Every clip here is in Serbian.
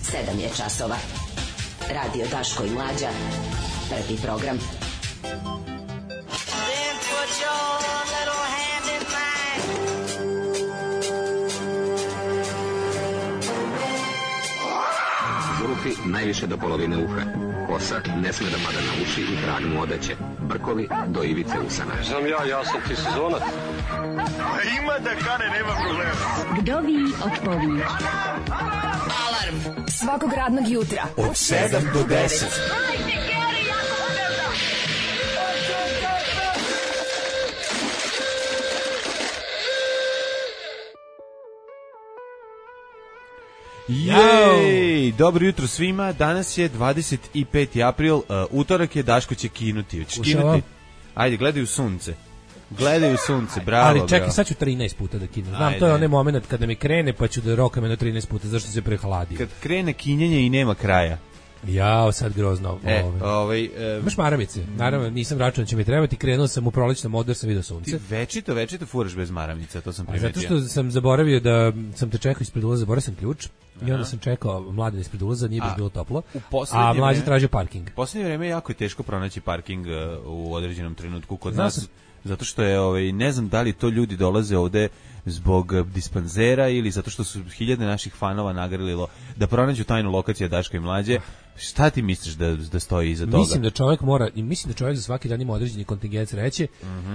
7 je časova. Radio Daško i Mlađa. Prvi program. Zvuki najviše do polovine uha. Kosa ne sme da mada na uši i trag mu odeće. Brkovi do ivice usana. Znam ja sam ti sezonac. Ima da kane, nema problema. Vdovi otpovi. Alarm svakog radnog jutra od 7 do 10. Jej, dobro jutro svima. Danas je 25. april, utorak je, Daško će kinuti. Hoćeš kinuti? Ajde, gledaj u sunce. Gledaj u sunce, bravo. Ali čekaj, sad ću 13 puta da kinem. Znam, ajde. To je onaj moment kada mi krene, pa ću da rokam jedno 13 puta, zašto se prehladi. Kad krene kinjenje i nema kraja. Jao, sad grozno. Imaš maramice? Naravno, nisam računao da će mi trebati, krenuo sam u prolećnom modu jer sam vidio sunce. Ti večito furaš bez maramica, to sam primetio. Zato što sam zaboravio da sam te čekao ispred ulaza, zaboravio sam ključ. I onda sam čekao Mladen ispred ulaza, nije baš bilo toplo, a Mlađe tražio parking. U poslednje vreme jako je teško pronaći parking u određenom trenutku kod nas. Zato što je, ne znam da li to ljudi dolaze ovde zbog dispanzera ili zato što su hiljade naših fanova nagrlilo da pronađu tajnu lokaciju Daška i Mlađe. Šta ti misliš da stoji iza toga? Mislim da čovjek za svaki dan ima određeni kontingent sreće,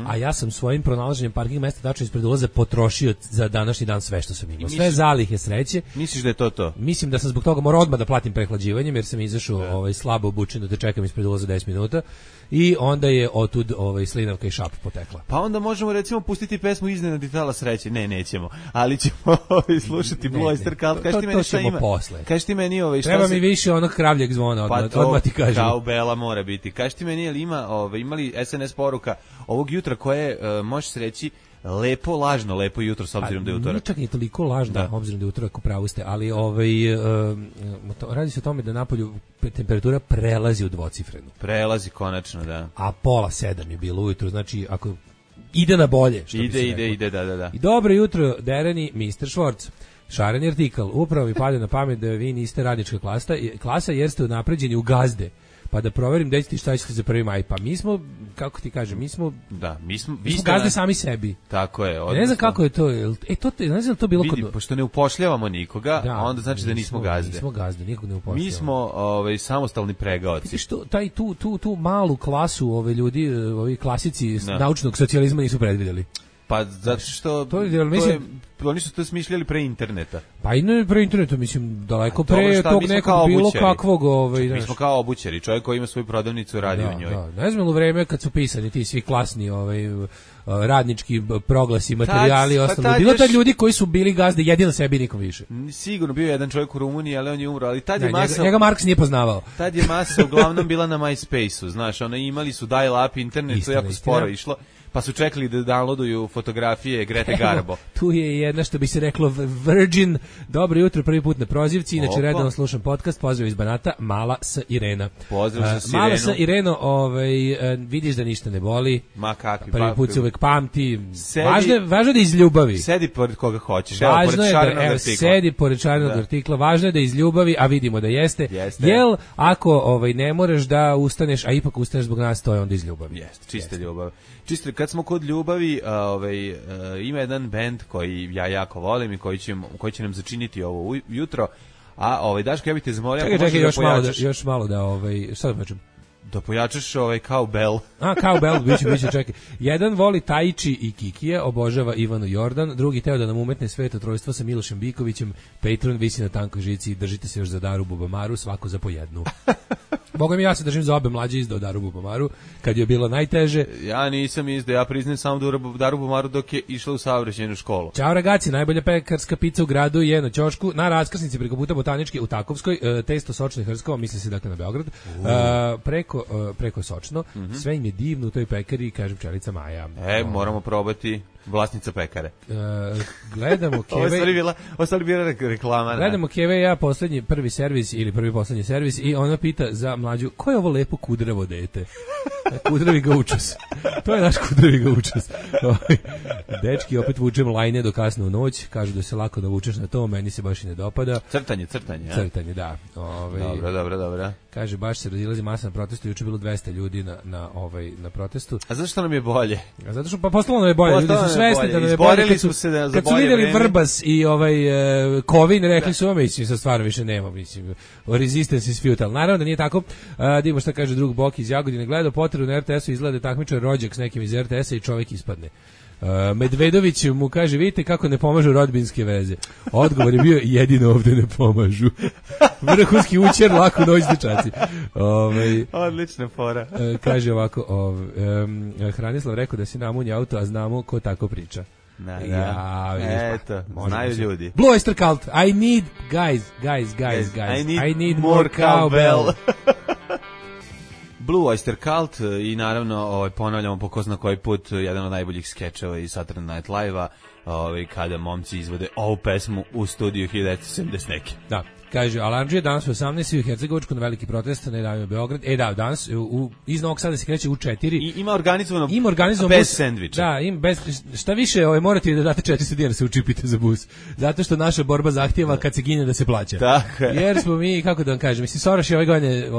a ja sam svojim pronalaženjem parking mesta tačno ispred ulaza potrošio za današnji dan sve što sam imao. Sve zalihe sreće. Misliš da je to? Mislim da sam zbog toga morao odmah da platim prehlađivanjem jer sam izašao slabo obučen da te čekam ispred ulaza 10 minuta i onda je otud slinavka i šap potekla. Pa onda možemo recimo pustiti pesmu Iznenadi tala sreće. Ne, nećemo. Ali ćemo slušati Blue Oyster Cult. Kaži ti meni šta ima. Kaži ti meni treba mi više onog kravljeg zvona, odmah ti kažem. Kao Bela mora biti. Kaži ti meni, ali imali SNS poruka ovog jutra koje možeš reći lepo jutro s obzirom da je utorak. Nije čak i toliko lažno obzirom da je utorak, u pravu ste, ali radi se o tome da napolju temperatura prelazi u dvocifrenu. Prelazi konačno, da. A 6:30 je bilo ujutro, znači ako ide na bolje, što bi se reklo. Ide, da. I dobro jutro, dereni Mr. Schwartz. Šareni artikl, upravo mi pade na pamet da vi niste radnička klasa jer ste unapređeni u gazde. Pa da proverim da ćete šta ćete za 1. maj. Pa mi smo, kako ti kažem, mi smo gazde sami sebi. Tako je. Ne znam kako je to. Ne znam to bilo vidi, pošto ne upošljavamo nikoga, onda znači da nismo gazde. Nismo gazde, nikog ne upošljavamo. Mi smo samostalni pregaoci. Što tu malu klasu ljudi, ovi klasici naučnog socijalizma nisu predvidjeli. Pa zato što oni su to smišljali pre interneta. Pa i ne pre interneta, mislim, daleko pre tog nekog bilo kakvog... Mi smo kao obućari, čovjek koji ima svoju prodavnicu radi u njoj. Da. Ne znam u vreme kad su pisani ti svi klasni radnički proglasi, materijali i ostalo. Bilo tad ljudi koji su bili gazde jedino sebi, nikom više. Sigurno bio jedan čovjek u Rumuniji, ali on je umro. Ali tad je masa... Njega Marks nije poznavao. Tad je masa uglavnom bila na MySpace-u, znaš, imali su dial-up internet, to jako sporo išlo. Pa su čekali da downloaduju fotografije Grete Garbo. Tu je jedna, što bi se reklo, Virgin. Dobro jutro, prvi put na prozivci. Inače, redovno slušam podcast. Pozdrav iz Banata, Mala s Irena. Pozdrav sa Irenu. Mala s Ireno, vidiš da ništa ne boli. Ma kakvi. Prvi put se uvek pamti. Važno je da iz ljubavi. Sedi pored koga hoćeš. Sedi pored šarenog artikla. Važno je da iz ljubavi, a vidimo da jeste. Jel, ako ne moraš da ustaneš, a ipak ustaneš zbog nas, to je onda iz ljubavi. Jeste, čista ljubav. Čisto, kad smo kod ljubavi, ima jedan bend koji ja jako volim i koji će nam začiniti ovo jutro, a Daško, ja bih te zamolio ako možeš da pojačaš. Još malo da, šta da počnem? Da pojačaš cowbell. Cowbell, biće, čekaj. Jedan voli Tajči i Kikije, obožava Ivanu Jordan, drugi teo da nam umetne sveto trojstvo sa Milošem Bikovićem, Patreon visi na tankoj žici, držite se još za Daru Bubamaru, svako za po jednu. Boga mi, ja se držim za obe, Mlađe izdao Daru Bubamaru, kad je bilo najteže. Ja nisam izdao, ja priznajem samo Daru Bubamaru dok je išla u saobraćajnu školu. Ćao ragazzi, najbolja pekarska pizza u gradu je na ćošku, na raskrsnici preko puta Botaničke u Takovskoj, testo sočno i hrskovo, misli se dakle na Beograd, preko sočno, sve im je divno u toj pekari, kaže pčelica Maja. Moramo probati. Vlasnica pekare. Gledamo Keve. Ovo je bila reklama. Gledamo Keve, ja prvi servis ili prvi poslednji servis i ona pita za Mlađu, ko je ovo lepo kudravo dete? Kudrvi ga učus. To je naš kudrvi ga učus. Dečki, opet vučem lajne do kasno u noć. Kažu da se lako navučeš na to, meni se baš i ne dopada. Crtanje. Crtanje, da. Dobro. Kaže, baš se razilazi masa na protestu. Juče bilo 200 ljudi na protestu. A zašto nam je bolje? A zato što postalo nam je bolje. Ljudi su svesni da nam je bolje. Izborili smo se za bolje vreme. Kad su vidjeli Vrbas i Kovin, rekli su, mislim, sad stvarno više nema, mislim, resistance is futile. Naravno da nije tako. Dimo šta kaže drug Bok iz Jagodine. Gledao potrebu na RTS-u, izgleda takmičar rođak s nekim iz RTS-a i čovjek ispadne. Medvedović mu kaže, vidite kako ne pomažu rodbinske veze. Odgovor je bio, jedino ovde ne pomažu. Vrhunski učer, lako noć dečaci. Odlična fora. Kaže ovako, Hranislav rekao da si namunja auto, a znamo ko tako priča. Eto, znaju ljudi. Blue Oyster Cult, I need, guys, I need more cowbell. Blue Oyster Cult i naravno ponavljamo po ko zna koji put jedan od najboljih skečeva iz Saturday Night Live-a kada momci izvode ovu pesmu u studiju 1970 neki. Da. Kaže, Alandžije danas u 18. u Hercegovačku na veliki protest, ne davimo Beograd. Danas iz Novog Sada se kreće u 4. I ima organizovano bez sendviča. Da, šta više, morate da date 400 dinara se učipite za bus. Zato što naša borba zahtjeva kad se gine da se plaća. Tako je. Jer smo mi, kako da vam kažem, mislim, Soros je ove godine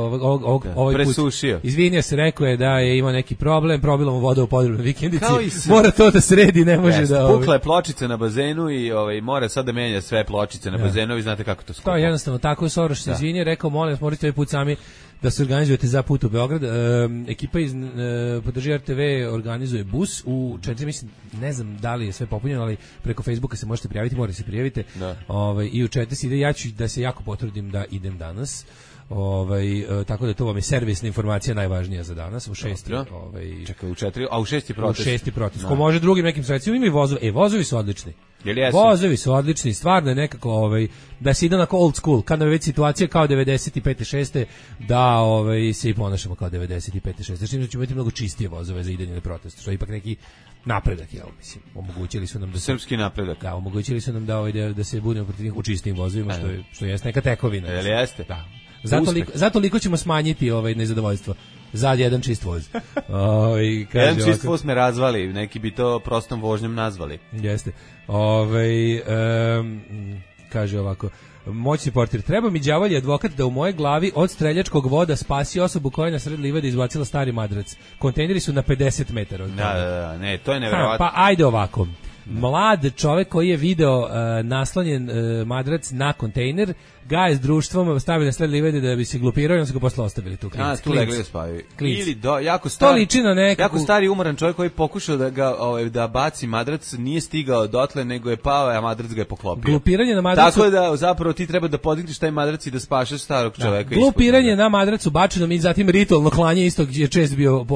ovaj presušio. Put izvinio se, rekao je da je imao neki problem u voda u podrobnoj vikendici. Mora to da sredi, ne može da... Pukla je pločica na bazenu i mora sad da menja sve pločice na bazenu, vi znate kako to skupo. Jednostavno tako, Soros se izvinio, rekao, molim vas, morate ovaj put sami da se organizujete za put u Beograd. Ekipa iz Podrži RTV organizuje bus u 4, mislim, ne znam da li je sve popunjeno, ali preko Facebooka se možete prijaviti, morate se prijavite. I u 4 se ide, ja ću da se jako potrudim da idem danas. Tako da to vam je servisna informacija najvažnija za danas u 6. Čekaj, u 4, a u 6 je protest. U 6 protest. Ko može drugim nekim sredstvima, ima i vozovi. Vozovi su odlični. Vozovi su odlični, stvarno je nekako da se ide onako old school, kad nam je već situacija kao 95. 6. da se i ponašamo kao 95. 6. Znači da ćemo imati mnogo čistije vozove za idenje na protest, što je ipak neki napredak, mislim, omogućili su nam da srpski napredak. Da, omogućili su nam da se budemo protiv njih u čistim vozovima, što je neka tekovina. Jeste? Da. Zato liko ćemo smanjiti nezadovoljstvo za jedan čist voz. Jedan čist voz me razvali, neki bi to prostom vožnjom nazvali. Jeste. Kaže ovako, moćni portir, treba mi đavolji advokat da u moje glavi od streljačkog voda spasi osobu koja je na sred livade izbacila stari madrac. Kontejneri su na 50 metara od toga. Da, ne, to je neverovatno. Pa ajde ovako. Mlad čovjek koji je video naslonjen madrac na kontejner, ga je s društvom stavili na sred livade da bi se glupirao i on se ga posle ostavili tu. Tu legli da spavaju. Ili jako stari umoran čovjek koji pokušao da ga da baci madrac, nije stigao dotle, nego je pao, a madrac ga je poklopio. Glupiranje na madracu. Tako da zapravo ti treba da podigneš taj madrac i da spašeš starog čovjeka. Glupiranje na madracu bačeno i zatim ritualno klanje isto je čest bio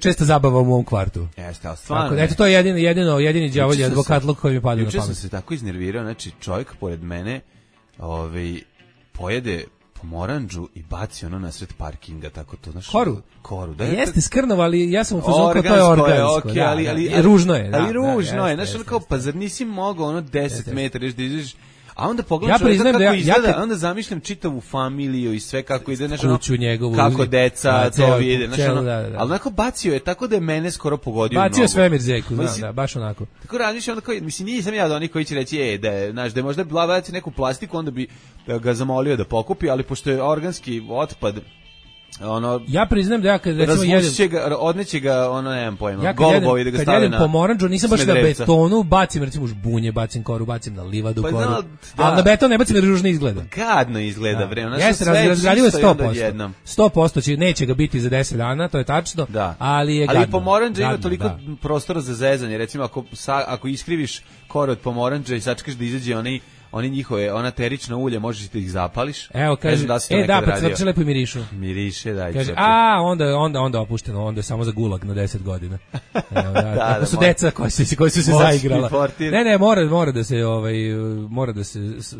česta zabava u mom kvartu. Jeste, al stvarno. Eto to je jedini đavolji advokatluk koji mi pada na pamet. Juče sam se tako iznervirao, znači čovjek pored mene pojede pomoranđu i baci ono na sred parkinga, tako to, znaš. Koru, da. Jeste skrnavo, ali ja sam u fazonu kao to je organsko. Ali ružno je. Ali ružno je, znaš, ono kao, pa zar nisi mogao ono 10 metara da izađeš. A onda pogledam kako izgleda, onda zamišljam čitavu familiju i sve kako ide, znaš, kako deca to vide, znaš, ali onako bacio je, tako da je mene skoro pogodio mnogo. Bacio svemir zeku, da, baš onako. Tako razmišljam, mislim, nisam ja da oni koji će reći, da je možda baci neku plastiku, onda bi ga zamolio da pokupi, ali pošto je organski otpad, ja priznam da ja kad recimo odneće ga nemam pojma, golubovi da ga stave na... Kad jedem pomoranđu, nisam baš na betonu, bacim recimo žbunje, bacim koru, bacim na livadu koru, ali na beton ne bacim jer ružno izgleda. Gadno izgleda, vremena. Jeste, razgradivo je 100%. 100% neće ga biti za 10 dana, to je tačno, ali je gadno. Ali pomoranđa ima toliko prostora za zezanje, recimo ako iskriviš koru od pomoranđa i sačekaš da izađe oni njihove, ona terična ulja, možeš da ih zapališ. Evo, kaže, pa crče lepo i mirišu. Miriše, daj. Kaže, onda opušteno, onda je samo za gulag na 10 godina. Tako su deca koji su se zaigrala. Ne,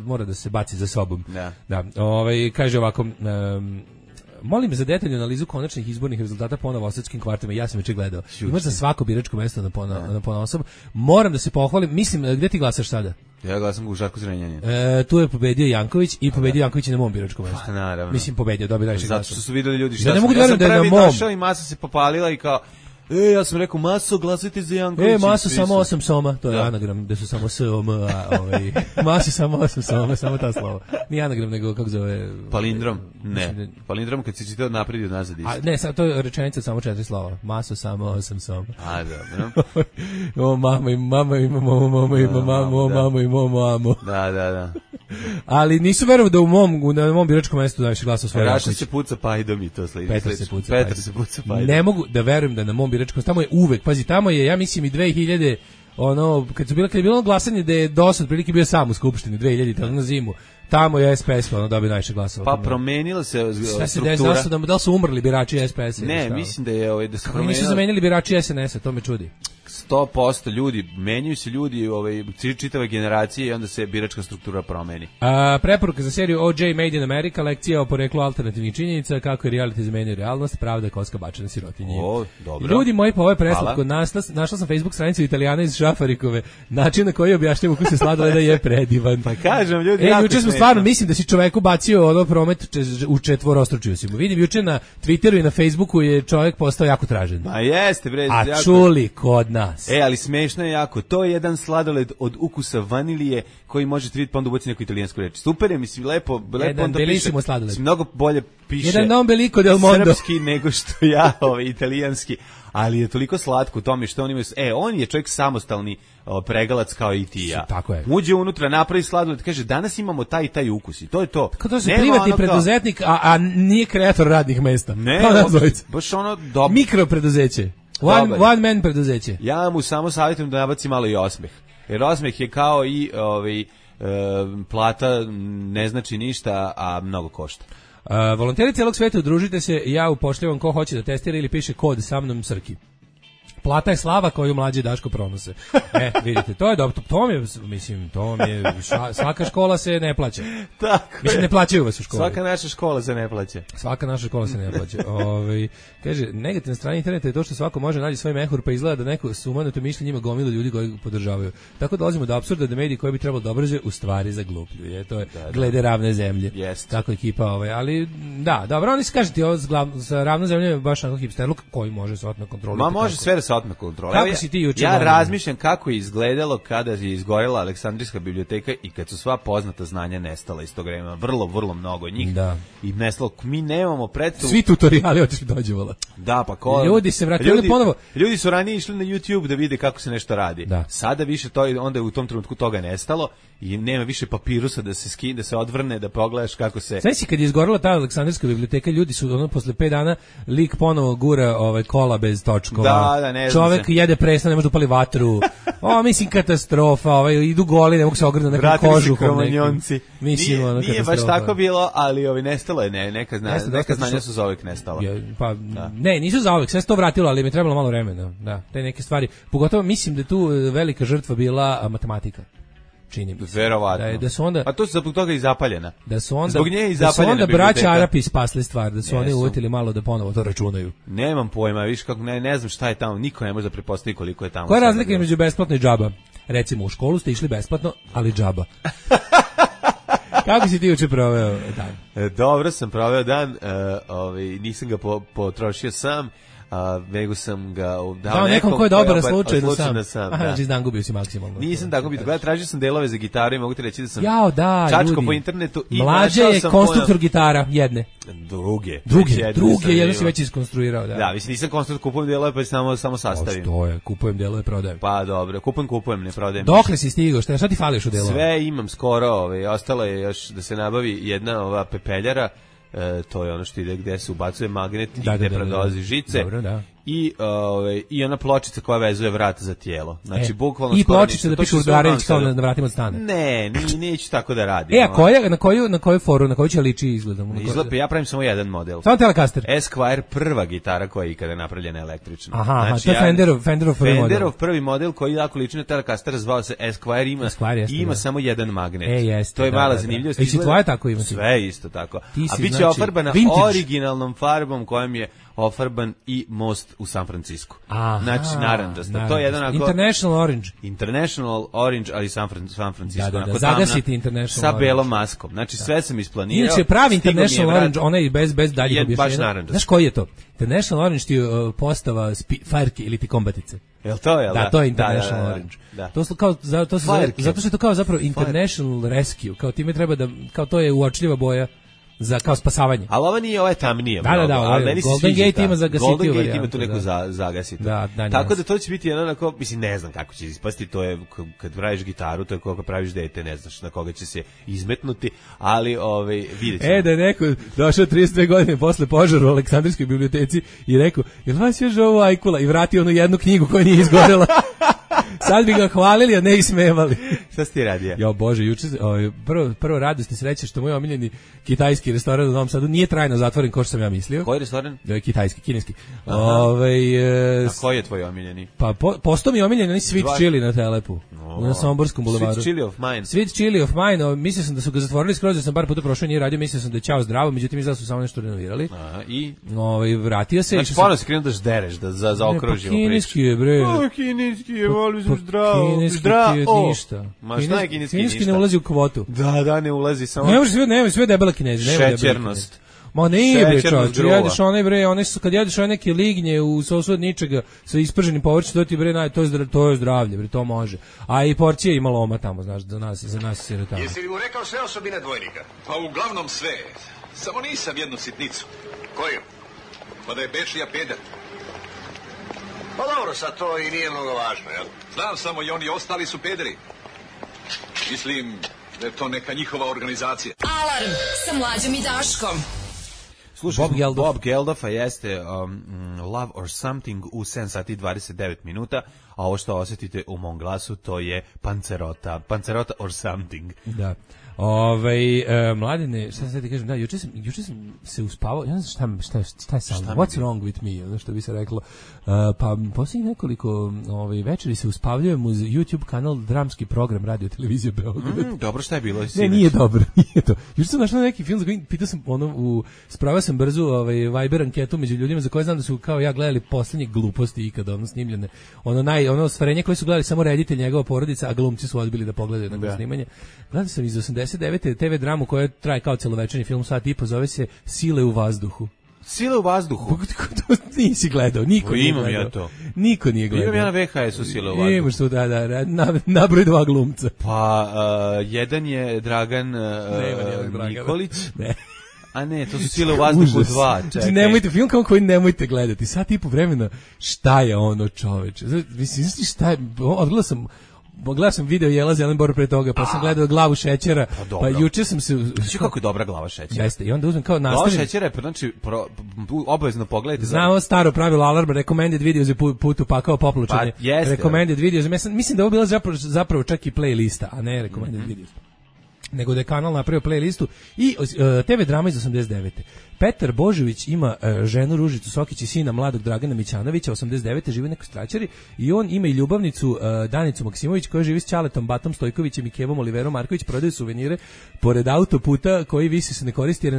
mora da se baci za sobom. Da. Kaže ovako, molim za detaljnu analizu konačnih izbornih rezultata po novosadskim kvartima. Ja sam već gledao. Imaš za svako biračko mesto na ponaosob. Moram da se pohvalim. Mislim, gde ti glasaš sada? Ja glasam u Žarku Zrenjanin. Tu je pobedio Janković i pobedio Janković i na mom biračkom mestu. Pa naravno. Mislim pobedio, dobio najviše glasova. Zato što su videli ljudi šta ja ne mogu sam. Ja sam da je prvi na mom. došao i masa se popalila i kao ja sam rekao, Maso, glasajte za Jankovića. Maso samo 8 soma, to je anagram, gde su samo S-O-M, Maso samo 8 soma, samo ta slova. Nije anagram, nego kako zove... Palindrom? Ne. Palindrom kad si čitao napred i nazad isto. Ne, sad to je rečenica samo 4 slova. Maso samo 8 soma. Dobro. O, mama i mama i mamo. Da. Ali nisu verovao da na mom biračkom mestu najviše glasao svoje. Raša se puca pajdom i to sledi. Petar se puca pajdom. Ne mogu da verujem da na mom biračkom, tamo je uvek, pazi, tamo je, ja mislim i 2000, kad je bilo glasanje da je dosad prilike bio sam u Skupštini 2000, na zimu, tamo je SPS dobio najviše glasova. Pa promenila se struktura. Da li su umrli birači SPS-a? Ne, mislim da je da se promenila. Nisu zamenili birači SNS-a, to me čudi. 100% ljudi, menjaju se ljudi, čitave generacije i onda se biračka struktura promeni. Preporuka za seriju OJ Made in America, lekcija o poreklu alternativnih činjenica, kako je reality zamenio realnost, pravda je koska bačena sirotinji. Dobro. Ljudi moji, pa ovo je preslatko. Našla sam Facebook stranicu Italijana iz Šafarikove. Način na koji objašnjava ukus je sladoleda je predivan. Pa kažem, ljudi, juče smo stvarno, mislim da si čoveku bacio promet u četvorostručio si mu. Vidim, juče na Twitteru i na Facebooku je čovek postao jako tražen. Ma jeste, bre. A čuli kod nas. Ali smešno je jako. To je jedan sladoled od ukusa vanilije koji možete vidjeti pa onda ubaci neku italijansku reč. Super je, mislim, lepo onda piše. Mnogo bolje piše jedan non belico del mondo srpski nego što ja italijanski, ali je toliko slatko u tome što on ima. On je čovjek samostalni pregalac kao i ti ja. Tako je. Uđe unutra, napravi sladoled, kaže danas imamo taj i taj ukus i to je to. Kao to se privatni preduzetnik, a nije kreator radnih mesta. Ne, baš dobro. Mikropreduzeće. One man preduzeće. Ja mu samo savjetujem da nabaci malo i osmeh. Jer osmeh je kao i plata ne znači ništa, a mnogo košta. Volonteri cijelog sveta, udružite se, ja upošljavam ko hoće da testira ili piše kod sa mnom Srki. Plata je slava koju mlađi Daško pronose. Vidite, to je dobro. Svaka škola se ne plaća. Tako mislim, ne plaćaju vas u školi. Svaka naša škola se ne plaća. Kaže, negativna strana interneta je to što svako može naći svoj mehur, pa izgleda da neko sumanuto mišljenje ima gomilu ljudi koji ga podržavaju. Tako dolazimo do apsurda da mediji koji bi trebalo da obrazuju u stvari zaglupljuju. To je glede ravne zemlje. Tako ekipa, ali da, dobro, oni se kažete sa ravnom zemljom je baš onako hipsterluk koji može se otme kontrolirati. Ma može sve da se otme kontrole. Kako si ti juče? Ja razmišljam kako je izgledalo kada je izgorela Aleksandrijska biblioteka i kad su sva poznata znanja nestala iz tog vremena. Vrlo mnogo njih. Da. I nestalo. Mi nemamo predstavu. Svi tutoriali otišli dođevala. Da, pa ko? Ljudi se vratili ponovo. Ljudi su ranije išli na YouTube da vide kako se nešto radi. Da. Sada više onda je u tom trenutku toga nestalo i nema više papirusa da se skine, da se odvrne, da pogledaš kako se. Sve si kad je izgorela ta Aleksandrijska biblioteka, ljudi su posle 5 dana lik ponovo gura kola bez točkova. Da, ne čovek jede presno, ne može da upali vatru. Mislim katastrofa, idu goli, ne mogu se ogrnuti nekom kožuhom. Mislim, nije baš tako bilo, ali nestalo je, neka znanja su zauvek nestala. Pa ne, nisu zauvek, sve se to vratilo, ali mi je trebalo malo vremena. Da, te neke stvari. Pogotovo mislim da je tu velika žrtva bila matematika. Čini mi se. Verovatno. Da su onda, a to su zbog toga i zapaljena. Zbog nje i zapaljena. Da su onda braća Arapi spasli stvar, da su oni uvetili malo da ponovo to računaju. Nemam pojma, viš kako ne znam šta je tamo, niko ne može da pretpostavi koliko je tamo. Koja je razlika između besplatno i džaba? Recimo u školu ste išli besplatno, ali džaba. Kako si ti juče proveo dan? Dobro sam proveo dan, nisam ga potrošio sam. Nego sam ga dao nekom ko je dobar slučajno sam. Znači dan gubio si maksimalno. Nisam tako bio. Tražio sam delove za gitaru i mogu ti reći da sam čačko po internetu i mlađe je konstruktor gitara jedne. Druge, jedno si već iskonstruirao. Da, mislim nisam konstruktor, kupujem delove pa samo sastavim. To je, kupujem delove, prodajem. Pa dobro, kupujem, ne prodajem. Dokle si stigao? Šta ti fališ u delove? Sve imam skoro, ostalo je još da se nabavi jedna ova pepeljara. To je ono što ide gde se ubacuje magnet i gde prolazi žice. Dobro, da. I ona pločica koja vezuje vrat za tijelo. Znači bukvalno i pločica da piše Urdarević kao na vratima od stana. Ne, neću tako da radim. A na koju foru, na koju će liči izgledamo? Izgleda, ja pravim samo jedan model. Samo Telecaster. Esquire, prva gitara koja je ikada napravljena električno. Aha, znači, to je Fenderov prvi model. Fenderov prvi model koji jako liči na Telecaster, zvao se Esquire, ima samo jedan magnet. To je mala zanimljivost. I tvoje tako ima. Sve isto tako. A biće ofarbana originalnom farbom kojom je ofarban i most u San Francisco. Aha, znači narandžasta. To je jedan onako International Orange. International Orange, ali San Francisco. Da, onako zagasiti tamna, International sa Orange. belom maskom. Znači sve sam isplanirao. Inače pravi stigao mi je International vrat. Orange, onaj bez daljih Je baš objašnjenja. narandžast. Znaš koji je to? International Orange ti je postava farke ili ti kombatice. Jel to je? Da, to je International Orange. Da. To su kao zato što je to kao zapravo International Rescue, kao time treba da kao to je uočljiva boja za kao spasavanje. Ali ova nije, ova je tamnija. Da, ali meni se Golden sviđa Gate ta. ima zagasitiju Golden Gate varijantu, ima tu neku zagasitiju. Da, tako da to će biti jedan onako, mislim, ne znam kako će ispasti, to je kad praviš gitaru, to je kako praviš dete, ne znaš na koga će se izmetnuti, ali vidjet ćemo. Da je neko došao 32 godine posle požara u Aleksandrijskoj biblioteci i rekao, jel vas još ovo ajkula? I vratio onu jednu knjigu koja nije izgorela. Sad bi ga hvalili, a ne ismevali. Šta si ti radio? Jo Bože, juče prvo radost i sreća što moj omiljeni kitajski restoran u Novom Sadu nije trajno zatvoren kao što sam ja mislio. Koji restoran? Kitajski, kineski. A koji je tvoj omiljeni? Pa postao mi omiljeni onaj Sweet Chili na Telepu. Na Somborskom bulevaru. Sweet Chili of Mine. Sweet Chili of Mine, mislio sam da su ga zatvorili skroz, da sam bar puta prošao, nije radio, mislio sam da je ćao zdravo, međutim izgleda su samo nešto renovirali. I? Vratio se. Znači, ponovno si krenuo da ždereš, da zaokružimo priču. Kineski je, bre. Kineski je, volim sam zdravo. Kineski ti je ništa. Ma šta je kineski ništa? Kineski ne ulazi u kvotu. Da, ne ulazi samo. Ne, sve debela Kinezi. Šećernost. Ma ne bre, čovječe, jedeš onaj bre, kad jedeš one neke lignje u sosu od ničega sa isprženim povrćem, to ti bre, to je zdravlje, bre, to može. A i porcija ima loma tamo, znaš, za nas sirotama. Jesi li mu rekao sve osobine dvojnika? Pa uglavnom sve. Samo nisam jednu sitnicu. Koju? Pa da je Bečija peder. Pa dobro, sad to i nije mnogo važno, jel? Znam samo i oni ostali su pederi. Mislim da je to neka njihova organizacija. Alarm sa Mlađom i Daškom. Slušaj, Bob Geldof, a jeste Love or Something u 7 sati i 29 minuta, a ovo što osjetite u mom glasu to je Pancerota or Something. Da. Mladine, šta sad ti kažem, da, juče sam se uspavao, ja ne znam šta je sa mnom, what's wrong with me, ono što bi se reklo, pa posljednjih nekoliko večeri se uspavljujem uz YouTube kanal Dramski program Radio Televizije Beograd. Dobro, šta je bilo? Ne, nije dobro, nije to. Juče sam našao neki film za koji pitao sam, spravio sam brzo Viber anketu među ljudima za koje znam da su kao ja gledali poslednje gluposti ikada, snimljene, ono ostvarenje koje su gledali samo reditelj, njegova porodica, a glumci su odbili da pogledaju nakon snimanja. Gledao sam iz 89. TV dramu koja traje kao celovečerni film, sat i po, zove se Sile u vazduhu. Sile u vazduhu? To nisi gledao, niko nije gledao. Imam ja to. Niko nije gledao. Imam ja na VHS-u Sile u vazduhu. Imaš tu, nabroj 2 glumca. Pa, jedan je Dragan Nikolić. Ne. A ne, to su Sile u vazduhu 2. Znači, nemojte, film kao koji nemojte gledati. Sat i po vremena, šta je ono, čoveče? Mislim, šta je, gledao sam video Jela Zelenbor pre toga, pa sam gledao Glavu šećera, pa juče sam se... Znači kako je dobra Glava šećera? Jeste, i onda uzmem kao nastavim... Glava šećera je, znači, obavezno pogledajte... Znamo staro pravilo alarma, recommended videos je put upakao poplučanje. Pa jeste. Recommended videos, mislim da je ovo bila zapravo čak i playlista, a ne recommended videos. Nego da je kanal napravio playlistu i TV drama iz 89. Petar Božović ima ženu Ružicu Sokić i sina mladog Dragana Mićanovića, 89. žive u nekoj straćari, i on ima i ljubavnicu Danicu Maksimović koja živi s Ćaletom Batom Stojkovićem i Kevom Oliverom Marković, prodaju suvenire pored autoputa koji više se ne koristi jer je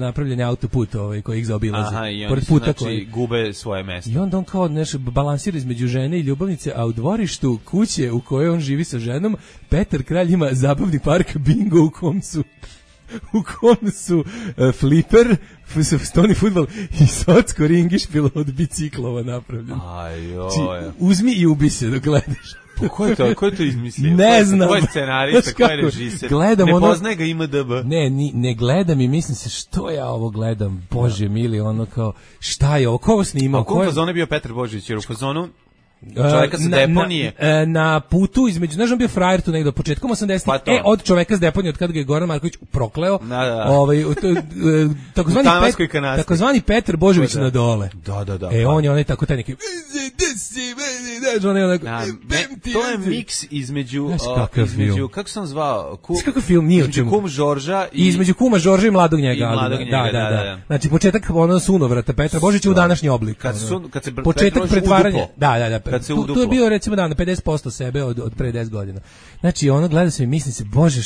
napravljen autoput koji ih zaobilazi. Aha, i pored oni puta znači gube svoje mesto. I onda on kao balansira između žene i ljubavnice, a u dvorištu kuće u kojoj on živi sa ženom, Petar Kralj ima zabavni park Bingo u kom su fliper, stoni fudbal i socko ringišpil od biciklova napravljen. Uzmi i ubi se dok gledaš. Ko je to izmislio? Ne znam. Ko je scenarista, ko je režiser? Ne poznaje ga IMDb. Ne gledam i mislim se što ja ovo gledam. Bože mili, ono kao šta je ovo, ko ovo snimao? A u kom fazonu je bio Petar Božović? Jer u fazonu čoveka sa deponije. Na putu između, znaš, on bio frajer tu negdje početkom 80-ih, od čoveka s deponije, od kada ga je Goran Marković prokleo, takozvani Petar Božović na dole. Da. On je onaj tako taj neki To je miks između kako sam zvao, kakav film nije između kum Žorža i između kuma Žorža i mladog njega, da. Znači početak sunovrata Petra Božića u današnji oblik. Kad se početak pretvaranja, da. Tu je bio recimo na 50% sebe od pre 10 godina. Znači ono gleda se i misli se, bože,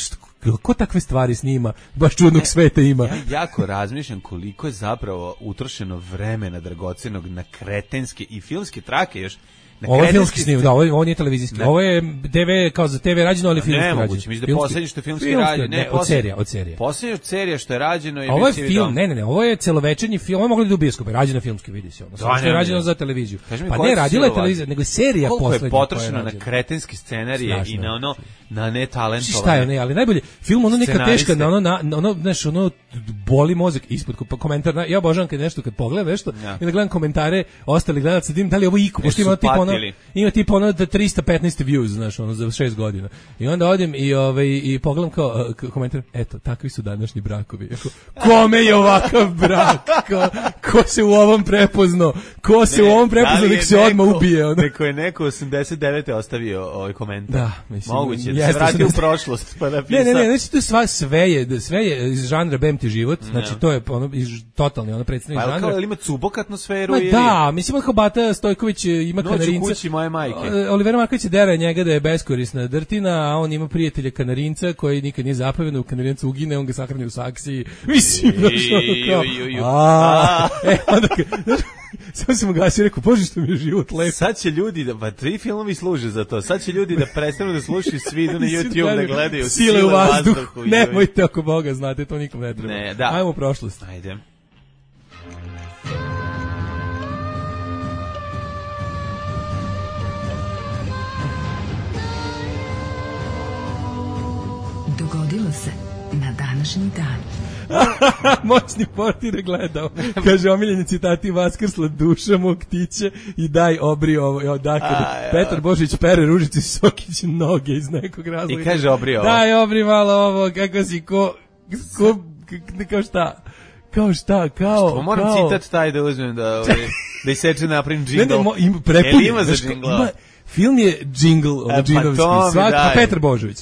ko takve stvari snima, baš čudnog sveta ima. Ja jako razmišljam koliko je zapravo utrošeno vremena dragocenog na kretenske i filmske trake još. Ovo je filmski snim, da, ovo nije televizijski. Ovo je TV, kao za TV rađeno, ali filmski rađeno. Nemoguće, mislim da poslednje što je filmski rađeno. Ne, od serija. Poslednje od serija što je rađeno je... Ovo je film, ne, ovo je celovečernji film, ovo je moglo da je u bioskope, rađeno filmski, vidi se ono. Što je rađeno za televiziju. Pa ne, radila je televizija, nego je serija poslednja. Koliko je potrošeno na kretenske scenarije i na ono, na netalentovane. Šta je, ne, ali najbolje, film ono neka teška, znaš, ono boli mozak ispod komentar. Ja obožavam kad nešto, kad pogledam nešto, i da gledam komentare ostalih gledalaca, da li ovo iko, pošto ima tipa ono da 315 views, znaš, ono za 6 godina. I onda odim i pogledam kao komentar, eto, takvi su današnji brakovi. Kome je ovakav brak? Ko se u ovom prepoznao? Nek se odmah ubije. Ono. Neko je 89. ostavio ovaj komentar. Da, mislim. Moguće, da se vrati u prošlost pa napisao. Ne, znači to sve je iz žanra Bem ti život, znači to je ono totalni ono predstavnik žanra. Pa kao ima cubok atmosferu ili? Da, mislim kao Bata Stojković ima Kanarinca. Noć u kući moje majke. Olivera Marković je dera njega da je beskorisna drtina, a on ima prijatelja Kanarinca koji nikad nije zapaven, u Kanarincu ugine, on ga sahrani u saksiji. Mislim, onda samo sam ugasio i rekao, bože što mi je život lep. Sad će ljudi, pa 3 filmovi služe za to, sad će ljudi da prestanu da slušaju, svi idu na YouTube da gledaju Sile u vazduhu. Nemojte oko Boga, znate, to nikom ne treba. Ne, da. Ajmo u prošlost. Ajde. Dogodilo se na današnji dan. Moćni portir je gledao. Kaže, omiljeni citati: vaskrsla duša mog tiće i daj obri ovo. Dakle, Petar Božić pere Ružici Sokić noge iz nekog razloga. I kaže obri ovo. Daj obri malo ovo, kako si, kao šta, kao... Moram citat taj da uzmem da iseče napravim džingl. Ima za džingla. Film je džingl, džinovski, Petar Božović.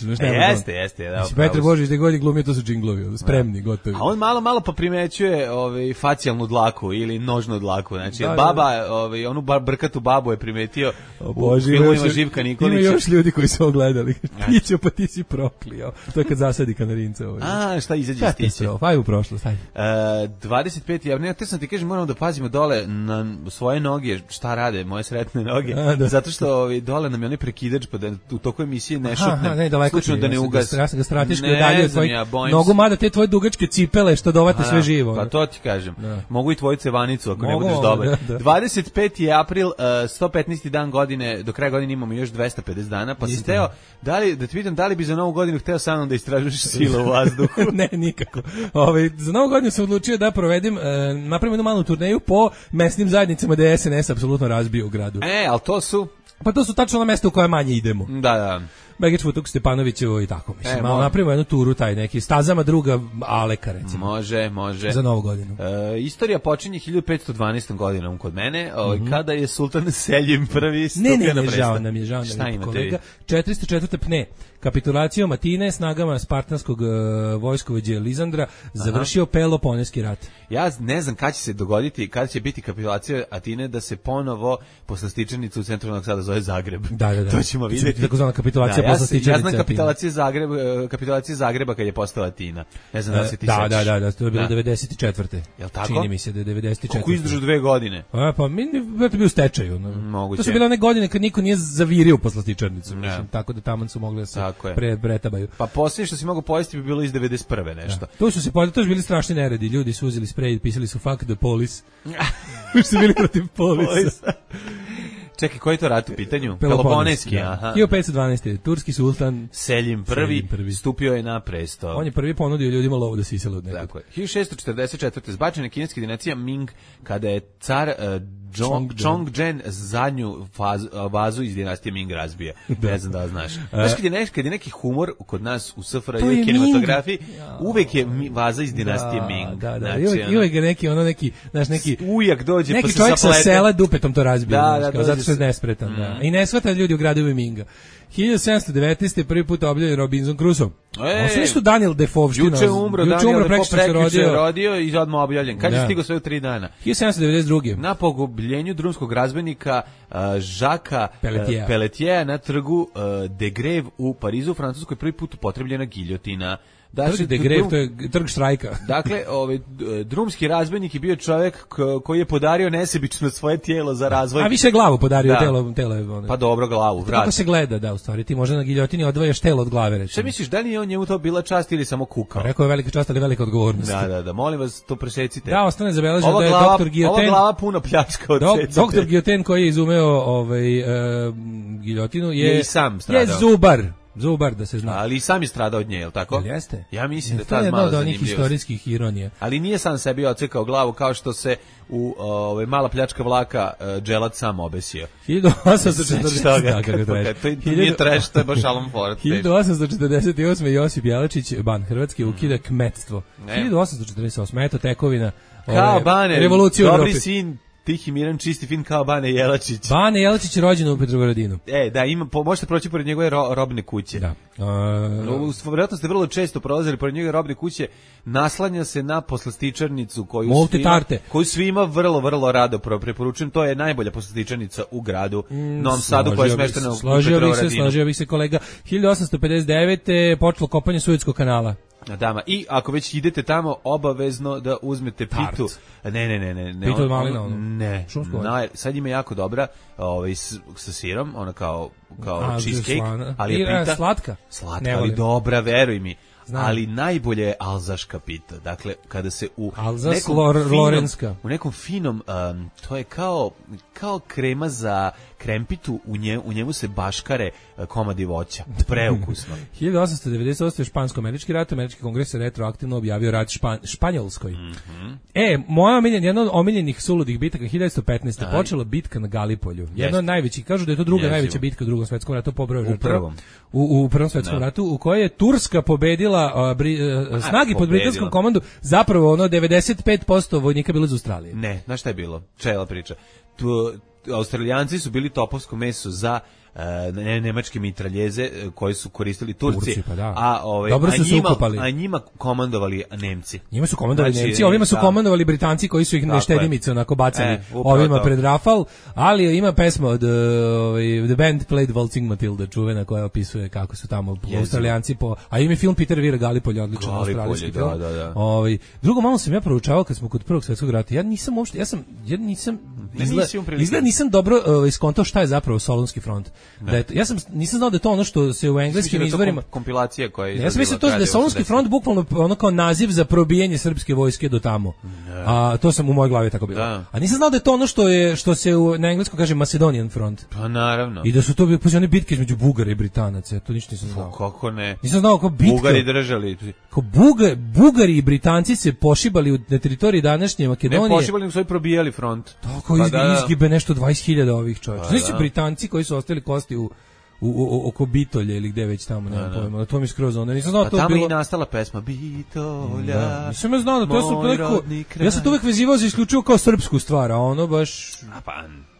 Jeste. Petar Božović da god je glumio, to su džinglovi, spremni, gotovi. A on malo pa primećuje facijalnu dlaku ili nožnu dlaku. Znači, baba, onu brkatu babu je primetio u filmovima Živka Nikolića. Ima još ljudi koji su ogledali. Tićo, pa ti si proklio. To je kad zasadi Kanarinca. Šta izađe iz tiće? Aj u prošlost, ajde. 25. Ja te sam ti kažem, moramo da pazimo dole na svoje noge, šta rade moje sretne noge. Zato što dole nam je onaj prekidač, pa da u toku emisije ne šutnem, slučajno da ne ugas. Ja sam ga strateški udalio od tvojih nogu, mada te tvoje dugačke cipele što dovate sve živo. Pa to ti kažem. Mogu i tvoju cevanicu ako ne budeš dobar. 25. april, 115. dan godine, do kraja godine imamo još 250 dana, pa sam teo, da ti pitam, da li bi za novu godinu hteo sa mnom da istražuješ Sile u vazduhu? Ne, nikako. Za novu godinu sam odlučio da provedem, napravim jednu malu turneju po mesnim zajednicama da je SNS apsolutno razbio u gradu. Ali to su... Pa to su tačno na mesta u koje manje idemo. Da. Begić Futuk, Stepanovićevo i tako, mislim. Malo napravimo jednu turu, taj neki stazama druga Aleka, recimo. Može. Za novu godinu. Istorija počinje 1512. godinom kod mene, kada je Sultan Seljim prvi stupio na presto. Žao nam je kolega. 404. pne. Kapitulacijom Atine snagama spartanskog vojskovođe Lizandra završio Peloponeski rat. Ja ne znam kada će se dogoditi, kada će biti kapitulacija Atine da se ponovo poslastičarnica u centru Novog Sada zove Zagreb. Da. To ćemo vidjeti. Takozvana kapitulacija poslastičarnice. Ja znam kapitulacija Zagreba kad je postala Atina. Ne znam da se ti sećaš. Da, to je bilo 94. Jel tako? Čini mi se da je 94. Kako izdržu 2 godine? Pa mi je bio stečaj. Moguće. To su bile one godine kad niko nije zavirio poslastičarnicu. Tako da taman su mogli da se pretabaju. Pa posljednje što si mogu pojesti bi bilo iz 91. nešto. To su bili strašni neredi. Ljudi su uzeli sprej, pisali su fuck the police. Su bili protiv polisa. Čekaj, koji je to rat u pitanju? Peloponeski. 1512. Turski sultan Seljim prvi stupio je na presto. On je prvi ponudio ljudima lovu da sisele od nekog. Tako je. 1644. zbačena kineska dinastija Ming kada je car Chongzhen zadnju vazu iz dinastije Ming razbio. Ne znam da znaš. Znaš kad je neki humor kod nas u SFRJ kinematografiji, uvek je vaza iz dinastije Ming. Da. I uvek je neki, znaš, neki ujak dođe pa se neki čovjek sa sela dupetom to razbio. Da, što je nespretan, da. I ne shvata ljudi u gradu Minga. 1719. prvi put objavljen Robinson Crusoe. Ovo su nešto Daniel Defoe-ština. Juče umro Daniel Defoe, se rodio i odmah objavljen. Kad je stigao sve u 3 dana? 1792. Na pogubljenju drumskog razbojnika Žaka Pelletiera na trgu de Greve u Parizu, u Francuskoj, prvi put upotrebljena giljotina. Trg de Greve, to je trg štrajka. Dakle, drumski razbojnik je bio čovjek koji je podario nesebično svoje tijelo za razvoj. A više glavu podario, telo. Pa dobro, glavu, vrat. Kako se gleda, da, u stvari, ti možda na giljotini odvajaš telo od glave, recimo. Šta misliš, da li je on njemu to bila čast ili samo kukao? Rekao je velika čast, ali velika odgovornost. Da, molim vas, to presecite. Da, ostane zabeleženo da je doktor Guillotin. Ova glava puno pljačka od secite. Doktor Guillotin koji je izumeo giljotinu je sam stradao. Zubar, da se zna. Ali i sam je stradao od nje, je li tako? Jel jeste? Ja mislim da to je malo jedna od onih historijskih ironija. Ali nije sam sebi ocekao glavu kao što se u mala pljačka vlaka dželat sam obesio. 1840. To nije trash, to je baš Alan Ford. 1848. Josip Jelačić, ban Hrvatske, ukida kmetstvo. 1848. Eto tekovina revolucije u Evropi. Dobri sin, tihi, miran, čisti, fin kao Bane Jelačić. Bane Jelačić je rođen u Petrovaradinu. Da, možete proći pored njegove robne kuće. Da. Vjerojatno ste vrlo često prolazili pored njegove robne kuće, naslanja se na poslastičarnicu koju svima vrlo, vrlo rado preporučujem. To je najbolja poslastičarnica u gradu Novom Sadu koja je smeštena u Petrovaradinu. Složio bih se, kolega. 1859. počelo kopanje Suetskog kanala. Dama, i ako već idete tamo, obavezno da uzmete pitu. Ne. Pitu od malina, ne. Sad ima jako dobra, sa sirom, ona kao cheesecake, ali je pita slatka, ali dobra, veruj mi. Ali najbolje je alzaška pita. Dakle, kada se u nekom finom, to je kao krema za krempitu, u njemu se baškare komadi voća. Preukusno. 1898. Špansko-američki rat, američki kongres je retroaktivno objavio rat Španjolskoj. Jedna od omiljenih suludih bitaka 1915. počela bitka na Galipolju. Jedna od najvećih, kažu da je to druga najveća bitka u Drugom svetskom ratu po broju žrtava. U Prvom svetskom ratu, u kojoj je Turska pobedila snagi pod britanskom komandu, zapravo 95% vojnika bilo iz Australije. Ne, znaš šta je bilo? Čela priča. Australijanci su bili topovsko meso za nemačke mitraljeze koje su koristili Turci, dobro su se ukopali. A njima komandovali Nemci. Njima su komandovali Nemci, ovima su komandovali Britanci koji su ih neštedimice onako bacali ovima pred rafal, ali ima pesma od The Band Played Waltzing Matilda, čuvena, koja opisuje kako su tamo Australijanci a ima film Peter Weir Gallipolje, odličan australijski film. Drugo, malo sam ja proučavao kad smo kod Prvog svjetskog rata, ja nisam dobro iskontao šta je zapravo Solunski front. Nisam znao da je to ono što se u engleskim izvorima kompilacija koja je. Ja sam mislio da je Solunski front bukvalno ono kao naziv za probijanje srpske vojske do tamo. A to sam u mojoj glavi tako bilo. A nisam znao da je to ono što se na engleskom kaže Macedonian front. Pa naravno. I da su to bile bitke između Bugara i Britanaca. To ništa nisam znao. Kako ne? Nisam znao kako bitka. Bugari držali. Kao Bugari i Britanci se pošibali na teritoriji današnje Makedonije. Ne pošibali, nego su probijali front. Tako izgibe nešto 20.000 ovih čovjeka. Znači Britanci koji su ostali kosti oko Bitolje ili gde već tamo, nemam pojma. To mi skroz onda. Nisam znao da to bilo. Tamo i nastala pesma Bitolja. Nisam znao da to su toliko. Ja sam to uvek vezivao za isključivo kao srpsku stvar, a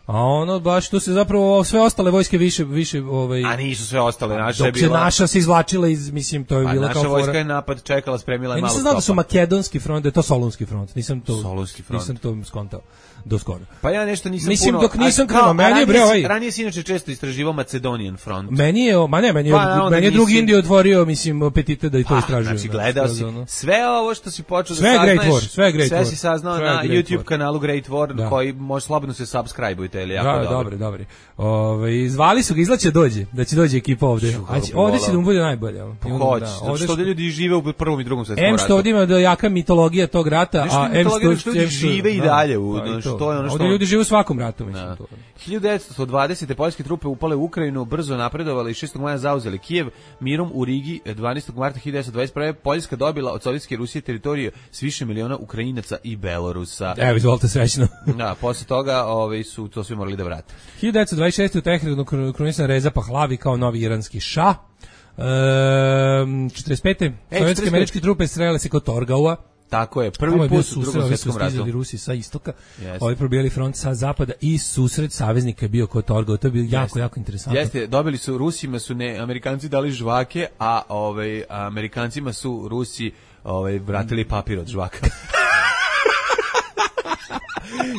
ono baš to se zapravo sve ostale vojske više A nisu sve ostale, naša je bila. Dok se naša se izvlačila iz, mislim, to je bila kao naša vojska je napad čekala, spremila je malo. Nisam znao da su makedonski front, da je to Solunski front. Nisam to skontao do skoro. Pa ja nešto nisam puno. Dok nisam krenuo, meni je ranije si inače često istraživao Macedonian front. Meni je drugi Indije otvorio, mislim, apetite da i to istražujem. Znači gledao si sve ovo što si počeo da saznaš. Sve si saznao na YouTube kanalu Great War, koji može slobodno se subscribe-ujte, ili jako dobro. Dobro. Zvali su ga, izlaće da će dođe ekipa ovde. Ovde će da mu bude najbolje. Hoće, zato što ovde ljudi žive u Prvom i Drugom svetskom ratu. Što ovde ima jaka mitologija tog rata, a što ljudi žive i dalje. Ovdje ljudi žive u svakom ratu, mislim. 1920. poljske trupe upale u Ukrajinu, brzo napredovali i 6. maja zauzeli Kijev, mirom u Rigi 12. marta 1921. Poljska dobila od Sovjetske Rusije teritorije s više miliona Ukrajinaca i Belorusa. Evo, izvolite srećno. Posle toga su to svi morali da vrate. 1926. u Teheranu krunisan Reza Pahlavi kao novi iranski šah. 45. Sovjetske američke trupe srele se kod Torgaua. Tako je, prvi put u Drugom svjetskom ratu. Rusi sa istoka, ovi probijali front sa zapada i susret saveznika je bio kod Torgau. To je bilo jako interesantno. Jeste, dobili su Rusima su Amerikanci dali žvake, a Amerikancima su Rusi vratili papir od žvaka.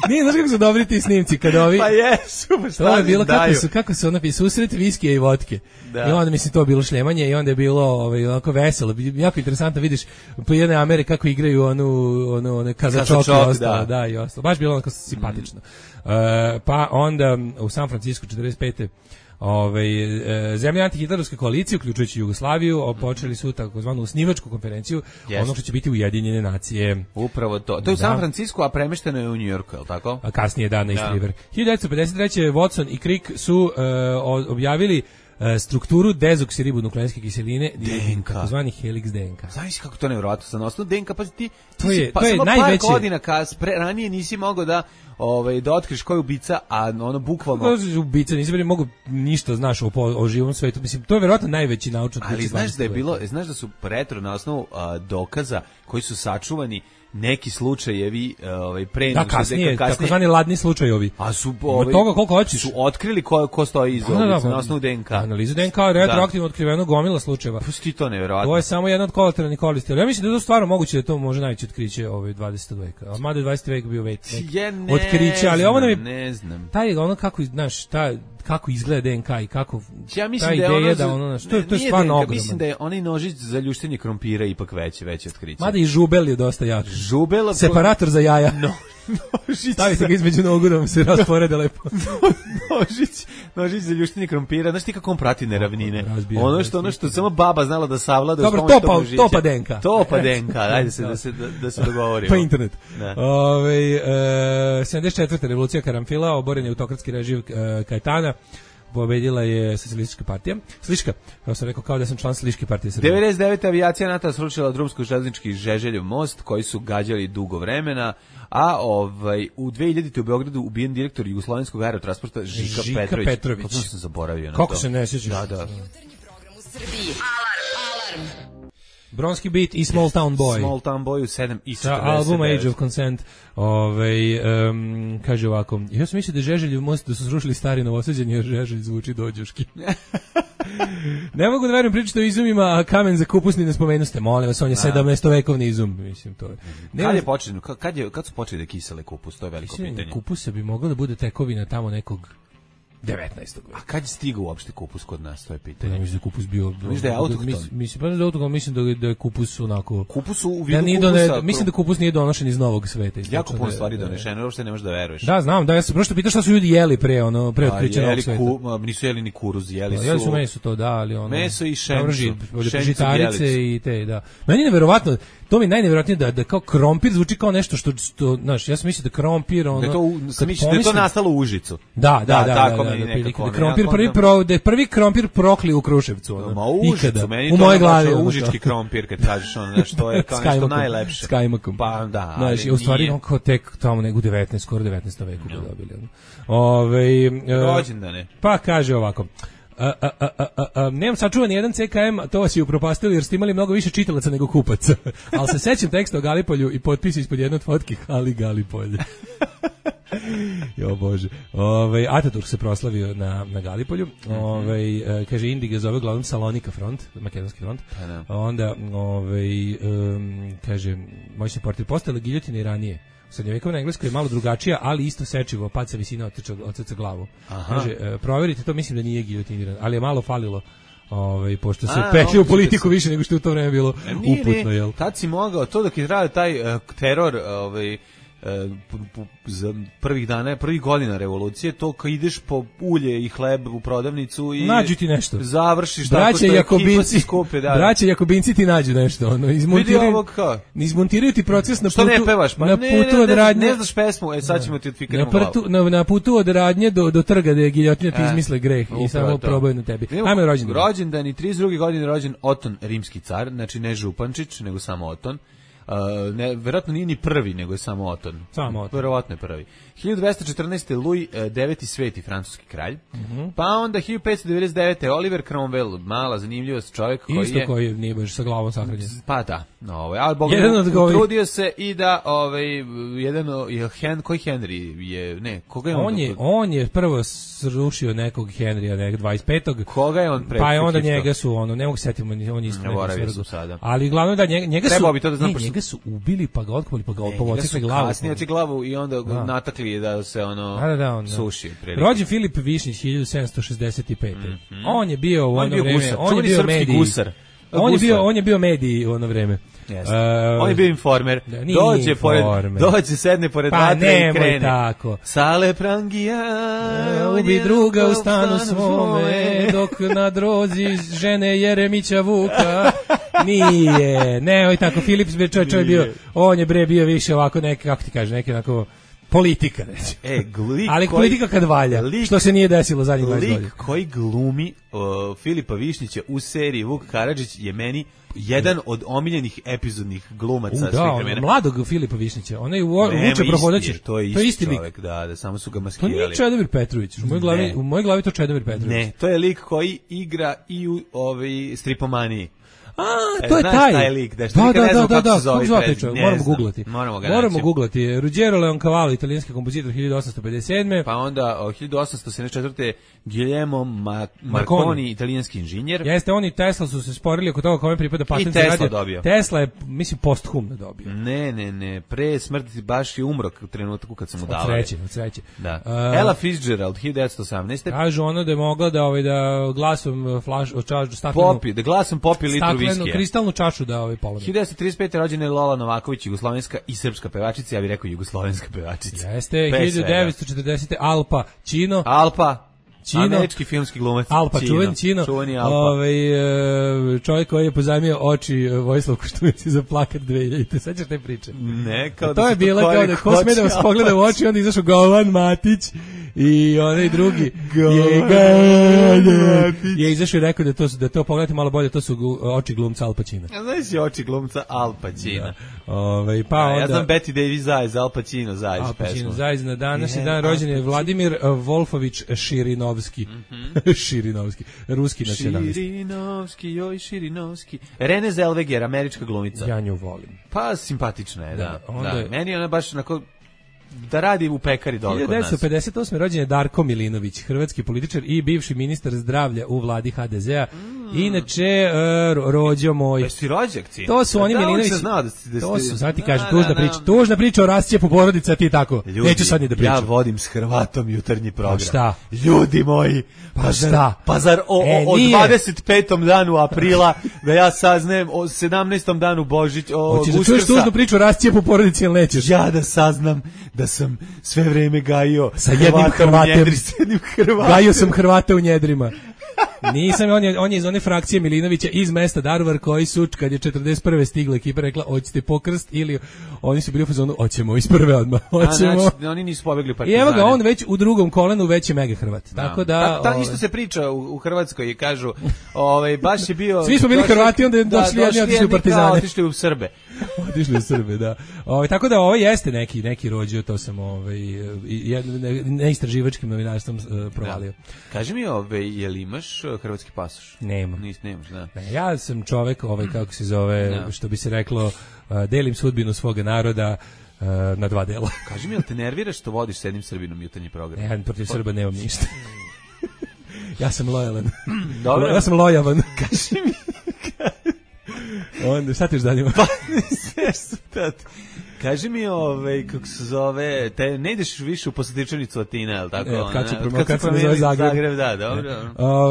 Nije, znaš kako su dobri ti snimci kada ovi... Pa jesu, to je bilo kako su napisali susret viskija i vodke. Da. I onda mislim to bilo šljemanje i onda je bilo onako veselo. Jako interesantno vidiš po jedne Amere kako igraju onu kazačok i ostalo. Da, i ostalo. Baš bilo onako simpatično. Pa onda u San Francisco 45. zemlje antihitlerovske koalicije, uključujući Jugoslaviju, počeli su takozvanu osnivačku konferenciju, ono što će biti Ujedinjene nacije. Upravo to. To je u San Francisco, a premešteno je u New Yorku, je li tako? A kasnije na East River. 1953. Watson i Crick su objavili strukturu dezoksiribonukleinske kiseline, takozvani helix DNK. Znaš kako to nevjerojatno sa osnovu DNK, pa ti to je samo najveće. Par godina ranije nisi mogao da otkriš ko je ubica, a ono bukvalno ubica nisi bili mogu ništa znaš o živom svetu. Mislim to je verovatno najveći naučni otkriće. Ali znaš da su retro na osnovu dokaza koji su sačuvani neki slučajevi pre nego kasnije takozvani ladni slučajevi. A su toga koliko hoćeš. Su otkrili ko stoji iza na osnovu DNK. Analiza DNK je retroaktivno otkriveno gomila slučajeva. Pusti to nevjerovatno. To je samo jedna od kolateralnih koristi. Ali ja mislim da je to stvarno moguće da to može najveće otkriće 20. veka. A mada 20. vek bio vek otkriće, ali ovo nam je ne znam. Taj ono kako znaš, kako izgleda DNK i kako ja mislim da ono to je stvarno ogromno. Mislim da je onaj nožić za ljuštenje krompira ipak veće otkriće. Mada i žubel je dosta jak. Žubel separator za jaja. Nožić. Stavite ga između nogu da mu se rasporede lepo. Nožić za ljuštenje krompira. Znaš ti kako on prati neravnine? Ono što samo baba znala da savlada. Dobro, topa DNK. Topa DNK, ajde da se dogovorimo. Pa internet. 74. revolucija Karamfila, oboren je autokratski režim Kajetana. Pobedila je socijalistička partija. Sliška, kao sam rekao, kao da sam član Sliške partije Srbije. 99. avijacija NATO srušila drumsko-železnički Žeželjev most, koji su gađali dugo vremena, a u 2000. u Beogradu ubijen direktor Jugoslovenskog aerotransporta Žika Petrović. Kako sam zaboravio na to? Kako se ne sjećaš? Da. Alarm! Bronski Beat i Small Town Boy. Small Town Boy u 7 i 49. Album Age of Consent. Kaže ovako, ja sam mislio da je Žeželjev most da su srušili stari Novosađan jer Žeželj zvuči dođuški. Ne mogu da verujem pričati o izumima, a kamen za kupusni ne spomenu ste, molim vas, on je 17-vekovni izum, mislim to je. Kad su počeli da kisele kupus, to je veliko pitanje. Kupusa bi moglo da bude tekovina tamo nekog 19. A kad je stigao uopšte kupus kod nas, to je pitanje. Ja mislim da kupus bio... Mislim da je autohton. Mislim da je kupus onako... Kupus u vidu kupusa... Mislim da kupus nije donošen iz Novog sveta. Jako puno stvari donešeno, uopšte ne možeš da veruješ. Da, znam, ja sam prosto pitao šta su ljudi jeli pre otkrića Novog sveta. Nisu jeli ni kuruz, jeli su meso to, da, ali ono... Meso i šencu. Žitarice i te, da. Meni je neverovatno, to mi je najneverovatnije da kao krompir zvuči kao nešto što znaš, ja sam mislio da krompir ono... Da je to nastalo u Užicu. Da, prvi krompir prokli u Kruševcu, ono, ikada, u moje glavi. Užički krompir, kad kažeš ono, nešto je kao nešto najlepše. S kajmakom. Pa da, ali u stvari on kao tek tamo nego 19, skoro 19. veku ga dobili. Rođendane. Pa kaže ovako, nemam sačuvan jedan CKM, to vas je upropastili jer ste imali mnogo više čitalaca nego kupaca. Ali se sećam teksta o Galipolju i potpis ispod jedne od fotki Ali Galipolje. Jo bože. Ataturk se proslavio na Galipolju. Kaže Indiga zove glavnom Salonika front, makedonski front. Onda kaže moćni portir postala giljotine i ranije. Srednjovekovna Engleska je malo drugačija, ali isto sečivo, pad sa visine odsjeca glavu. Kaže, provjerite to, mislim da nije giljotiniran, ali je malo falilo. Pošto se petlje u politiku više nego što je u to vreme bilo uputno, jel? Tad si mogao, to dok je trajao taj teror, za prvih godina revolucije, to kad ideš po ulje i hleb u prodavnicu i nađu ti nešto. Završiš tako što ekipa si skupe. Braće Jakobinci ti nađu nešto. Izmontiraju ti proces na putu. Što ne pevaš? Na putu od Radnje. Ne znaš pesmu, sad ćemo ti otfikiramo glavu. Na putu od Radnje do trga da je giljotina ti izmisle greh i samo probaju na tebi. Ajme rođendan. Rođendan i 32. godine rođen Oton, rimski car, znači ne Župančić, nego samo Oton. verovatno nije ni prvi, nego je samo Oton. Verovatno je prvi. 1214. Louis IX sveti francuski kralj. Pa onda 1599. Oliver Cromwell, mala zanimljivost, čovjek koji isto koji nije baš sa glavom sahranjen. Pa da, ali Bog trudio se i da koji Henry je, ne, koga je on je prvo srušio nekog Henrya 25. Koga je on pre? Pa je onda njega su ne mogu setiti, on isto nekog sada. Ali glavno da njega su njega su ubili pa ga otkopali pa ga pomocikli glavu. Kasnije glavu i onda natakli da se suši. Rođen Filip Višnjić 1765. On je bio u ono vreme, on je bio medij. On je bio medij u ono vreme. On je bio informer. Dođe, sedne pored vatre i krene. Tako. Sale prangija, ubi druga u stanu svome, dok na drozi žene Jeremića Vuka. Nije, ne, tako, Filip čovjek bio, on je bio više ovako kako ti kaže, neki onako politika, reći. Ali politika kad valja, što se nije desilo zadnjih 20 godina. Lik koji glumi Filipa Višnjića u seriji Vuk Karadžić je meni jedan od omiljenih epizodnih glumaca svih vremena. Mladog Filipa Višnjića, onaj Vuče Prohodaće. To je isti čovjek, da, samo su ga maskirali. To nije Čedomir Petrović, u mojoj glavi to Čedomir Petrović. Ne, to je lik koji igra i u Stripomaniji. To je taj lik, da, moramo googlati. Ruggero Leoncavallo, italijanski kompozitor 1857. Pa onda 1874. Guglielmo Marconi, italijanski inženjer. Jeste, on i Tesla su se sporili oko toga kome pripada patent za radio. Dobio. Tesla je, mislim, posthumno dobio. Ne, pre smrti baš je umro u trenutku kad sam mu dao. Od sreće. Da. Ella Fitzgerald, 1918. Kažu ono da je mogla da glasom staklenu... Da glasom popi litru viskija. Kristalnu čašu da polome. 1935. rođena je Lola Novaković, jugoslovenska i srpska pevačica, ja bih rekao jugoslovenska pevačica. Jeste, 1940. Alpa Čino, američki filmski glumac. Alpa, čuveni Alpa. Čovjek koji je pozajmio oči Vojislav Koštunici za plakat 2000. Sećaš te priče? Ne, kao to je bilo kao da ko sme da vas pogleda u oči, onda izašao Govan Matić i onaj drugi je izašao i rekao da to pogledate malo bolje, to su oči glumca Al Pacina. Ja znaš je oči glumca Al Pacina. Pa onda, ja znam Betty Davis Zajez, Al Pacino Zajez pesmu. Zajez na današnji dan rođen je Vladimir Wolfović Širinovski. Širinovski, ruski nacionalist. Širinovski. Renée Zellweger, američka glumica. Ja nju volim. Pa simpatična je, da. Meni ona baš onako da radi u pekari dole kod nas. 1958. rođen je Darko Milinović, hrvatski političar i bivši ministar zdravlja u vladi HDZ-a. Inače, rođo moj. Jesi rođak, ci? To su oni Milinović. To su, sad ti kažem, tužna priča o rascijepu porodice, a ti tako. Neću sad ni da pričam. Ja vodim s Hrvatom jutarnji program. Pa šta? Ljudi moji, pa zar o 25. danu aprila, da ja saznajem o 17. danu Božić, o Uskrsa. Hoćeš da čuješ tužnu priču o rascijepu porodice ili nećeš? Ja da saznam da sam sve vreme gajio sa jednim Hrvatem. Gajio sam Hrvata u njedrima. Nisam, on je iz one frakcije Milinovića iz mesta Daruvar koji su, kad je 41. stigla ekipa, rekla, hoćete pokrst ili oni su bili u fazonu, hoćemo iz prve odmah, hoćemo. Znači, oni nisu pobegli partizani. I evo ga, on već u drugom kolenu već je mega Hrvat. No. Tako da... isto se priča u Hrvatskoj i kažu, baš je bio... Svi smo bili Hrvati, onda je došli jedni, otišli u partizane. Otišli u Srbe. Otišli u Srbe, da. Tako da ovo jeste neki rođio, to sam neistraživačkim novinarstvom provalio. Kaži mi, jel imaš hrvatski pasoš? Nemam. Nemaš, da. Ja sam čovek, kako se zove, što bi se reklo, delim sudbinu svoga naroda na dva dela. Kaži mi, jel te nerviraš što vodiš s jednim Srbinom jutarnji program? Ja protiv Srba nemam ništa. Ja sam lojalan. Dobro. Ja sam lojavan. Kaži mi. Onda, šta ti još danima? Pa, sve su tat. Kaži mi, kako se zove, ne ideš više u posetičanicu Atine, je li tako? Kad se zove Zagreb. Da, dobro.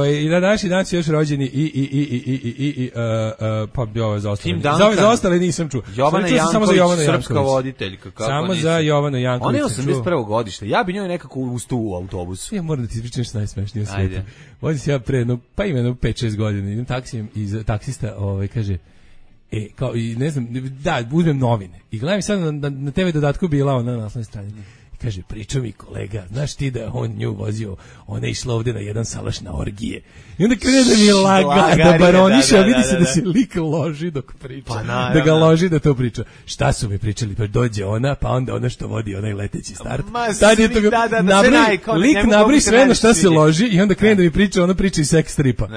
I na današnji dan su još rođeni pa bi ove zaostale. Za ostale nisam čuo. Jovana Janković, srpska voditeljka. Samo za Jovanu Janković. Ona je 81. godište. Ja bi njoj nekako ustao u autobusu. Ja moram da ti ispričam što najsmešnije u svijetu. Vodim se ja pre, pa ima 5-6 godina, idem taksijem i taksista kaže, kao i ne znam, da, uzmem novine. I gledam sad na TV dodatku bila ona na naslovnoj strani. Kaže, pričao mi kolega, znaš ti da on nju vozio, ona je išla ovde na jedan salaš na orgije. I onda krene da mi je laga, da baroniše, a vidi se da se lik loži dok priča. Pa da ga loži da to priča. Šta su mi pričali? Pa dođe ona, pa onda ona što vodi onaj leteći start. Tad je to lik nabravi sve na šta se loži i onda krene da mi priča, ona priča i seks stripa.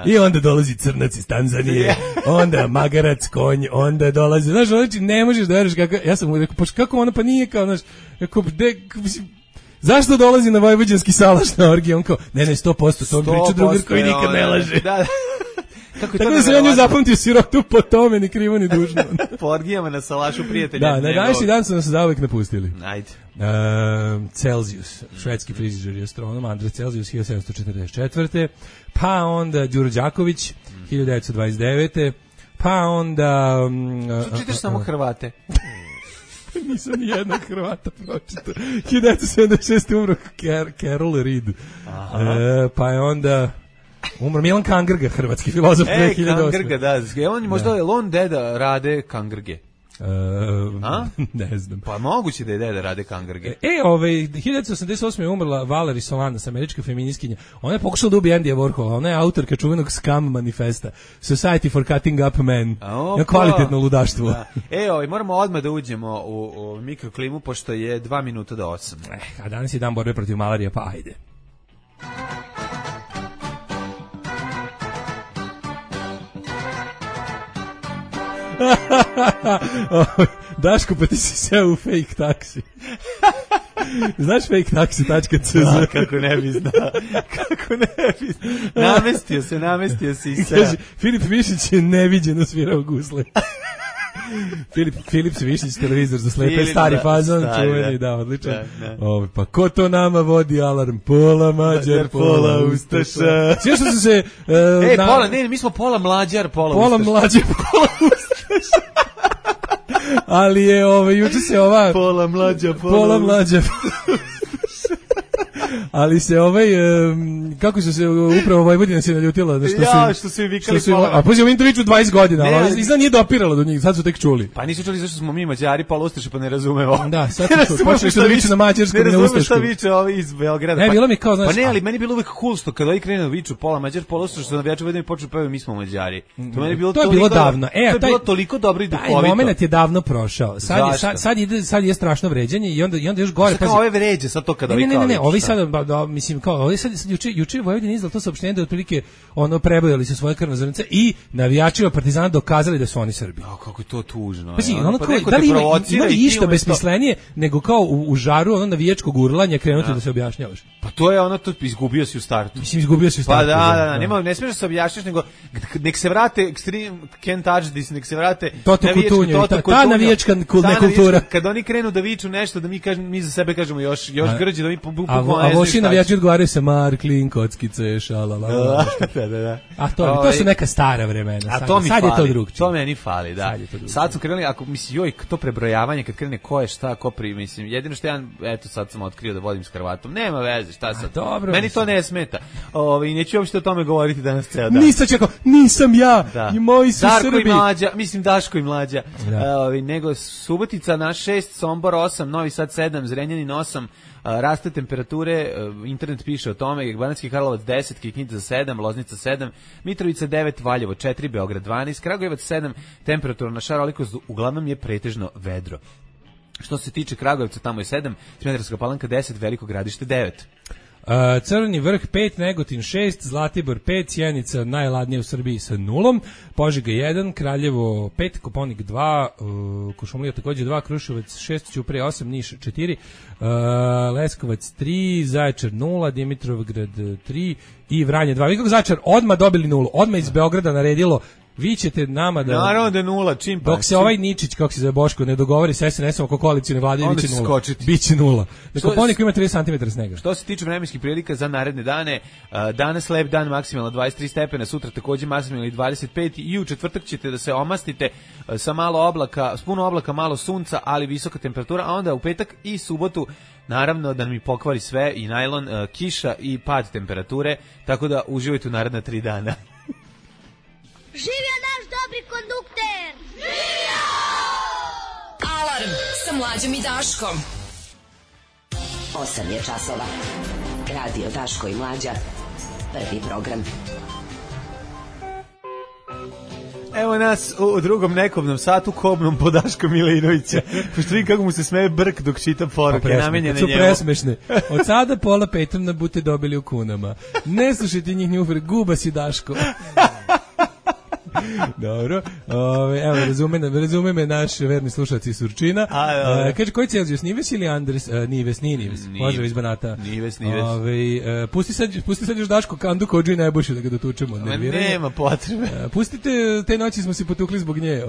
I onda dolazi crnac iz Tanzanije, onda magarac, konj, onda dolazi, znaš, znači ne možeš da veriš kako, ja sam mu rekao, kako ona, pa nije kao, znaš, rekao, zašto dolazi na vojvođanski salaš na orgije? On kao, ne, 100%, to on priča drugar koji nikad ne laže. Da. Tako da se ja nju zapamtio sirotu po tome, ni krivo ni dužno. Po orgijama na salašu prijatelja. Da, na današnji dan su nas zauvek napustili. Ajde. Celzijus, švedski fizičar i astronom, Andrej Celzijus, 1744. Pa onda Đuro Đaković, 1929. Pa onda... Što čitaš samo Hrvate? Nisam ni jednog Hrvata pročitao. 1976. umro Carol Reed. Pa je onda... umro Milan Kangrga, hrvatski filozof 2008. Kangrga, da. On možda je on deda Rade Kangrge. Ne znam. Pa moguće da je deda Rade Kangrge. 1988. je umrla Valerie Solanas, američka feministkinja. Ona je pokušala da ubije Andyja Warhola. Ona je autorka čuvenog Scam manifesta. Society for Cutting Up Men. Kvalitetno ludaštvo. Da. Moramo odmah da uđemo u mikroklimu, pošto je 2 minuta do 8. A danas je dan borbe protiv malarije, pa ajde. Daško, pa ti si seo u fake taksi. Znaš faketaxi.cz? Da, kako ne bi znao. Namestio se i sve. Filip Višić je neviđeno svirao gusle. Filip Višić, televizor za slepe, stari fazon, čuveni, da, odličan. Pa ko to nama vodi alarm? Pola Mađar, pola Ustaša. Sve što su se... mi smo pola Mlađar, pola Ustaša. Pola Mlađar, pola Ustaša. Ali je juče se ova... Pola Mlađa. Ali se kako su se upravo Vojvodina se naljutila da što su vikali pola. A pozivamo Intoviću 20 godina, ali izgleda nije dopiralo do njih, sad su tek čuli. Pa nisu čuli zašto smo mi Mađari pola Ustaše, pa ne razumemo. Da, sad su počeli što da viču na mađarskom i na ustaškom. Ne razumemo šta viče ovi iz Beograda. Ne, bilo mi kao, znaš... Pa ne, ali meni bilo uvek cool što kada ovi krenu viču pola Mađar, pola Ustaša, što navijači Vojvodine počnu pevaju mi smo Mađari. To meni bilo davno. To je bilo toliko dobro i duhovito. Taj momenat je davno prošao. Sad je strašno vređanje i onda još gore. Kao ove vređe sad to kada ovi kao. Ne, ovi sad mislim kao ovdje sad juče Vojvodina izdala to saopštenje da otprilike prebojali su svoje krvne zrnce i navijačima Partizana dokazali da su oni Srbi. Kako je to tužno. Da li ima išta besmislenije nego kao u žaru navijačkog urlanja krenuti da se objašnjavaš? Pa to je to izgubio si u startu. Mislim, izgubio si u startu. Pa ne smiješ da se objašnjaš, nego nek se vrate Extreme Can't Touch This, nek se vrate Toto Kutunju, ta navijačka kultura. Kad oni krenu da viču nešto, da mi za sebe kažemo još grđe, da mi a voši navijači odgovaraju se Marklin, kockice, šalala. Da. A to su neka stara vremena. Sad je to drugčije. To meni fali, da. Sad su krenuli, ako misli, to prebrojavanje, kad krene ko je šta, ko mislim, jedino što sad sam otkrio da vodim s Hrvatom, nema veze, šta sad. Meni to ne smeta. I neću uopšte o tome govoriti danas ceo dan. Nisam ja, i moji su Srbi. Daško i Mlađa. Nego Subotica na 6, Sombor 8, Novi Sad 7, Zrenjanin 8, raste temperature, internet piše o tome, Banatski Karlovac 10, Kikinda 7, Loznica 7, Mitrovica 9, Valjevo 4, Beograd 12, Kragujevac 7, temperatura na šarolikost uglavnom je pretežno vedro. Što se tiče Kragujevca, tamo je 7, Smederevska Palanka 10, Veliko Gradište 9. Crni vrh 5, Negotin 6, Zlatibor 5, Sjenica najladnija u Srbiji sa 0, Požega 1, Kraljevo 5, Koponik 2, Kuršumlija takođe 2, Kruševac 6, Ćuprije 8, Niš 4, Leskovac 3, Zaječar 0, Dimitrovgrad 3 i Vranje 2. Vi kako Zaječar odmah dobili 0, odmah iz Beograda naredilo vi ćete nama da... Naravno da je 0, čim pa... Dok se ovaj Ničić, kako se zove Boško, ne dogovori sa SNS-om oko koalicijne vlade, biće 0. Biće 0. Na Koponiku ima 30 cm snega. Što se tiče vremenskih prilika za naredne dane, danas lep dan, maksimalno 23 stepena, sutra takođe maksimalno 25 i u četvrtak ćete da se omastite sa malo oblaka, s puno oblaka, malo sunca, ali visoka temperatura, a onda u petak i subotu naravno da mi pokvari sve i najlon, kiša i pad temperature, tako da uživajte u naredna 3 dana. Živio naš dobri kondukter! Živio! Alarm sa Mlađom i Daškom. 8 je časova. Radio Daško i Mlađa. Prvi program. Evo nas u drugom nekobnom satu kobnom po Daška Milinovića. Pošto vidim kako mu se smeje brk dok čita poruke namenjene njemu. Su presmešne. Od sada pola Petrona bute dobili u kunama. Ne slušajte njih njufre, guba si Daško. Dobro. Evo, razume me naš verni slušalac iz Surčina. Kaže, koji Celzijus, Nives ili Andres? Nives, nije Nives. Pozdrav iz Banata. Nives. Pusti sad još Daško Kandu kođu i Najboljšu da ga dotučemo. Nema potrebe. Pustite, te noći smo se potukli zbog nje.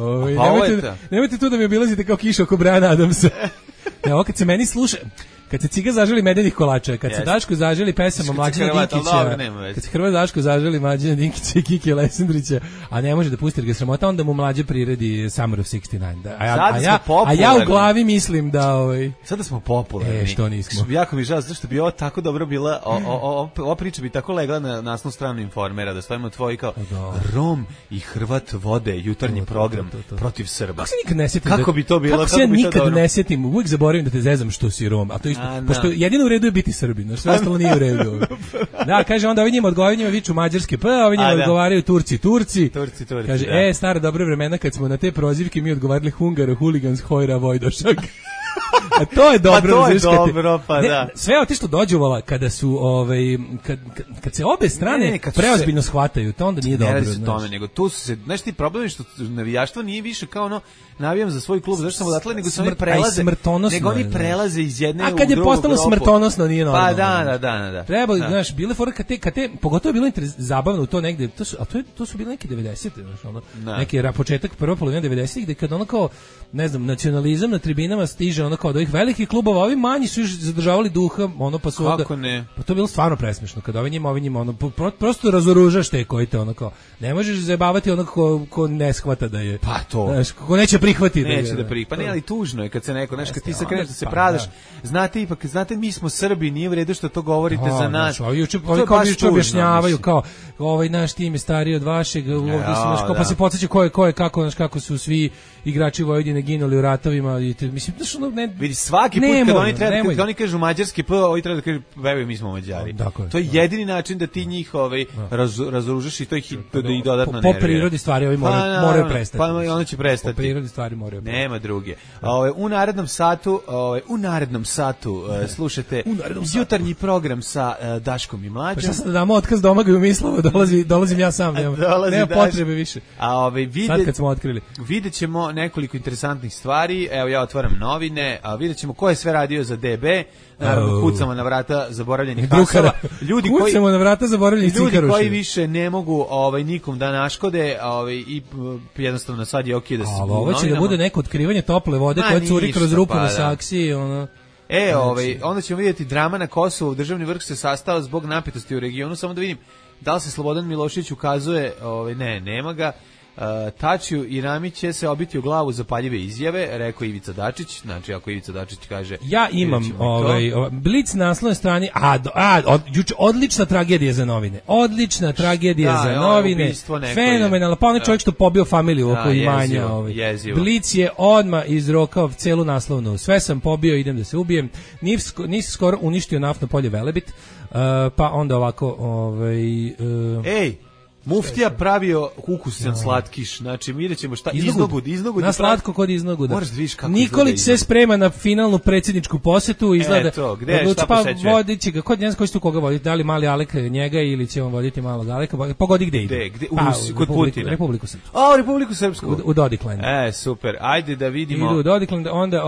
Nemojte tu da mi obilazite kao kiša oko Brana Adamsa. Evo, kad se meni sluša... Kad se Ciga zaželi medenih kolača, kad se Daško zaželi pesama Mlađana Dinkića, kad se Hrvat Daško zaželi Mlađana Dinkića i Kike Lesandrića, a ne može da pusti jer ga sramota, onda mu Mlađe priredi Summer of 69. A ja u glavi mislim da... Sada smo popularni. Što nismo. Jako mi žao, zato što bi ovo tako dobro bila, ova priča bi tako legla na naslovnu stranu Informera, da stavimo tvoji kao Rom i Hrvat vode jutarnji program protiv Srba. Kako bi to bilo? Kako se ja nikad ne sjetim, uvijek zaboravim da te zezam što si Rom, a to isto. Pošto jedino u redu je biti Srbin, sve ostalo nije u redu. Da, kaže, onda ovi njima odgovaraju, njima viču mađarske P, a ovi njima odgovaraju Turci. Kaže, stara dobra vremena kad smo na te prozivke mi odgovarali Hungaro, Huligans, Hojra, Vojdošak. A to je dobro, da. Sve otišlo dođuvala kada su kad se obe strane preozbiljno shvataju, to onda nije dobro. Ne radi se tome, nego tu su se, znaš ti problem je što navijaštvo nije više kao ono navijam za svoj klub, zašto sam odatle, nego se oni prelaze iz jedne u drugu. A kad je postalo smrtonosno, nije normalno. Pa da. Treba, znaš, bile fore kad te, pogotovo je bilo zabavno u to negde, to su bile neke 90-te, znaš, ono, neki početak prva polovina 90-ih, gde kad ono kao, ne znam, nacionalizam na tribinama stiže ono kao od ovih velikih klubova, ovi manji su još zadržavali duha, ono pa su onda... Kako ne? Pa to je bilo stvarno presmešno, kad ovi njima, ono, prosto razoružaš te koji te ono kao, ne možeš zajebavati ono ko ne shvata da je... Pa to. Znaš, ko neće prihvatiti. Neće da prihvati, pa ne, ali tužno je kad se neko, znaš, kad ti se kreneš da se pradaš, znate, mi smo Srbi, nije u redu što to govorite za nas. Ovi kao juče objašnjavaju, kao, ovaj naš tim je stariji od vašeg, pa se podsjeća ko je, kako su svi igrači Vojvodine ginuli u ratovima, mislim, znaš, ono, ne... Vidi, svaki put kad oni kažu mađarski P, ovi treba da kažu, veruj, mi smo Mađari. To je jedini način da ti njih razoružaš i to ih dodatno nervira. Po prirodi stvari ovi moraju prestati. Pa ono će prestati. Po prirodi stvari moraju prestati. Nema druge. U narednom satu slušate jutarnji program sa Daškom i Mlađom. Pa šta sad da damo otkaz Domagaju Mislava, dolazim ja sam, nema potrebe više. Sad kad smo otkrili. Vidjet ćemo nekoliko interesantnih stvari, evo ja otvaram novine, a vidjet ćemo ko je sve radio za DB, naravno kucamo na vrata zaboravljenih hasova. Kucamo na vrata zaboravljenih cikaruša. Ljudi koji više ne mogu nikom da naškode i jednostavno sad je okej da se... Ali ovo će da bude neko otkrivanje tople vode koja curi kroz rupu na saksiji, ono... Onda ćemo vidjeti drama na Kosovu, državni vrh se sastao zbog napetosti u regionu, samo da vidim da li se Slobodan Milošević ukazuje, nema ga, Tačiju i Rami će se obiti u glavu za paljive izjave, rekao Ivica Dačić, znači ako Ivica Dačić kaže... Ja imam Blic na naslovnoj strani, odlična tragedija za novine, fenomenalno, pa onaj čovjek što pobio familiju oko imanja, Blic je odmah izrokao celu naslovnu, sve sam pobio, idem da se ubijem, nisi skoro uništio naftno polje Velebit, pa onda ovako... Muftija pravio ukusan slatkiš, znači vidjet ćemo šta iznogud. Na slatko kod iznoguda. Moraš da vidiš kako Nikolić se sprema na finalnu predsjedničku posetu, izgleda. Šta posećuje? Vodit će ga, kod ne znam koji će tu koga voditi, da li mali Alek njega ili će on voditi malog Aleka, pogodi gde ide. Kod Putina. Republiku Srpsku. Republiku Srpsku. U Dodiklandu. Super, ajde da vidimo. Idu u Dodikland, onda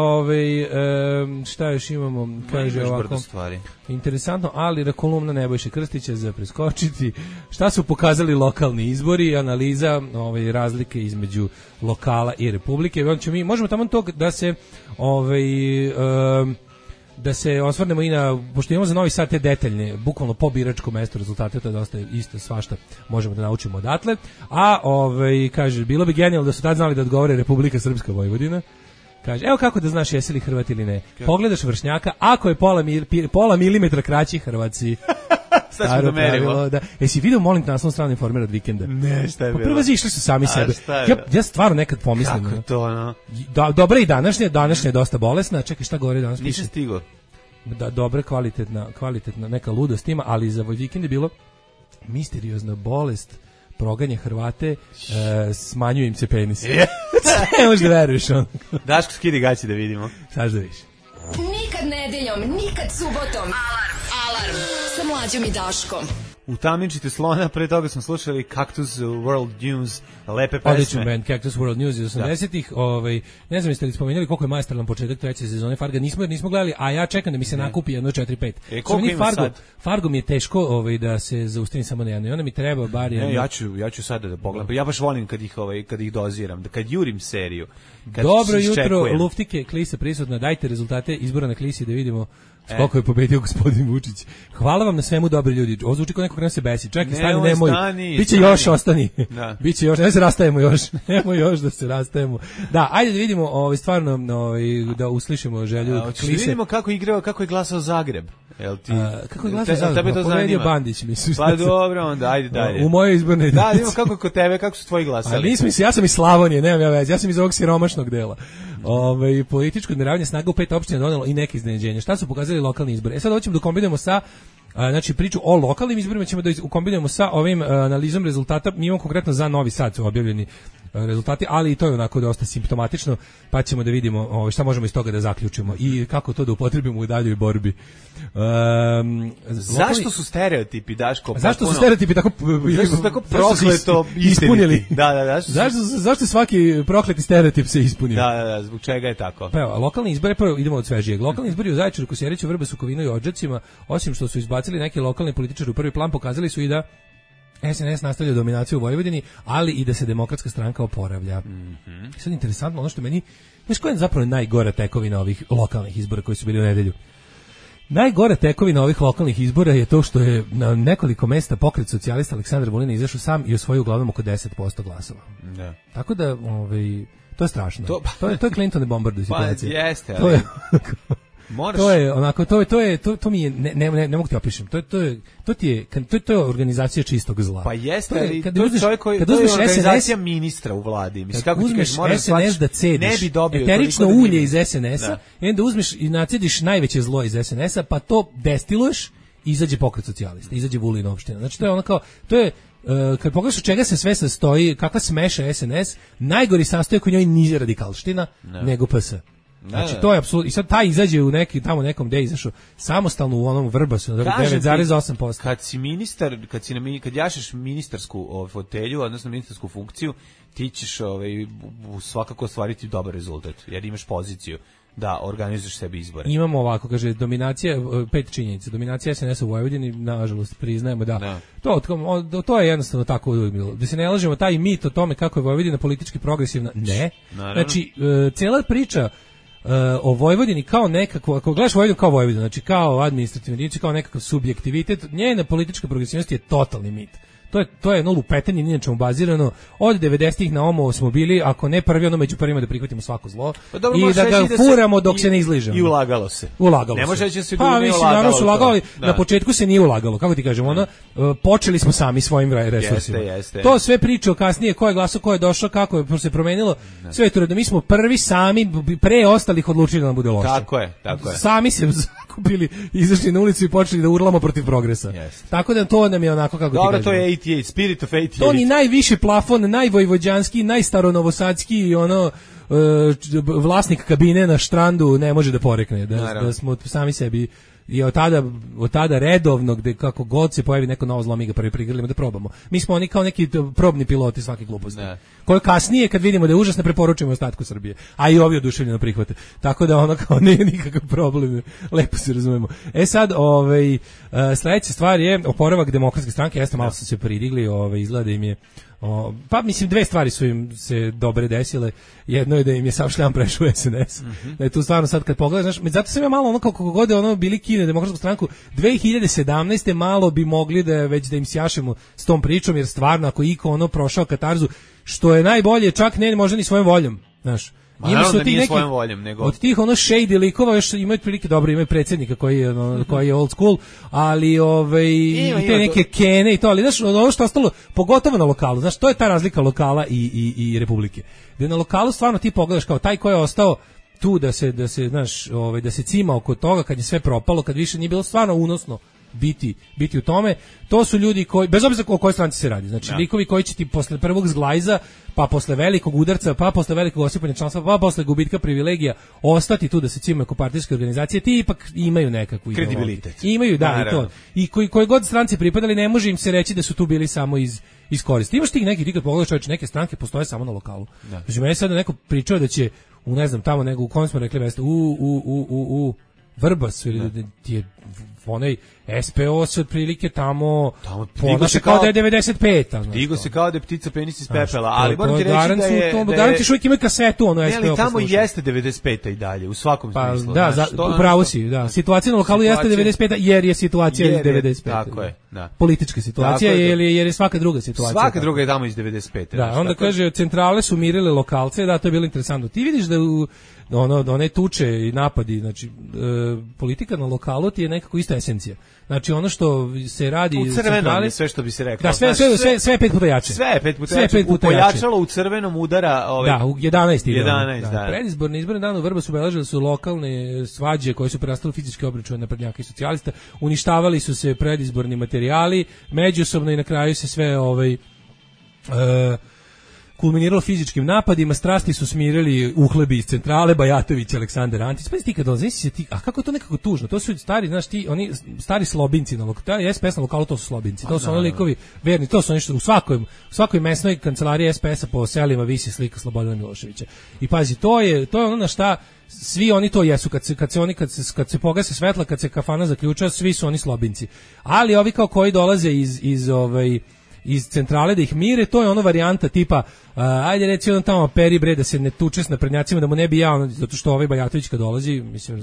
šta još imamo, kaže ovako. Interesantno, ali kolumna Nebojše Krstića za preskočiti. Šta su pokazali lokalni izbori, analiza razlike između lokala i republike. Mi možemo tamo to da se osvrnemo i na, pošto imamo za Novi Sad te detaljne, bukvalno po biračkom mestu rezultate, to je dosta isto svašta možemo da naučimo odatle. A kaže, bilo bi genijalno da su tad znali da odgovore Republika Srpska Vojvodina. Kaže, evo kako da znaš jesi li Hrvat ili ne. Pogledaš vršnjaka, ako je pola milimetra kraći Hrvatski. Staro pravilo, da. Jesi vidio, molim te, naslovnu stranu Informera od vikenda? Ne, šta je bilo? Prvo išli su sami sebe. Ja stvarno nekad pomislim. Kako to, no? Dobra i današnja je dosta bolesna. Čekaj, šta govori danas? Nisam stigao. dobra, kvalitetna neka ludost ima, ali za Vojvikin je bilo misteriozna bolest, proganja Hrvate, smanjuje im se penis. Ne možeš da veruješ on. Daško, skidi gaći da vidimo. Saš da viš. Nikad nedeljom, nikad subotom. Alarm sa Mlađom i Daškom. Utamničite slona, pre toga smo slušali Cactus World News, lepe pesme. Odličan band, Cactus World News iz 80-ih. Ne znam jeste li spomenuli koliko je majestralan početak treće sezone Farga, nismo gledali, a ja čekam da mi se nakupi jedno 4-5. Koliko ima sad? Fargo mi je teško da se zaustavim samo na jedno i onda mi treba bar jedno. Ja ću sada da pogledam. Ja baš volim kad ih doziram, kad jurim seriju. Dobro jutro, Luftike, Klisa prisutna, dajte rezultate izbora na Klisi da vidimo koliko je pobedio gospodin Vučić. Hvala vam na svemu, dobri ljudi. Ovo zvuči kao neko kada se besi. Čekaj, stani, nemoj. Biće još, ostani. Da. Biće još, ne se rastajemo još. Nemoj još da se rastajemo. Da, ajde da vidimo stvarno da uslišimo želju Klise. Da vidimo kako je glasao Zagreb. Kako je glasao Zagreb? Pobedio Bandić, mislim. Pa dobro, onda ajde dalje. U mojoj izbornoj jedinici. Da, vidimo kako kod tebe, kako su tvoji glasali. Ali nisam, ja sam iz Slavonije, nemam ja veze. Ja sam iz ovog siromašnog dela. Političko odmeravanje snaga u 5 opština donelo i neke iznenađenja. Šta su pokazali lokalni izbori? Sad hoćemo da kombinujemo sa priču o lokalnim izborima, ćemo da kombinujemo sa ovim analizom rezultata. Mi imamo konkretno za Novi Sad su objavljeni rezultati, ali i to je onako dosta simptomatično, pa ćemo da vidimo šta možemo iz toga da zaključimo i kako to da upotrebimo u daljoj borbi. Zašto su stereotipi, Daško? Zašto su stereotipi tako prokleto ispunili? Da. Zašto svaki prokleti stereotip se ispunio? Da, zbog čega je tako? Pa evo, lokalni izbori, prvo idemo od svežijeg. Lokalni izbori u Zaječaru, Kosjeriću, Vrbesu, Kovinu i Odžacima, osim što su izbacili neki lokalni političari u prvi plan, pokazali su i da SNS nastavlja dominaciju u Vojvodini, ali i da se Demokratska stranka oporavlja. Sad interesantno, ono što meni, znaš koja je zapravo najgora tekovina ovih lokalnih izbora koji su bili u nedelju? Najgora tekovina ovih lokalnih izbora je to što je na nekoliko mesta pokret socijalista Aleksandar Vulin izašao sam i osvojio uglavnom oko 10% glasova. Da. Tako da, to je strašno. To je Clinton bombardu situacija. Pa jeste, ali... Moraš... To je onako, to mi je, ne mogu ti opišem, to je organizacija čistog zla. Pa jeste, ali to je čovjek koji, to je organizacija ministra u vladi. Mislim, kako ti kažeš, moraš SNS da cediš eterično ulje iz SNS-a, i onda uzmeš i nacediš najveće zlo iz SNS-a, pa to destiluješ, izađe pokret socijalista, izađe Vulin opština. Znači, to je ono kao, to je, kad pogledaš od čega se sve sastoji, kakva smeša SNS, najgori sastojak u njoj nije radikalština, nego PS. Znači to je apsolutno, i sad taj izađe u nekom gde je izašao samostalno u onom Vrbasu 9,8%. Kad si ministar, kad jašeš ministarsku fotelju, odnosno ministarsku funkciju, ti ćeš svakako ostvariti dobar rezultat, jer imaš poziciju da organizuješ sebi izbore. Imamo ovako, kaže, dominacija, 5 činjenica, dominacija SNS-a u Vojvodini, nažalost, priznajemo da. To je jednostavno tako uvijek bilo. Da se ne lažemo, taj mit o tome kako je Vojvodina politički progresivna, ne. Naravno. Znači, cijela priča o Vojvodini kao nekako, ako gledaš Vojvodinu kao Vojvodinu, znači kao administrativni jedinici, kao nekakav subjektivitet, njena politička progresivnost je totalni mit. To je jedno lupetanje, ni na čemu bazirano. Od 90-ih na omo smo bili, ako ne prvi, ono među prvima da prihvatimo svako zlo i da ga furamo dok se ne izližemo. I ulagalo se. Ne može da se nije ulagalo. Na početku se nije ulagalo, kako ti kažemo, počeli smo sami svojim resursima. Jeste. To sve priča kasnije, ko je glasao, ko je došao, kako je se promenilo. Sve to da mi smo prvi sami pre ostalih odlučili da nam bude loše. Tako je. Sami se zakupili, izašli na ulicu i počeli da urlamo protiv progresa. Tako da to nam je onako kako ti kažemo. Dobro, to je 88, Spirit of 88. To ni najviši plafon, najvojvođanski, najstaronovosadski vlasnik kabine na štrandu ne može da porekne. Da smo sami sebi i od tada redovno, gde kako god se pojavi neko novo zlo, mi ga prvi prigrlimo da probamo. Mi smo oni kao neki probni piloti svake gluposti. Koje kasnije, kad vidimo da je užasno, preporučujemo ostatku Srbije. A i ovi oduševljeno prihvate. Tako da ono kao nije nikakav problem. Lepo se razumemo. Sad, sledeća stvar je oporavak Demokratske stranke. Jeste, malo su se pridigli, izgleda im je pa mislim dve stvari su im se dobre desile. Jedno je da im je sav šljam prešao u SNS. Da je tu stvarno sad kad pogledaš, zato sam ja malo ono kako god je bili kine Demokratsku stranku 2017. malo bi mogli da im sjašemo s tom pričom, jer stvarno ako iko prošao katarzu, što je najbolje, čak ne možda ni svojom voljom, znaš. Ima su ti neki nego... od tih shady likova još imaju prilike dobro, imaju predsjednika koji je old school, ali i te neke kene i to, ali znaš, ono što ostalo, pogotovo na lokalu, znaš, to je ta razlika lokala i Republike. Gde na lokalu stvarno ti pogledaš kao taj ko je ostao tu da se znaš, da se cima oko toga kad je sve propalo, kad više nije bilo stvarno unosno biti u tome. To su ljudi koji, bez obzira o kojoj stranci se radi, znači likovi koji će ti posle prvog zglajza, pa posle velikog udarca, pa posle velikog osipanja članstva, pa posle gubitka privilegija ostati tu da se cimaju oko partijske organizacije, ti ipak imaju nekakvu kredibilitet. Imaju, da, i to. I koji god stranci pripadali, ne može im se reći da su tu bili samo iz koristi. Imaš ti neki, ti kad pogledaš, čovječe, neke stranke postoje samo na lokalu. Znači, meni sada neko pričao da će, ne znam, tamo nego u kom smo rekli mjesto, Vrbas, ili ti je onaj SPO se otprilike tamo ponaša kao da je 95. Digo se kao da je ptica penis iz pepela, ali moram ti reći da je... Garantiš uvijek imaju kasetu, ono SPO. Ne, ali tamo jeste 95. i dalje, u svakom smislu. Da, upravo si, da. Situacija na lokalu jeste 95. jer je situacija iz 95. Tako je, da. Politička situacija, jer je svaka druga situacija. Svaka druga je tamo iz 95. Da, onda kaže, centrale su mirile lokalce, da, to je bilo interesantno. Ti vidiš da one tuče i napadi, znači politika na lokalu ti je nekako ista esencija. Znači ono što se radi u crvenom je sve što bi se reklo. Da, sve 5 puta jače. Sve 5 puta jače. Pojačalo u crvenom udara da, u 11. Da. Predizborni izborni dan u Vrbasu obeležili su lokalne svađe koje su prerastale fizičke obračune naprednjaka i socijalista. Uništavali su se predizborni materijali, međusobno i na kraju se sve kulminiralo fizičkim napadima, strasti su smirili uhlebi iz centrale, Bajatović, Aleksandar Antić. Pa ti kad dolazi ti, a kako je to nekako tužno? To su stari, znaš ti, oni stari slobinci na lokalu, SPS na lokalu, to su slobinci. To su oni likovi verni, to su oni što u svakoj mesnoj kancelariji SPS-a po selima visi slika Slobodana Miloševića. I pazi, to je ono na šta svi oni to jesu, kad se pogase svetla, kad se kafana zaključa, svi su oni slobinci. Ali ovi kao koji dolaze iz centrale da ih mire, to je ono varijanta tipa ajde reci on tamo peri bre da se ne tuče s naprednjacima, da mu ne bi ja, zato što ovaj Bajatović kad dolazi, mislim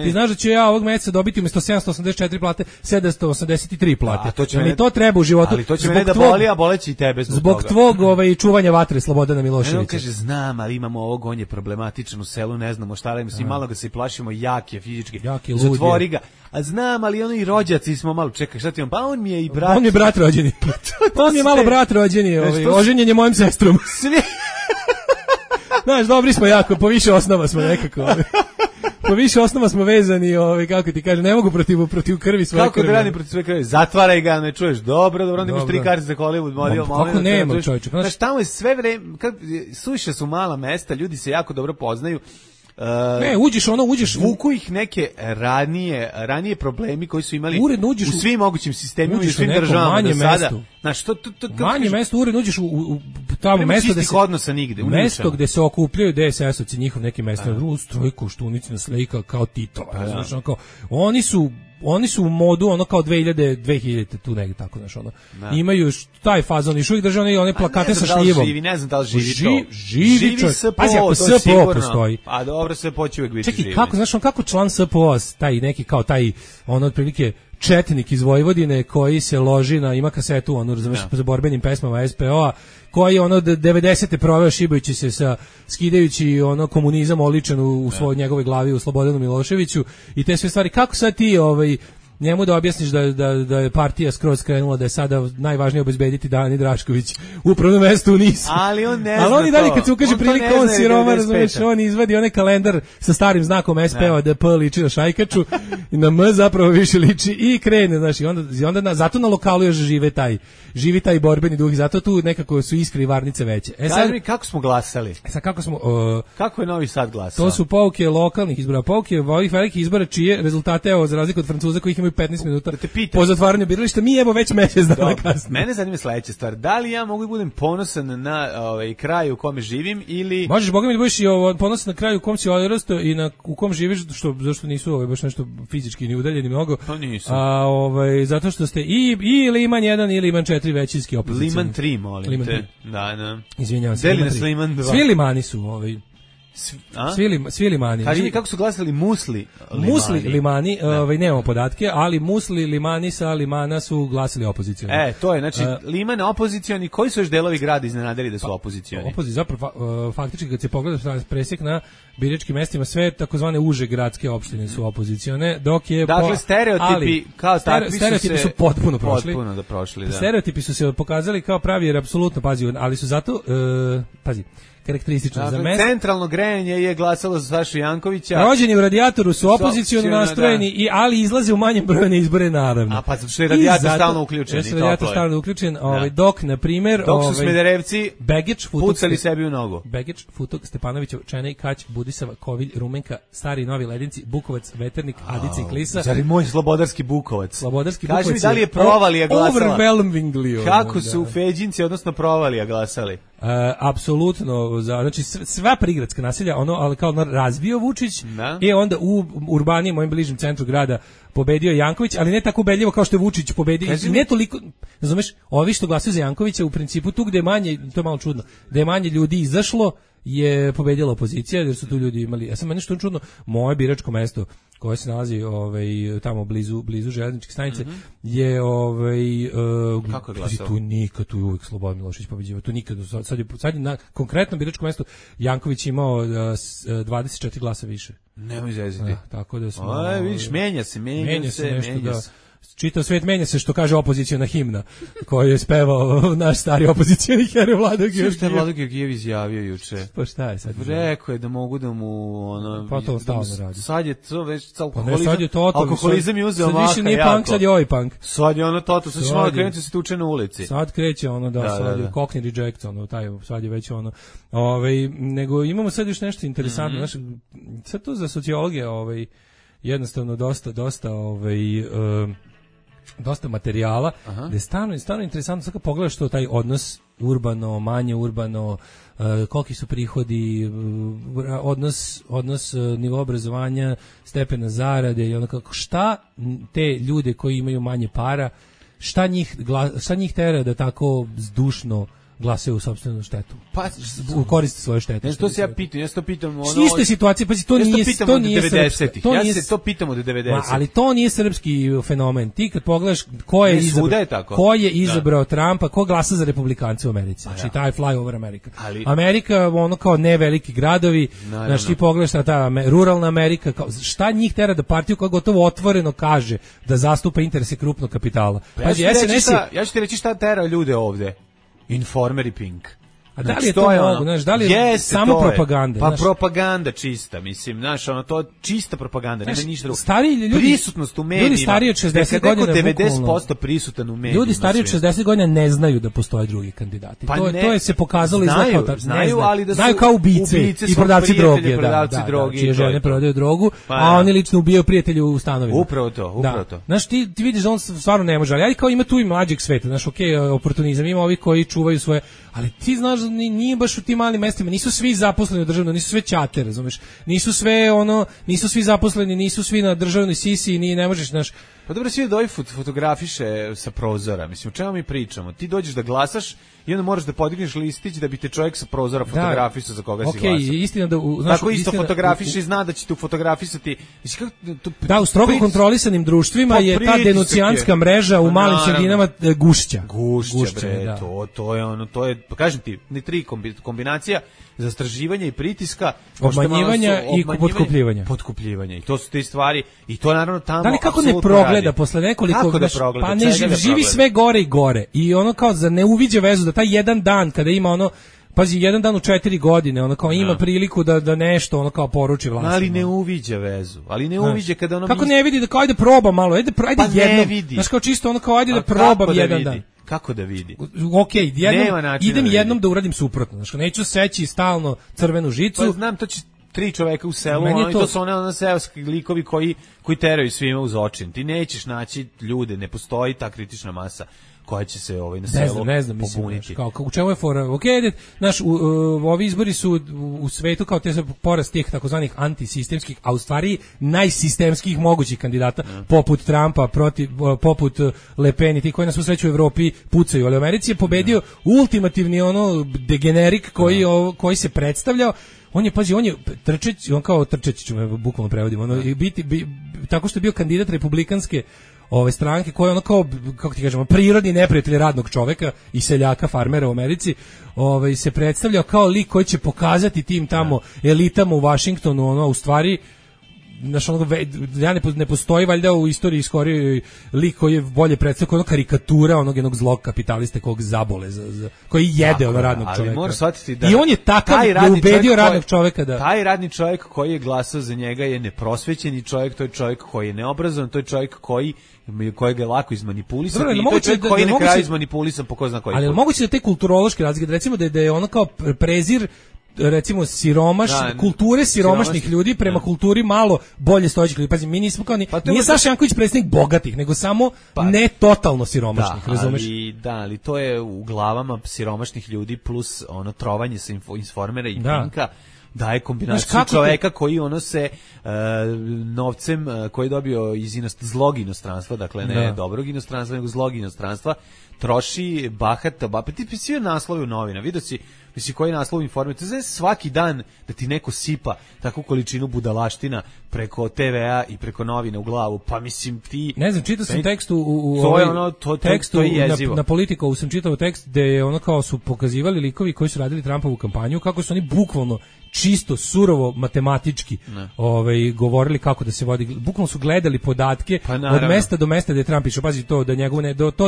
ti znaš da ću ja ovog meseca dobiti umjesto 784 plate 783 plate. To treba u životu. Ali to će mene da boli, a boleći i tebe zbog tvog čuvanja vatre Slobodana Miloševića. On kaže, znam, ali imamo ovog, on je problematičan u selu, ne znamo šta radimo, svi malo ga se plašimo, jak je fizički, zatvori ga. A znam, ali ono i rođaci smo malo, čekaj, šta ti on? Pa on mi je i brat. On je brat rođeni. On je malo brat rođeni, oženjen je mojim sestrom. Znaš, dobri smo jako, po više osnova smo nekako. Po više osnova smo vezani, kako ti kaže, ne mogu protiv krvi svoje krvi. Kako da radi protiv svoje krvi? Zatvaraj ga, ne čuješ. Dobro, onda imaš 3 karte za Hollywood. Kako nema, čovječe? Znaš, tamo je sve vreme, suviše su mala mesta, ljudi se jako dobro poznaju. Uđeš vuku ih neke ranije problemi koji su imali u svim mogućim sistemima i svim državama do sada. Znaš, manje mesto, uredno uđeš u tamo mesto gde se odnosa nigde, mesto gde se okupljaju DSS-ovci, njihov neki mesto, drugu strojku, Štunici na slika kao Titova, znaš, ono kao, oni su u modu ono kao 2000 tu negdje tako, znaš, ono. Imaju taj fazon, još uvijek drže one plakate sa šljivom. Ne znam da li živi to. Živi čovjek. Pazi, ako SPO postoji. A dobro, SPO će uvijek biti živi. Čekaj, kako, znaš, kako član SPO, taj neki kao taj, ono, otprilike, četnik iz Vojvodine koji se loži ima kasetu, ono, razumeš, za borbenim pesmama SPO-a, koji je ono 90. proveo šibajući se skidajući ono komunizam oličen u svojoj njegovoj glavi u Slobodanu Miloševiću i te sve stvari. Kako sad ti njemu da objasniš da je partija skroz krenula, da je sada najvažnije obezbediti Dani Drašković u upravnom mestu u Nisu. Ali on ne zna to. Ali on i dalje kad se ukaže prilika, on siroma, razumeš, on izvadi onaj kalendar sa starim znakom SPO da P liči na šajkaču i na M zapravo više liči i krene, znaš, i onda zato na lokalu još živi taj borbeni duh i zato tu nekako su iskre i varnice veće. Kaži mi kako smo glasali? Kako je Novi Sad glasao? To su pouke lokalnih izbora, pouke ovih velikih izbora čije rezultate, evo, za razliku od Francuza kojih imaju 15 minuta po zatvaranju birališta, mi evo već mjesec dana kasnije. Mene zanima sledeća stvar, da li ja mogu budem ponosan na kraj u kome živim ili... Možeš, boga mi, da budeš i ponosan na kraju u kom si odrastao i u kom živiš, zašto nisu baš nešto fizički ni udaljeni mnogo. Pa nisu. Zato što ste i Liman 1 ili Liman 4 većinski opozicijani. Liman 3, molim Liman te. Da. Izvinjavam se. Deli nas Liman 2. Svi Limani su Svi limani. Kaži mi kako su glasali Musli Limani. Musli Limani, nemamo podatke, ali Musli Limani sa Limana su glasali opozicioni. To je, znači, Liman opozicioni, koji su još delovi grada iznenadili da su opozicioni? Zapravo, faktički kad se pogleda presjek na biračkim mestima, sve takozvane uže gradske opštine su opozicione, dok je... Dakle, stereotipi kao takvi su potpuno prošli. Potpuno da prošli, da. Stereotipi su se pokazali kao pravi, jer apsolutno, ali su zato, karakteristično za mesto. Centralno grejanje je glasalo za Sašu Jankovića. Rođeni u Radijatoru su opozicijono nastrojeni, ali izlaze u manjem broju na izbore, naravno. A pa zato što je Radijator stalno uključen. Dok, na primjer... Dok su Smederevci Begić, pucali sebi u nogu. Begić, Futog, Stepanović, Čenej, Kać, Budisava, Kovilj, Rumenka, Stari Novi Ledinci, Bukovac, Veternik, Adica i Klisa. Zar je moj Slobodarski Bukovac? Slobodarski Bukovac. Kaži mi da li je Provalija glasala? Overwhelmingly. Kako su Feđinci, odnosno Provalija glasali? Apsolutno, znači sva prigradska naselja, ali kao razbio Vučić i onda u urbanijem, mojem bližem centru grada pobedio Janković, ali ne tako ubedljivo kao što je Vučić pobedio. I ne toliko, razumeš, ovi što glasaju za Jankovića u principu tu gde je manje, to je malo čudno, da je manje ljudi izašlo, je pobedila opozicija, jer su tu ljudi imali, ja sam meni što čudno, moje biračko mesto koje se nalazi tamo blizu železničke stanice je kako je glasao? Tu je uvijek Slobodan Milošević pobeđivao, tu nikad, sad je na konkretnom biračkom mestu Janković imao 24 glasa više. Nemoj zeziti. Tako da smo... vidiš, menja se. Čitav svet menja se, što kaže opozicijona himna koju je spevao naš stari opozicijoni heroj Vlado Georgijev. Što je Vlado Georgijev izjavio juče? Pa šta je sad? Rekao je da mogu da mu... Pa to stalno radi. Sad je to već alkoholizam je uzeo maha jako. Sad više nije punk, sad je ovaj punk. Sad je ono toto, sad će malo krenuti da se tuče na ulici. Sad kreće sad je Cockney Reject, sad je već nego imamo sad još nešto interesantno. Sad to za sociologije jednostavno dosta materijala, gde je stvarno interesantno, sad kad pogledaš to, taj odnos urbano, manje urbano, koliki su prihodi, odnos nivo obrazovanja, stepena zarade i šta te ljude koji imaju manje para, šta njih tera da tako zdušno glasaju u sopstvenu štetu. Pa u korist svoje štete. Ne, što se ja pitam, iste situacije, pa to nije srpski. Ja se to pitam od 90. Ali to nije srpski fenomen. Ti kad pogledaš ko je izabrao Trumpa, ko glasa za republikance u Americi. Znači taj fly over America. Amerika, kao ne veliki gradovi, znači ti pogledaš ta ruralna Amerika, šta njih tera da partiju koja gotovo otvoreno kaže da zastupa interese krupnog kapitala. Ja ću ti reći šta tera ljude ovde. Informer i Pink. A da li je to mogu, znaš, da li je samo propaganda? Pa propaganda čista, mislim, znaš, to je čista propaganda, nema ništa drugo. Stariji ljudi, prisutnost u medijima. Ljudi stariji od 60 godina, 90% prisutan u medijima. Ljudi stariji od 60 godina ne znaju da postoje drugi kandidati. To je se pokazalo znaju, ali da su znaju kao ubice i prodavci droge, čije žene prodaju drogu, a oni lično ubijaju prijatelje u stanovima. Upravo to. Znaš, ti vidiš da on stvarno ne može, ali kao ima tu i mlađeg sveta, znaš, oportunizam, ima ovi koji čuvaju svoje, ali ti znaš nije baš u tim malim mestima, nisu svi zaposleni u državnoj, nisu sve ćate, razumeš, nisu svi zaposleni, nisu svi na državnoj sisi, ne možeš, znaš. Pa dobro, svi da ovi fotografiše sa prozora, mislim, o čemu mi pričamo? Ti dođeš da glasaš i onda moraš da podigneš listić da bi te čovjek sa prozora fotografisao za koga si glasao. Istina da tako isto fotografiše i zna da će te fotografisati. Da, u strogo kontrolisanim društvima je ta denuncijanska mreža u malim sredinama gušća. Gušća, bre, to je, pa kažem ti, ni tri kombinacija zastraživanja i pritiska, obmanjivanja i potkupljivanja. I to su te stvari, i to naravno tamo. Da li kako ne progleda posle nekoliko, pa ne živi sve gore i gore. I kao za ne uviđa vezu da taj jedan dan kada ima pazi, jedan dan u 4 godine, kao ima priliku da nešto kao poruči vlasti. Ali ne uviđa vezu, ali ne uviđa kada kako ne vidi da ajde proba malo, ajde jednom. Znaš, kao čisto kao ajde da probam jedan dan. Kako da vidi? Okej, idem jednom da uradim suprotno. Znači, neću seći stalno crvenu žicu. Pa znam, to će 3 čoveka u selu, to su one seoski likovi koji teraju svima uz očin. Ti nećeš naći ljude, ne postoji ta kritična masa koja će se na selu pobuniti. U čemu je fora? Ovi izbori su u svetu kao te porast tih takozvanih antisistemskih, a u stvari najsistemskih mogućih kandidata, poput Trumpa, poput Le Pen i ti koji nas u sreću u Evropi pucaju, ali u Americi je pobedio ultimativni degenerik koji se predstavljao. On je trčeć, ću me bukvalno prevodim, tako što je bio kandidat republikanske stranke koja je kako ti kažemo, prirodni neprijatelj radnog čoveka i seljaka, farmera u Americi, se predstavljao kao lik koji će pokazati tim tamo elitama u Vašingtonu, u stvari znaš, ne postoji valjda u istoriji skorijoj lik koji je bolje predstavio ono karikatura onog jednog zlog kapitaliste kog zabole koji jede ono radnog čoveka. Moraš shvatiti da i on je takav da ubedio radnog čoveka da taj radni čovjek koji je glasao za njega je neprosvećeni čovjek, to je čovjek koji je neobrazovan, to je čovjek kojega je lako izmanipulisati, i to je čovjek koji na kraju izmanipulisan po ko zna koji. Ali je moguće da te kulturološke razlike, recimo da je ono kao prezir recimo kulture siromašnih ljudi prema kulturi malo bolje stojećih ljudi. Pazi, mi nismo kao nije Saša Janković predsjednik bogatih, nego samo ne totalno siromašnih, razumeš? Ali to je u glavama siromašnih ljudi plus ono trovanje sa Informera i Pinka. Daje kombinaciju čoveka koji ono se novcem koji je dobio iz zlog inostranstva, dakle ne dobrog inostranstva, nego zlog inostranstva, troši bahato, ti svi naslovi u novina, vidio si, misli koji naslov Informer, to znači svaki dan da ti neko sipa takvu količinu budalaština preko TV-a i preko novina u glavu, pa mislim ti... Ne znam, čitao sam tekst tekstu na Politico, sam čitao tekst gde je ono kao su pokazivali likovi koji su radili Trumpovu kampanju, kako su oni bukvalno čisto, surovo, matematički govorili kako da se vodi, bukvalno su gledali podatke od mesta do mesta gde Trump išao, pazi to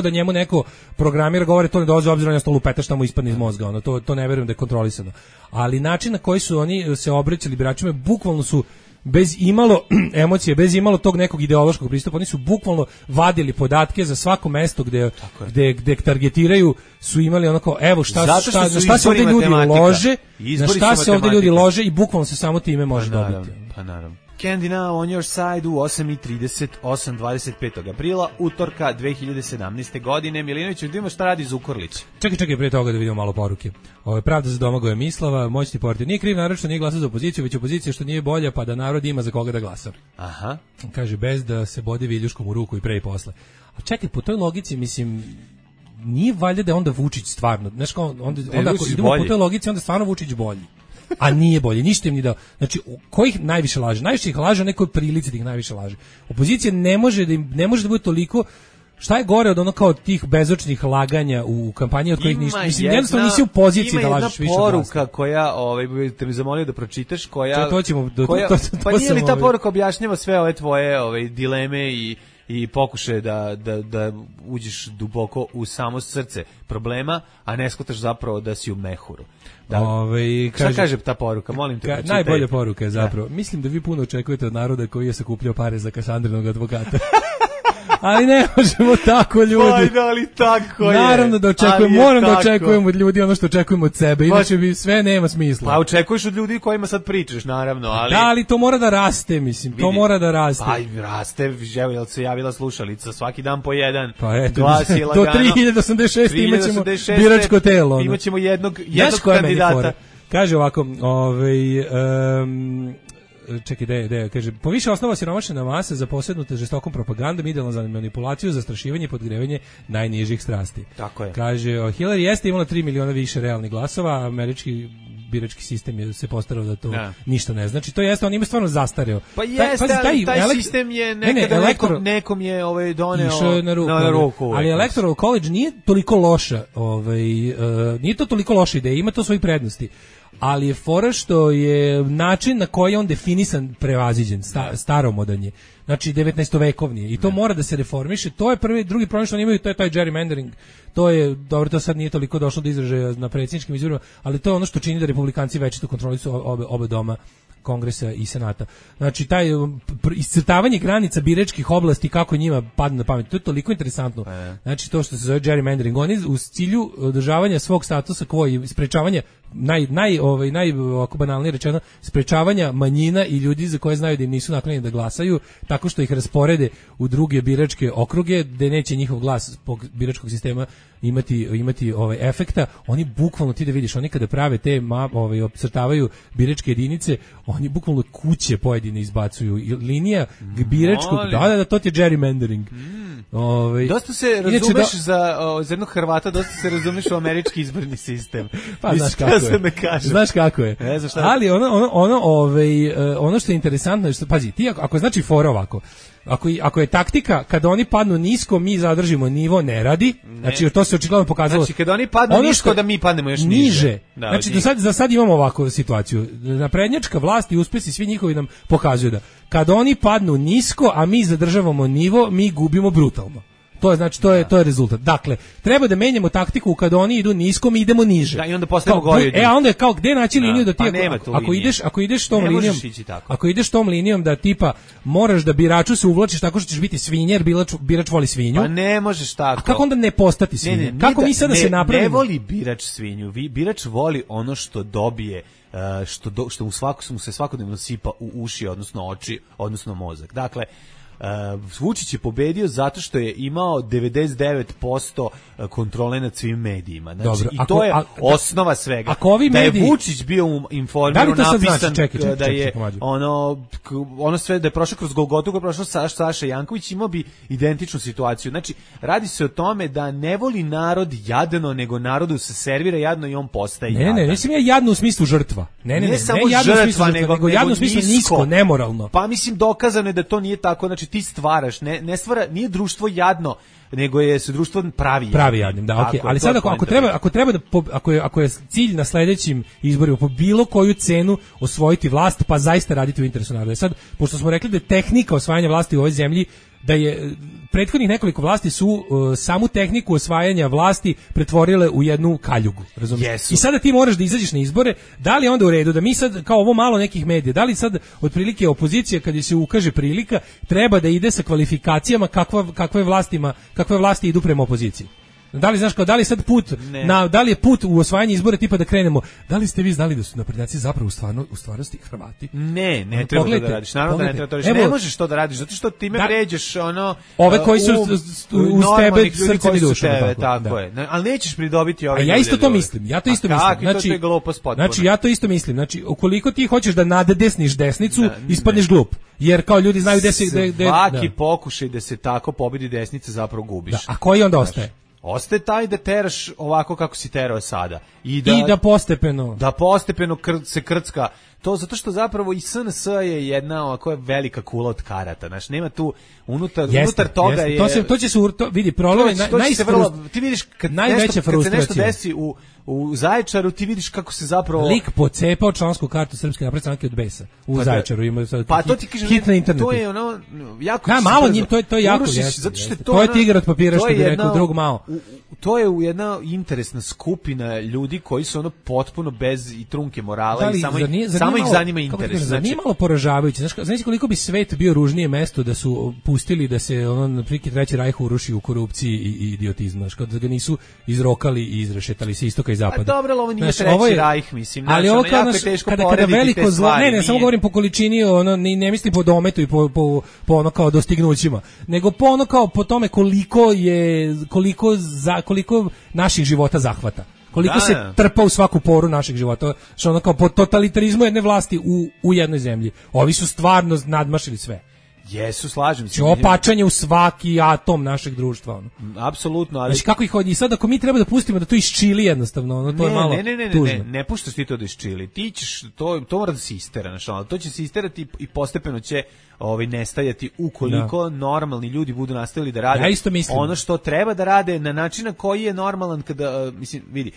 da njemu neko programira govore, to ne dolazi obzirom na stolu peta šta mu ispadne iz mozga, to ne verujem da je kontrolisano. Ali način na koji su oni se obraćali biračima, bukvalno su bez imalo emocije, bez imalo tog nekog ideološkog pristupa, oni su bukvalno vadili podatke za svako mesto gde targetiraju, su imali onako, evo šta se ovdje ljudi lože, na šta se ovdje ljudi lože i bukvalno se samo time može dobiti. Pa naravno. Candy Now on your side u 8:30, 25. aprila, utorka 2017. godine. Milinović, vidimo šta radi Zukorlić. Čekaj, prije toga da vidimo malo poruke. Pravda za Domagoja Mislava, moćni portir. Nije kriv narod što nije glasao za opoziciju, već opozicija što nije bolja, pa da narod ima za koga da glasa. Aha. Kaže, bez da se bode viljuškom u ruku i pre i posle. A čekaj, po toj logici, mislim, nije valjda da je onda Vučić stvarno, znaš kao, onda ako idemo po toj logici, onda stvarno Vučić bolji. A nije bolje, ništa im ni dao. Znači, kojih najviše laže? Najviše ih laže, nekoj prilici da ih najviše laže. Opozicija ne može da bude toliko. Šta je gore od ono kao tih bezočnih laganja u kampanji od kojih ništa? Mislim, jednostavno nisi u poziciji da lažeš više. Ima jedna poruka koja, te mi zamolio da pročitaš, koja... Pa nije li ta poruka objašnjava sve ove tvoje dileme i pokušaje da uđeš duboko u samo srce problema, a ne shvataš zapravo da si u mehuru. Šta kaže ta poruka? Molim te. Najbolja poruka je zapravo. Mislim da vi puno očekujete od naroda koji je sakupljao pare za Kasandrinog advokata. Ali ne možemo tako, ljudi. Pa, ali tako je. Naravno da očekujemo, moram da očekujemo od ljudi ono što očekujemo od sebe, inače bi sve nema smisla. Pa očekuješ od ljudi kojima sad pričaš, naravno, ali... Da, ali to mora da raste, mislim, to mora da raste. Pa raste, jel se javila slušalica, svaki dan po jedan. Pa eto, do 3086 imaćemo biračko telo. Imaćemo jednog kandidata. Kaže ovako, čekaj, kaže, poviše osnova siromašna masa za posjednute žestokom propagandom, idealno za manipulaciju, zastrašivanje i podgrevanje najnižih strasti. Tako je. Kaže, Hillary jeste imala 3 miliona više realnih glasova, američki birački sistem se postarao da to ništa ne znači. To jeste, on ima stvarno zastareo. Pa jeste, taj sistem je nekada nekom je doneo na ruku. Ali Electoral College nije toliko loša, nije to toliko loša ideja, ima to svoje prednosti. Ali je fora što je način na koji je on definisan prevaziđen, staromodan je. Znači 19-vekovni je. I to mora da se reformiše. To je prvi, drugi problem što oni imaju, to je taj gerrymandering. To je, dobro, to sad nije toliko došlo do izražaja na predsjedničkim izborima, ali to je ono što čini da republikanci večito kontrolišu oba doma, Kongresa i Senata. Znači, taj iscrtavanje granica biračkih oblasti, kako njima padne na pamet, to je toliko interesantno. Znači, to što se zove gerrymandering, oni u cilju održavanja svog statusa quo i sprečavanja, ovako banalnije rečeno, sprečavanja manjina i ljudi za koje znaju da im nisu naklonjeni da glasaju, tako što ih rasporede u druge biračke okruge, gde neće njihov glas zbog biračkog sistema imati efekta. Oni bukvalno, ti da vidiš, oni kada prave te opcrtavaju biračke jedinice, oni bukvalno kuće pojedine izbacuju, linija biračkog, da, to ti je gerrymandering. Dosta se razumeš za jednog Hrvata, dosta se razumeš u američki izborni sistem. Pa znaš kako je. Ali ono što je interesantno je što, pazi, ti ako znači fora ovako, ako je taktika kada oni padnu nisko, mi zadržimo nivo, ne radi. Znači to se očigledno pokazalo. Znači kada oni padnu nisko, da mi padnemo još niže. Znači za sad imamo ovakvu situaciju. Naprednjačka vlast i uspesi svi njihovi nam pokazuju da kad oni padnu nisko, a mi zadržavamo nivo, mi gubimo brutalno. To je znači to je rezultat. Dakle, treba da menjamo taktiku kad oni idu nisko, mi idemo niže. Da, i onda postajemo gori. A onda je kao gde naći liniju da ti ako ideš tom linijom, ako ideš tom linijom da tipa moraš da biraču se uvlačiš tako što ćeš biti svinja, jer birač voli svinju. Pa ne možeš tako. A kako onda ne postati svinja? Kako mi sada se napravimo? Ne voli birač svinju. Birač voli ono što dobije, što mu se svakodnevno sipa u uši, odnosno oči, odnosno mozak. Dakle, Vučić je pobedio zato što je imao 99% kontrole nad svim medijima. Znači, dobro, i to je osnova svega. Ako ovi da mediji, je Vučić bio u Informeru napisan da je ono sve, da je prošao kroz Golgotu, koji je prošao Saša Janković, imao bi identičnu situaciju. Znači, radi se o tome da ne voli narod jadno, nego narodu se servira jadno i on postaje jadan. Ne, nisam ja jadno u smislu žrtva. Ne samo žrtva, nego jadno u smislu nisko, nemoralno. Pa mislim, dokazano je da to nije tako. Znači, ti stvaraš, ne stvara, nije društvo jadno, nego je se društvo pravi jadnim, da, okej. Ali sad ako je cilj na sledećim izborima po bilo koju cenu osvojiti vlast, pa zaista raditi u interesu naroda. Sad, pošto smo rekli da je tehnika osvajanja vlasti u ovoj zemlji, da je prethodnih nekoliko vlasti su samu tehniku osvajanja vlasti pretvorile u jednu kaljugu, razumiješ? I sada ti moraš da izađeš na izbore, da li je onda u redu da mi sad, kao ovo malo nekih medija, da li sad otprilike opozicija kad se ukaže prilika, treba da ide sa kvalifikacijama kakve vlasti idu prema opoziciji? Da li znaš da li sad put da li je put u osvajanje izbora tipa da krenemo? Da li ste vi znali da su naprednjaci zapravo u stvarnosti Hrvati? Ne treba to da radiš. Naravno da ne treba to radiš. Ne možeš to da radiš zato što time vređaš ove koji su uz tebe srcem i dušom, tako je. Ali nećeš pridobiti ove. A ja isto to mislim. Znači ja to isto mislim. Znači ukoliko ti hoćeš da naddesniš desnicu, ispadneš glup. Jer kao ljudi znaju gde se svaki pokušaj da se tako pobedi desnica zapravo gubiš. A koji onda ostaje? Ostaje taj da teraš ovako kako si terao sada. I da postepeno. Da postepeno se krcka. To zato što zapravo i SNS je jedna ovako velika kula od karata. Znači, nema tu unutar toga je... To će se vidi, problem je ti vidiš kad se nešto desi u Zaječaru, ti vidiš kako se zapravo... Lik pocepao člansku kartu Srpske napredne stranke od Besa. U Zaječaru ima to ti kažem, hit na internetu. To je ono jako... malo njim, to je jako. To je tigar od papira što bi rekao drug Mao. To je jedna interesna skupina ljudi koji su ono potpuno bez i trunke morala i samo ih zanima interes. Znači malo poražavajuće. Znači koliko bi svet bio ružnije mesto da su pustili da se ono priki Treći rajh uruši u korupciji i idiotizmu. Znači kad ga nisu izrokali i izrešetali se istoka i zapada. Pa dobro, ovo nije Treći rajh, mislim. Ali ovo kada veliko zlo, ne, samo govorim po količini, ono ne mislim po dometu i po ono kao dostignućima, nego po ono kao po tome koliko naših života zahvata. Koliko se trpa u svaku poru našeg života. Što ono kao po totalitarizmu jedne vlasti u jednoj zemlji. Ovi su stvarno nadmašili sve. Jesu, slažem se. Opačanje u svaki atom našeg društva. Ono. Apsolutno. Ali... Znači kako ih hodí? I sad ako mi treba da pustimo da to isčili jednostavno, ono, to je malo tužno. Ne puštaš ti to da isčili. Ti ćeš, to mora da se istera. Znači, ono, to će se isterati i postepeno će nestajati ukoliko normalni ljudi budu nastavili da rade ono što treba da rade na način na koji je normalan kada, mislim, vidi,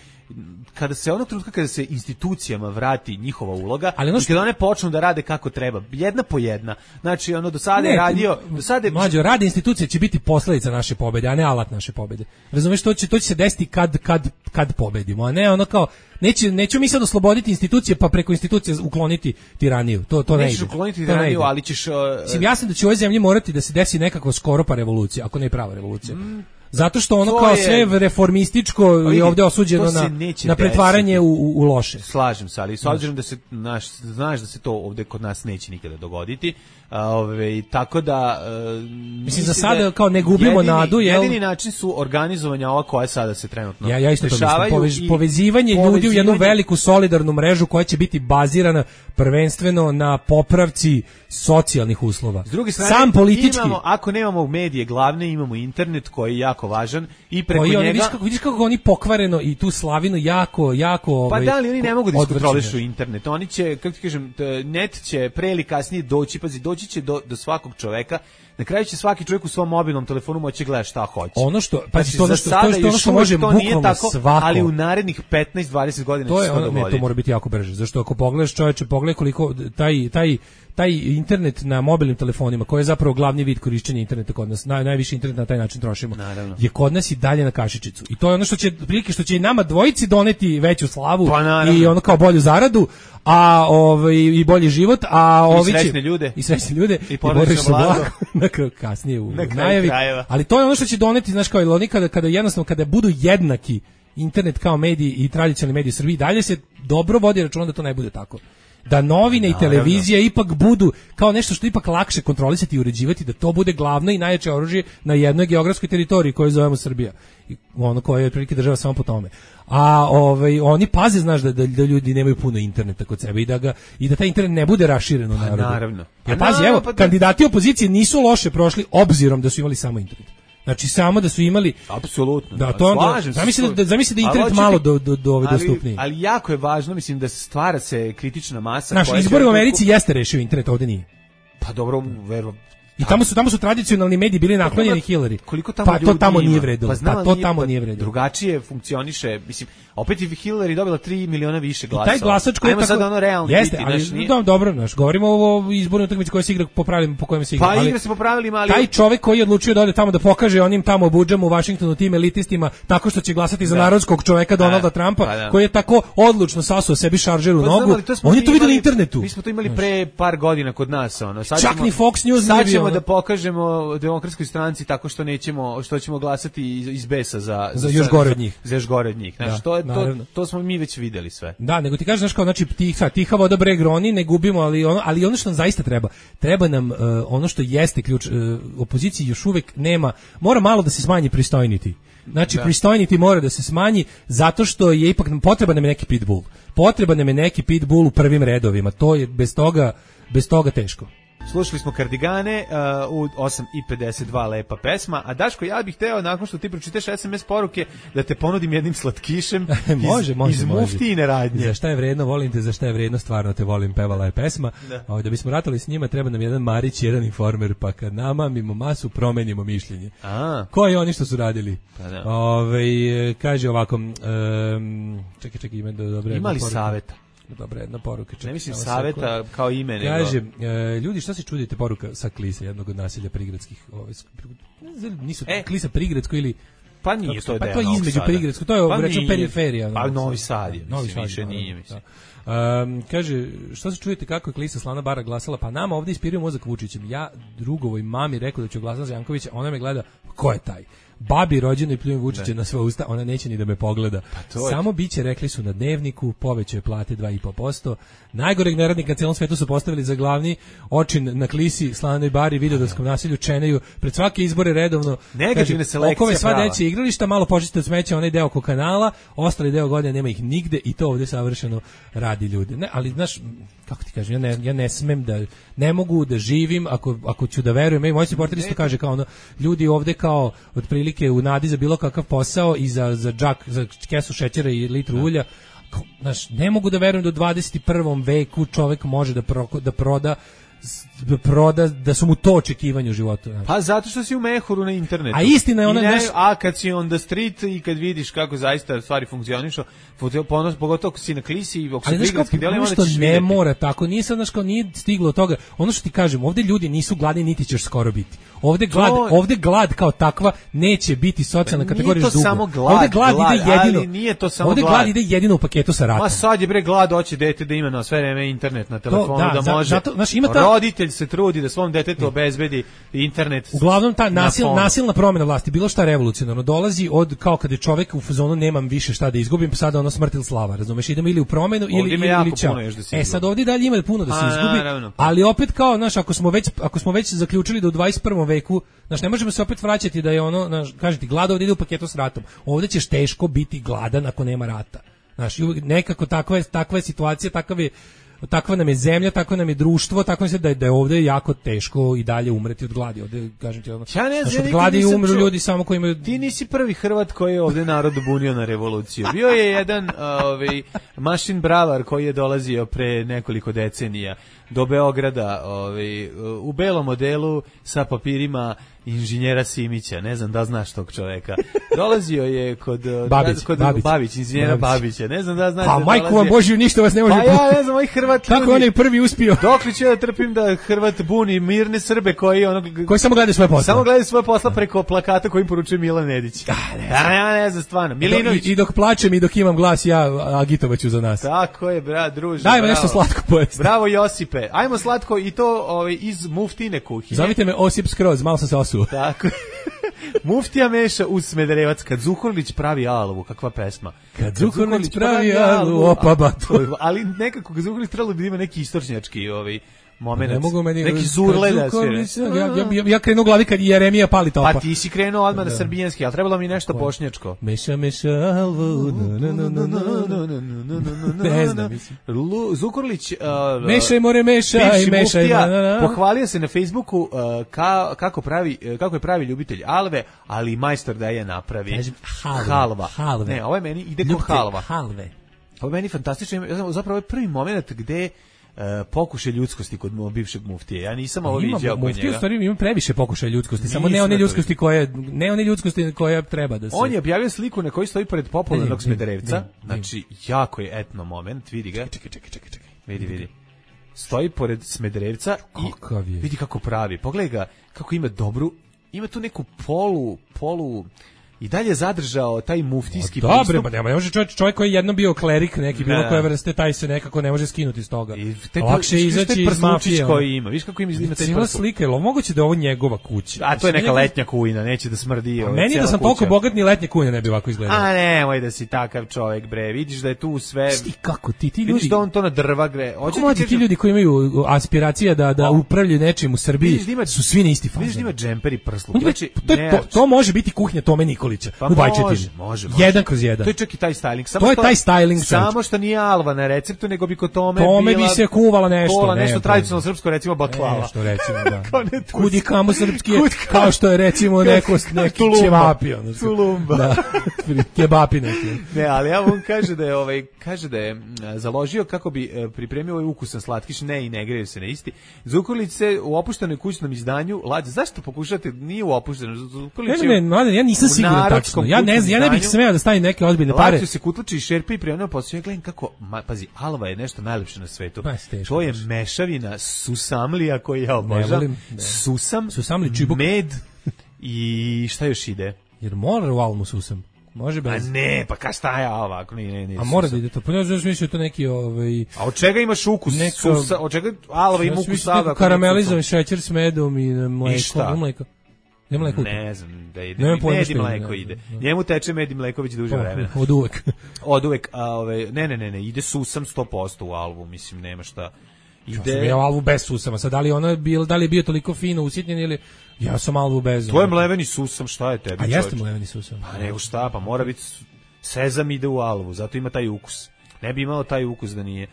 kada se onog trenutka kada se institucijama vrati njihova uloga i kada one počnu da rade kako treba, jedna po jedna. Znači, ono do sada je radio, mlađo, rade institucije će biti posledica naše pobede, a ne alat naše pobede. Razumeš, to će se desiti kad pobedimo, a ne ono kao neću mi sad osloboditi institucije pa preko institucije ukloniti tiraniju. To ne ide. Nećeš ukloniti tiraniju, ali ćeš... Mislim, ja sam da će u ovoj zemlji morati da se desi nekako skoro pa revolucija, ako ne prava revolucija. Zato što ono kao sve reformističko je ovdje osuđeno na pretvaranje u loše. Slažem se, ali s obzirom da se znaš da se to ovdje kod nas neće nikada dogoditi. Tako da mislim za sada kao ne gubimo nadu, jedini način su organizovanja ova koja sada se trenutno ja isto to mislim, povezivanje ljudi u jednu veliku solidarnu mrežu koja će biti bazirana prvenstveno na popravci socijalnih uslova. S druge strane, sam politički ako nemamo medije glavne, imamo internet koji je jako važan i preko njega vidiš kako oni pokvareno i tu slavinu jako pa da li oni ne mogu da iskontrolišu internet, oni će, kako ti kažem, net će pre ili kasnije doći će do svakog čoveka. Na kraju će svaki čovjek u svom mobilnom telefonu moći gledati šta hoće. Ono što ono što može bukvalno svako, ali u narednih 15-20 godina to može biti jako brže. Zašto ako pogledaš, čovječe, pogledaj koliko taj internet na mobilnim telefonima, koji je zapravo glavni vid korišćenja interneta kod nas, najviše internet na taj način trošimo, je kod nas i dalje na kašičicu. I to je ono što će i nama dvojici doneti veću slavu i ono kao bolju zaradu, a i bolji život, a ovi će i srećne ljude i porodično blago na kasnije u najavi. Ali to je ono što će doneti, znaš, kao oni kada jednostavno kada budu jednaki internet kao mediji i tradicionalni mediji u Srbiji, dalje se dobro vodi računa da to ne bude tako. Da novine i televizija ipak budu kao nešto što ipak lakše kontrolisati i uređivati, da to bude glavno i najjače oružje na jednoj geografskoj teritoriji koju zovemo Srbija. Ono koje je otprilike država samo po tome. A oni paze, znaš, da ljudi nemaju puno interneta kod sebe i da taj internet ne bude raširen u narodu. Naravno. Ja pazi, evo, kandidati opozicije nisu loše prošli obzirom da su imali samo internet. Znači samo da su imali apsolutno. Da to onda zamisli da internet malo do ove dostupniji. Ali jako je važno, mislim, da se stvara se kritična masa. Naš izbor u Americi jeste rešio internet, ovde nije. Pa dobro, verujem. I tamo su tradicionalni mediji bili naklonjeni Hillary. Koliko tamo pa to tamo nije vredilo. Pa to tamo nije vredilo. Drugačije funkcioniše, mislim, opet je Hillary dobila 3 miliona više glasova. I taj glasač koji je tako, sad ono realno jeste, ali dobro, znaš, govorimo o izbornoj utakmici koja se igra po pravilima po kojima se igra. Pa igra se po pravilima, ali taj čovjek koji je odlučio da ode tamo da pokaže onim tamo budžama u Vašingtonu tim elitistima tako što će glasati za narodskog čovjeka Donalda Trumpa, koji je tako odlučno sasuo sebi šaržer u nogu. On je to vidio na internetu. Mi smo to imali pre par godina kod nas, ono. Čak ni Fox News nije bio. Da pokažemo Demokratskoj stranci tako što ćemo glasati iz besa za još gore od njih. Za još gore od njih. Znači to smo mi već videli sve. Da, nego ti kažeš, znači, kao, znači tiha voda breg roni, ne gubimo, ali ono što nam zaista treba nam ono što jeste ključ opoziciji još uvek nema, mora malo da se smanji pristojniti. Znači, pristojniti mora da se smanji zato što je ipak potreban nam je neki pitbull. Potreban nam je neki pitbull u prvim redovima. To je bez toga teško. Slušali smo Kardigane u 8:52, lepa pesma. A Daško, ja bih hteo, nakon što ti pročitaš SMS poruke, da te ponudim jednim slatkišem iz Muftijine radnje. Za šta je vredno, volim te, za šta je vredno, stvarno te volim, pevala je pesma. Da bismo ratali s njima, treba nam jedan Marić, jedan Informer, pa kad namamimo masu, promenimo mišljenje. Koji oni što su radili? Kaže ovako, čekaj, ima dobre. Imali saveta? Dobra, jedna poruka. Ne mislim saveta kao ime, nego. Kaže, ljudi, šta se čudite, poruka sa Klisa, jednog od naselja prigradskih, nisu Klisa prigradsko ili pa nije to pa to je između prigradsko, to je rečeno periferija. Pa Novi Sad je, više nije, mislim. Kaže, što se čujete kako je Klisa Slana Bara glasala? Pa nama ovdje ispiraju mozak Vučićem. Ja drugovoj mami rekao da ću glasati za Jankovića, ona me gleda, ko je taj? Babi rođeno i pljujem Vučića na sva usta, ona neće ni da me pogleda. Samo biće, rekli su na Dnevniku, povećaju plate 2,5%. Najgoreg neradnika na celom svetu su postavili za glavni očin na Klisi, Slanoj Bari, Vidovdanskom naselju, čenaju pred svake izbore redovno. Negativna selekcija okove sva deće igrališta, malo počiste od smeća onaj deo oko kanala, ostali deo godine nema ih nigde i to ovdje savršeno radi ljudi. Ne, ali znaš, kako ti kažem, ja ne smem da, ne mogu da živim ako ću da verujem. Moj supporter isto kaže kao ono, ljudi ovdje kao otprilike u nadi za bilo kakav posao i za kesu šećera i litru ulja. Znaš, ne mogu da verujem da u 21. veku čovjek može da proda, da su mu to očekivanje u životu. Znači. Pa zato što si u mehuru na internetu. A istina je ona... A kad si on the street i kad vidiš kako zaista stvari funkcionišu, pogotovo ako si na Klisi i ako si prigradski deli, onda ćeš vidjeti. Ne mora tako, nije stiglo od toga. Ono što ti kažem, ovdje ljudi nisu gladni, niti ćeš skoro biti. Ovdje glad kao takva neće biti socijalna kategorija dugo. Nije to samo glad, ali nije to samo glad. Ovdje glad ide jedino u paketu sa ratom. Ma sad je glad, hoće dete da ima na sve vreme internet na telefonu, da može. Roditelj se trudi da svom detetu obezbedi internet. Uglavnom ta nasilna promjena vlasti, bilo šta revolucionarno, dolazi od kao kad je čovjek u fazonu nemam više šta da izgubim, pa sada ono smrt ili slava, razumeš, idemo ili u promjenu ili čao. Sad ovdje dalje ima puno da se izgubi, ali opet kao, znaš, ako smo već zaključili da u 21. veku, znaš, ne možemo se opet vraćati da je ono, znaš, kažete, glad ovdje ide u paketu s ratom. Ovdje ćeš teško biti gladan ako nema rata. Znaš, nekako takva je situacija, takva nam je zemlja, takva nam je društvo, tako se da je ovdje jako teško i dalje umreti od gladi. Ovdje, kažem ti, ono, od gladi umru ljudi samo koji imaju... Ti nisi prvi Hrvat koji je ovdje narod bunio na revoluciju. Bio je jedan mašin bravar koji je dolazio pre nekoliko decenija do Beograda, u belom modelu sa papirima inženjera Simića, ne znam da znaš tog čoveka. Dolazio je kod Babić, inženjera Babića, ne znam da znaš. Pa majku vam Božju, ništa vas ne može. Pa ja ne znam, ovaj Hrvat. Kako on je prvi uspio? Dokle ću ja da trpim da Hrvat buni mirne Srbe koji samo gledaju svoje posla. Samo gledaju svoje posla preko plakata koji im poručuje Milan Nedić. Ja ne znam stvarno. Milinović. I dok plačem i dok imam glas, ja agitovaću za nas. Tako je, druže. Dajme nešto slatko pojesti. Bravo Josipe. Ajmo slatko i to iz muftine kuhinje. Zovite me Osip Skroz, malo sam se osuo. Tako. Muftija meša uz Smederevac, kad Zukorlić pravi alavu, kakva pesma. Kad Zukorlić pravi alavu, opa bato. Ali nekako kad Zukorlić trebalo da ima neki istorčnjački moment. Ne mogu meni neki zurle da svira. Ja krenu u glavi kad Jeremija pali topa. Pa ti si krenuo odmah na srbijanski, ali trebalo mi nešto bošnjačko. Meša alvu. Ne znam, mislim. Zukorlić mešaj more mešaj, mešaj. Pohvalio se na Facebooku kako je pravi ljubitelj alve, ali i majstor da je napravi. Halva. Ne, ovo je meni ide kao halva. Halve. Ovo je meni fantastično. Zapravo je prvi moment gde pokušaj ljudskosti kod bivšeg muftije. Ja nisam ovo viđao kod njega. Muftija u stvari ima previše pokušaja ljudskosti, samo ne one ljudskosti koje treba da se. On je objavio sliku na kojoj stoji pored popularnog Smederevca. Znači, jako je etno moment, vidi ga. Čekaj. Vidi. Stoji pored Smederevca i vidi kako pravi. Pogledaj ga, kako ima ima tu neku polu i dalje zadržao taj muftijski pristup. Dobre, pa ne može čovjek koji je jednom bio klerik, neki bilo koje vrste, taj se nekako ne može skinuti iz toga. Lakše izaći iz mafije. Koji ima. Viš kako ima taj prsuć. Cijela slika, je li moguće da je ovo njegova kuća? A to je neka letnja kujina, neće da smrdi. Meni da sam toliko bogat, ni letnja kujina ne bi ovako izgledala. A nemoj da si takav čovjek, bre. Vidiš da je tu sve. Kako ti ljudi? Vidiš da on to na drva gre. Ti ljudi koji imaju aspiracija da upravljaju nečim u Srbiji su svi na isti fazon. Vidiš da ima džemper i prsluk. To može biti kuhinja Tome Nikolića u Bajčetini. Može. 1/1. To je čak i taj styling. To je taj styling. Samo što nije alva na receptu, nego bi kod Tome bi se kuvala nešto. Nešto tradicionalno srpsko, recimo baklava. Nešto recimo, da. Kudi kamo srpski, kao što je recimo neki ćevapi. Tulumba. Da, kebapi neki. Ne, ali ja on kaže da je založio kako bi pripremio ovaj ukusan slatkiš, i ne greju se na isti. Zukorlić se u opuštenoj kućnom izdanju, zašto pokušate, nije u opuštenom, Zukorlić ja nisam siguran tačno. Ja ne bih smeo da stavim neke ozbiljne pare. Lađu se kutlači i šerpi i prijavljeno posao. Ja gledam kako, pazi, alva je nešto najlepše na svetu. To je mešavina susamlija koji ja obožavam. Susamli čibuk, med i šta još ide? Jer mora u almu susam. Može bez. A ne, pa šta je ovako? Ne. A mora da ide to. Pa ne znam, mislim to neki A od čega imaš ukus? Od čega alva ima ukus sada? Karamelizovan šećer s medom i mleko. Ne znam da ide. Med i mleko ide. Njemu teče med i mleko već duže vremena. Od uvek. Ne, ide susam 100% u alvu, mislim, nema šta. Ja alvu bez susama. Sad, da li je bio toliko fino usitnjen ili ja sam alvu bez. To je mleveni susam, šta je tebi? A jeste mleveni susam. Pa nego šta, pa mora biti sezam ide u alvu, zato ima taj ukus. Ne bi imao taj ukus da nije.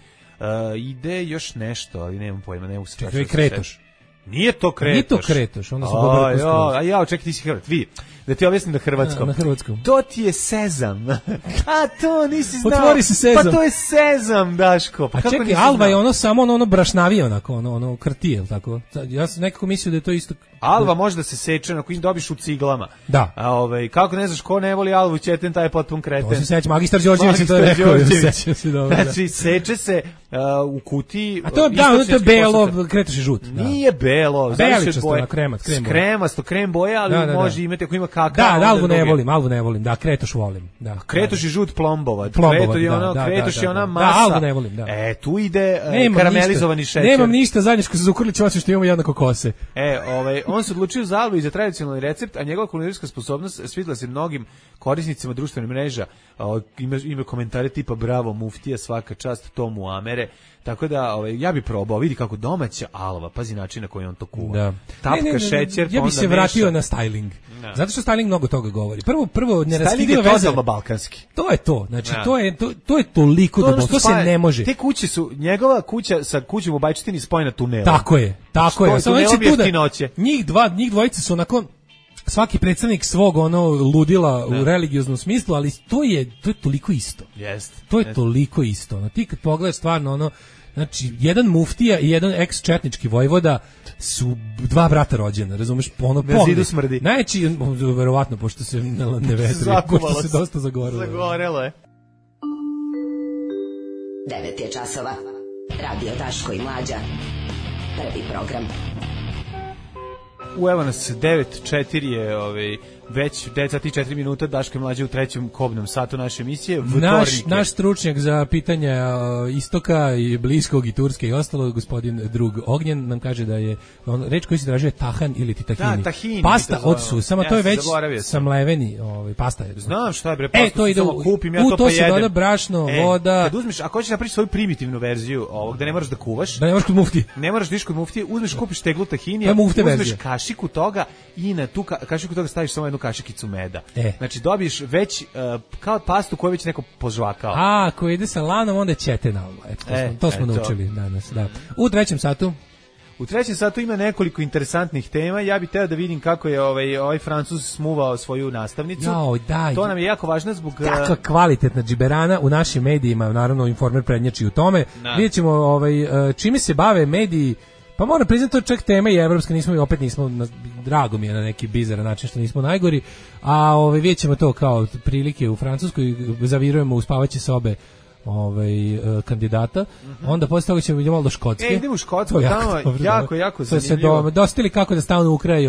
Ide još nešto, ali nemam pojma, ne mogu se. Čekaj, kretoš. Nije to kretoš. Onda se dobro postoji. A ja, čekaj, ti si Hrvat. Vi, da ti objasnim na hrvatskom. Na hrvatskom. To ti je sezam. A to nisi znao. Otvori se sezam. Pa to je sezam, Daško. Pa a čekaj, alva je ono samo ono brašnavije, ono krtije, ili tako? Ja sam nekako mislio da je to isto. Alva može da se seče, ako im dobiš u ciglama. Da. A kako ne znaš ko ne voli alvu, ćeten, taj je potpun kreten. To se seća, magistar Đorđević to je rekao. Znači, seče se u kutiji. A to je belo, kretoš i žut. Nije belo. Beličasto, kremasto, krem boja, ali može imati ako ima kakao. Da, alvu ne volim, da, kretoš volim. Da, kretoš i žut plombova. Kretoš je ona masa. Da, alvu ne volim, da. Tu ide karamelizovani šećer. Nemam ništa zajedničko sa Zukorlićem, osim što imamo jednako kose. On se odlučio za alvu i za tradicionalni recept, a njegova kulinarska sposobnost svidela se mnogim korisnicima društvenih mreža. Ima komentare tipa bravo muftija, svaka čast tomu Amere. Tako da ja bih probao, vidi kako domaća alva, pazi način na koji on to kuva. Da. Tapka šećer, ja bih se vratio na styling. Da. Zato što styling mnogo toga govori. Prvo neraskidiva veza. Styling je balkanski. To je to. Znači to je toliko dobro, to se ne može. Te kuće su njegova kuća sa kućom u Bajčetini spojena tunelom. Tako je. Samo njih dvojica su onako svaki predstavnik svog ludila u religioznom smislu, ali to je toliko isto. Jeste. To je toliko isto. Ti kad pogledaš stvarno Znači, jedan muftija i jedan ex-četnički vojvoda su dva brata rođena, razumeš? Na zidu smrdi. Najveći, verovatno, pošto se ne vetri, pošto se dosta zagorelo. Zagorelo je. 9 je časova. Radio Daško i Mlađa. Prvi program. Evo nas 9:04 je već 9 sati i 4 minuta, Daško i Mlađa u trećem kobnom satu naše emisije. Naš stručnjak za pitanja istoka i bliskog i turske i ostalo, gospodin Drug Ognjen, nam kaže da je reč koju se tražuje tahan ili ti tahini. Da, tahini. Pasta od susama, to je već samleveni pasta je. Znam šta je bre, pasta to ide samo kupim, ja to pa jedem. jedem. To se doda brašno, voda. Kad uzmeš, ako hoćeš napraviti svoju primitivnu verziju ovog, da ne moraš da kuvaš. Da ne moraš kod muftije. Ne moraš da ideš kod muftije, uzmeš, kupiš teglu tahinija, uzmeš kašiku toga i na tu kašiku toga staviš samo jednu kašikicu meda. Znači dobiješ već kao pastu koju već neko požvakao. Ako ide sa lanom, onda je ćetenalno. To smo naučili danas. Da. U trećem satu? U trećem satu ima nekoliko interesantnih tema. Ja bih teo da vidim kako je ovaj Francuz smuvao svoju nastavnicu. To nam je jako važno zbog... Takva kvalitetna džiberana u našim medijima, naravno Informer prednjači u tome. Vidjet ćemo čime se bave mediji. Pa moram priznati, to čak tema i evropska, opet nismo, drago mi je na neki bizaran način što nismo najgori, a vidjet ćemo to kao prilike u Francuskoj, zavirujemo u spavaće sobe kandidata, onda posle toga ćemo idemo malo do Škotske. Idemo u Škotsku, tamo jako zanimljivo. Dostali kako da stanu u kraj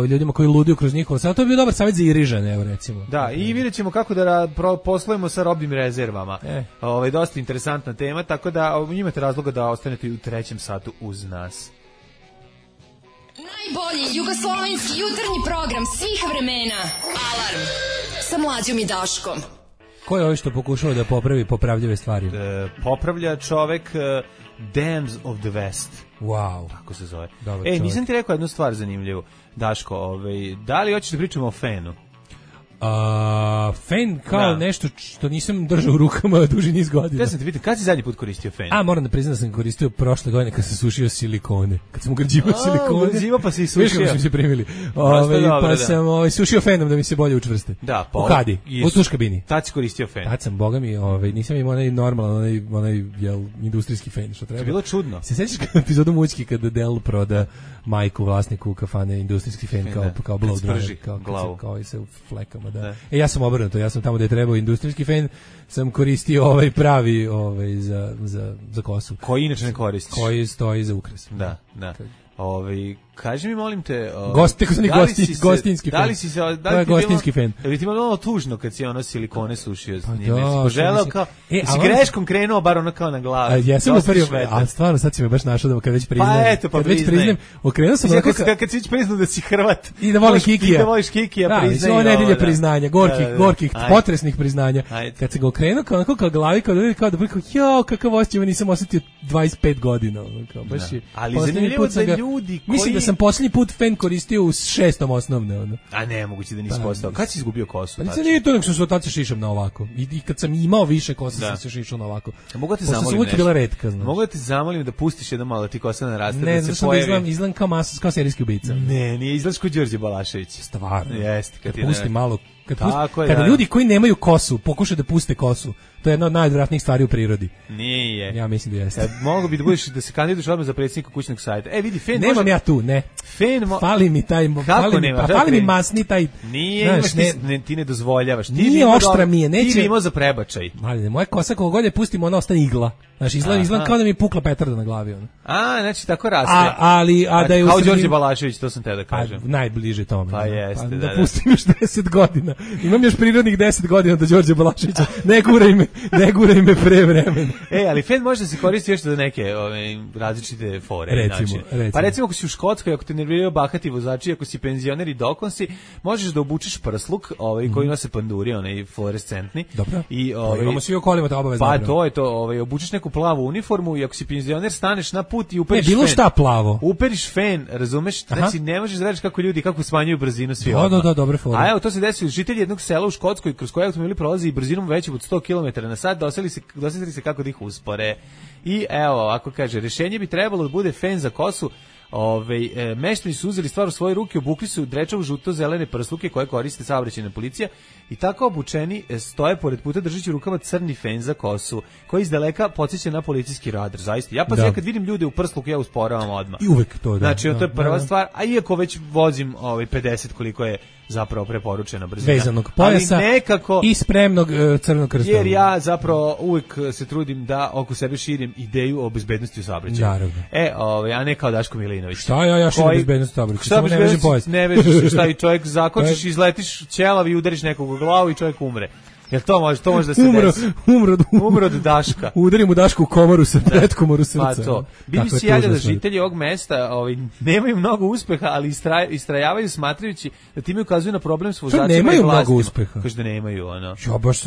ljudima koji luduju kroz njihovo sad. To je bio dobar savjet za Irižane, evo recimo. Da, i vidjet ćemo kako da poslujemo sa robnim rezervama. Dosta interesantna tema, tako da imate razloga da ostanete u trećem satu uz nas. Najbolji jugoslovenski jutarnji program svih vremena. Alarm sa Mlađom i Daškom. Ko je ovo što pokušao da popravi popravljive stvari? Popravlja čovek Dams of the West. Wow. Tako se zove. Nisam ti rekao jednu stvar zanimljivu. Daško, da li hoćeš da pričamo o fenu? Fen kao nešto što nisam držao u rukama duži niz godina. Ja sam te pitan, kad si zadnji put koristio fen? Moram da priznam da sam koristio prošle godine kad sam sušio silikone. Kad sam ugrađivao silikone. Ugrađivao pa si i sušio. Viš kako smo se primili. Pa sam sušio fenom da mi se bolje učvrste. Da, u kadi, u tuš kabini. Tad si koristio fen. Tad sam, boga mi, nisam imao onaj normalan, onaj industrijski fen što treba. To je bilo čudno. Se sećaš epizodu Mućki kada Del proda majku vlasniku kafane industrijski fen kao blow dryer, kao i se u flekama, da. Ja sam obrnuto, ja sam tamo gde je trebao industrijski fen, sam koristio pravi za kosu. Koji inače ne koristiš? Koji stoji za ukras. Da. Kaži mi, molim te, gostinski fen. Da li si se, to je gostinski fen. Je li ti malo tužno kad si silikone sušio? Pa da, želeo kao, si greškom krenuo bar ono kao na glavu. Jesam uperio, a stvarno sad si me baš našao da kad već priznajem. Pa eto, kad već priznajem, okrenuo sam kad si već priznao da si Hrvat. I da volim Kikija. I da voliš Kikija, priznaj. Da, nedelje priznanja, gorkih, potresnih priznanja. Kad se ga okrenuo kao glavi, kao da jo, kakav osjećaj, nisam osetio 25 godina. Ali zanimljivo da ljudi koji... Mislim da sam posljednji put fen koristio u 6. osnovne. A ne, moguće da nisi postao. Kad si izgubio kosu? Pa nije to, nego sam se od tada se šišam na ovako. I kad sam imao više kosa, sam se šišao na ovako. Mogu te zamolim nešto? Bila retka, znaš. Mogu te zamolim da pustiš jedno malo da ti kosa naraste, ne, da se pojavi. Ne, izgledam kao serijski ubica. Ne, nije izgledaš kao Đorđe Balašević. Stvarno. Jeste. Kad pusti malo... Kada ljudi koji nemaju kosu pokušaju da puste kosu, to je jedna od najodvratnijih stvari u prirodi. Nije. Ja mislim da jeste. Mogu bi da se kandiduješ odmah za predsjednika kućnog sajta. Vidi, fen nemam može... ja tu, ne. Fen fali mi taj... Fali mi masni taj... Nije, ti ne dozvoljavaš. Nije oštra mi je, neće... Ti bi imao za prebačaj. Moja kosa kogo god je pustimo, ona ostane igla. Znači, izgleda kao da mi je pukla petarda na glavi. Ono. Znači, tako raste. Da je kao Đorđe Balašević, to sam te da kažem. Najbliže tome. Pa jeste, da. Da pustim još 10 godina. Imam još prirodnih 10 godina do Đorđe Balaševića. Ne guraj me pre vremena. Ali fen može da se koristi još za neke različite fore. Recimo. Pa recimo, ako si u Škotskoj, ako te nerviraju bahati vozači, ako si penzioner i dokon si, možeš da obučeš prsluk, koji nose panduri, onaj fluorescentni. Dobro. Imamo svi okolima to obavezno. Pa to je to, obučeš neku plavu uniformu i ako si penzioner staneš na put i uperiš bilo šta plavo. Uperiš fen, razumeš? Znači ne možeš da radiš kako smanjuju brzinu svi odmah. Da, dobre fore. A evo to se desilo, žitelji jednog sela u Škotskoj kroz koje automobili prolazi brzinom većom od 100 km/h, dosetili se kako da ih uspore. I evo, ako kaže, rješenje bi trebalo da bude fen za kosu, Meštani su uzeli stvar u svoje ruke, obukli su drečavu žuto-zelene prsluke koje koriste saobraćajna policija i tako obučeni stoje pored puta držeći u rukama crni fen za kosu, koji izdaleka podsjeća na policijski radar. Zaista. Ja ja kad vidim ljude u prsluku, ja usporavam odmah. I uvek to, da. Znači, to je prva stvar, a iako već vozim 50 koliko je zapravo preporučena brzina. Vezanog pojasa nekako, i spremnog crnog krsta. Jer ja zapravo uvek se trudim da oko sebe širim ideju o bezbednosti u saobraćaju. Naravno. A ne kao Daško Milinović. Šta ja širim bezbednost u saobraćaju? Samo ne vežem pojas. Ne vežeš, šta i čovjek zakočiš, izletiš ćelav i udariš nekog u glavu i čovjek umre. Jel to može da se desi? Umro od Daška. Udarim u Dašku u komoru sa pretkomoru srca. Pa to. BBC javlja da žitelji ovog mesta nemaju mnogo uspeha, ali istrajavaju smatrajući da time ukazuju na problem s vozačima i vlastima. Nemaju mnogo uspeha. Kaže da nemaju, ono. Ja baš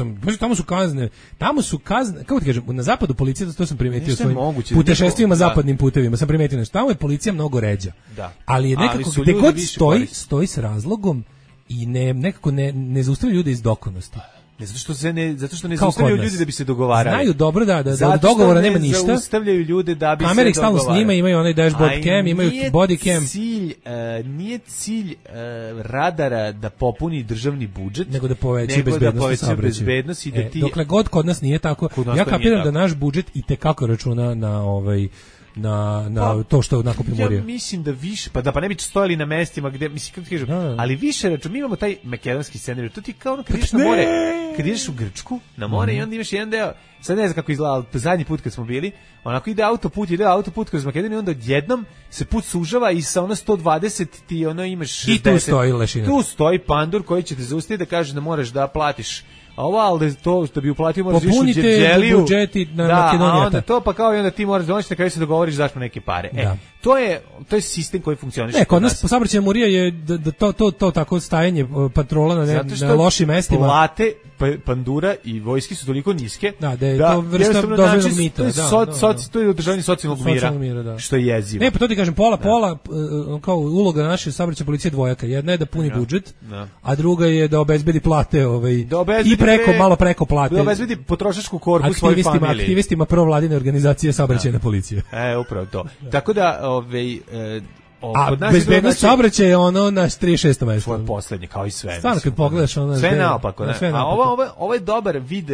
tamo su kazne, kako ti kažem, na zapadu policija, to sam primetio svojim putešestvima zapadnim putevima, sam primetio nešto. Tamo je policija mnogo ređa. Da. Ali je nekako, gde god stoji s razlogom i nekako ne zaustavlja ljude iz dokonosti. Zato što ne zaustavljaju ljudi da bi se dogovarali. Znaju dobro da dogovora nema ništa. Zaustavljaju ljude da bi kamere se dogovarali. Kamere stalno snima, imaju onaj dashboard cam, imaju body cam. Nije cilj radara da popuni državni budžet, nego da poveća bezbednost i da ti... Dokle god kod nas nije tako, ja kapiram da naš budžet i tekako računa na to što nakupimo morije. Ja mislim da više, pa ne bi stojali na mestima gde, mislim, kako ti kažem, ali više račun, mi imamo taj makedonski scenarij, to ti kao ono kad ideš na more, kad ideš u Grčku, na more i onda imaš jedan deo, sad ne znam kako izgleda, zadnji put kad smo bili, onako ide autoput kroz Makedoniju, onda odjednom se put sužava i sa 120 ti imaš 60. I tu stoji lešina. Tu stoji pandur koji će te zaustaviti da kaže da moraš da platiš. A ali to što bi uplatio moraš više popunite budžeti na Makedonijata. A onda to pa kao i onda ti moraš doći na kraju se dogovoriš zašto neke pare. To je sistem koji funkcioniše. Kod nas po saobraćajna murija je da to tako stajanje patrola na lošim mestima. Plate pandura i vojski su toliko niske da je to vrsta dozvoljenog mita. To je održavanje socijalnog mira, što je jezivo. Ne, pa to ti kažem, pola kao uloga naše saobraćajne policije dvojaka. Jedna je da puni budžet, a druga je da obezbedi plate i malo preko plate. Da obezbedi potrošačku korpu svojoj familiji. Aktivistima provladine organizacije saobraćajne policije. Upravo to. Tako da a bezbednost saobraćaja je ono na 36. mesto. Tvoje poslednje, kao i sve. Stvarno, kad pogledaš ono... Sve naopako. A ovo je dobar vid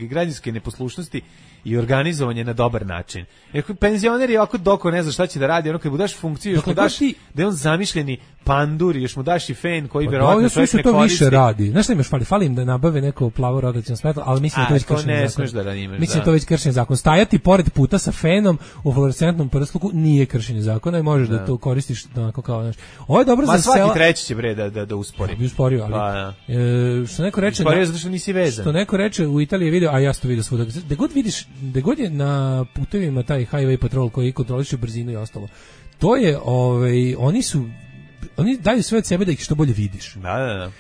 građanske neposlušnosti i organizovanje na dobar način. Jer penzioner je ovako doko ne zna šta će da radi, ono kad mu daš funkciju, još mu daš da je on zamišljeni pandur, još mu daš i fen koji verovatno čovjek ne koristi. Više radi. Znaš šta imaš fali im da nabave neko plavo rotaciono svetlo, ali mislim da to već kršenje zakona. Mislim da to već kršenje zakona. Stajati pored puta sa fenom u fluorescentnom prsluku nije kršenje zakona i možeš da to koristiš onako kao, znaš. Ovo je dobro za sela. Svaki treći će da uspori. Bi usporio, ali što neko reče, zato što nisi vezan. Što neko reče u Italiji video, a ja to vidio svuda. Da god je na putevima taj highway patrol koji kontroliše brzinu i ostalo. To je oni daju sve od sebe da ih što bolje vidiš. Da.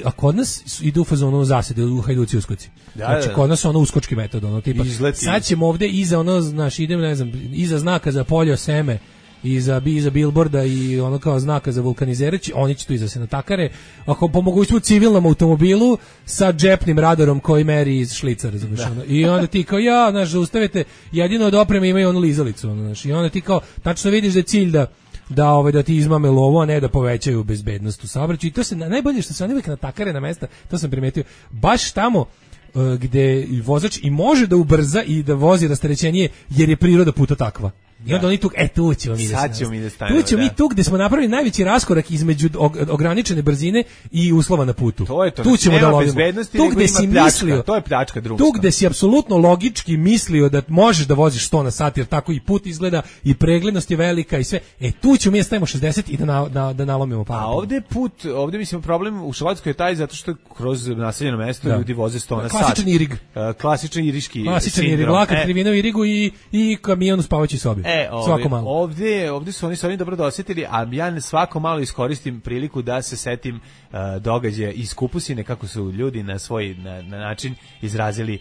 A kod nas idu u fazonu zasede, u hajduci uskoci. Znači kod nas ono uskočki metod, tipa sad ćemo ovde iza idem, ne znam, iza znaka za polje seme, iza billboarda i ono kao znaka za vulkanizere, oni će tu iza se natakare, ako po mogućstvu civilnom automobilu sa džepnim radarom koji meri iz šlica, razumiješ, i onda ti kao, zaustavite, jedino od opreme imaju onu lizalicu, i onda ti kao, tačno vidiš da je cilj da ti izmame lovo, a ne da povećaju bezbednost u saobraćaju. I to se najbolje što se oni uvijek natakare na mesta, to sam primetio, baš tamo gde vozač i može da ubrza i da vozi rasterećenije, jer je priroda puta takva. I onda oni tu ćemo mi da stanemo. Tu ćemo mi tu gde smo napravili najveći raskorak između ograničene brzine i uslova na putu. Tu ćemo da lovimo. Tu gde si mislio, to je pljačka drumska. Tu gde si apsolutno logički mislio da možeš da voziš 100 na sat, jer tako i put izgleda i preglednost je velika i sve. Tu ćemo mi stavimo 60 i da nalomimo par. A ovde mislim problem u Švedskoj je taj zato što kroz naseljeno mesto ljudi voze 100 na sat. Klasičan irig. Klasičan iriški sindrom. Lakat krivina u irigu i kamion u spavaćoj sobi. Svako malo. Ovdje su oni dobro dosjetili, a ja svako malo iskoristim priliku da se setim događaja iz Kupusine, kako su ljudi na svoj na način izrazili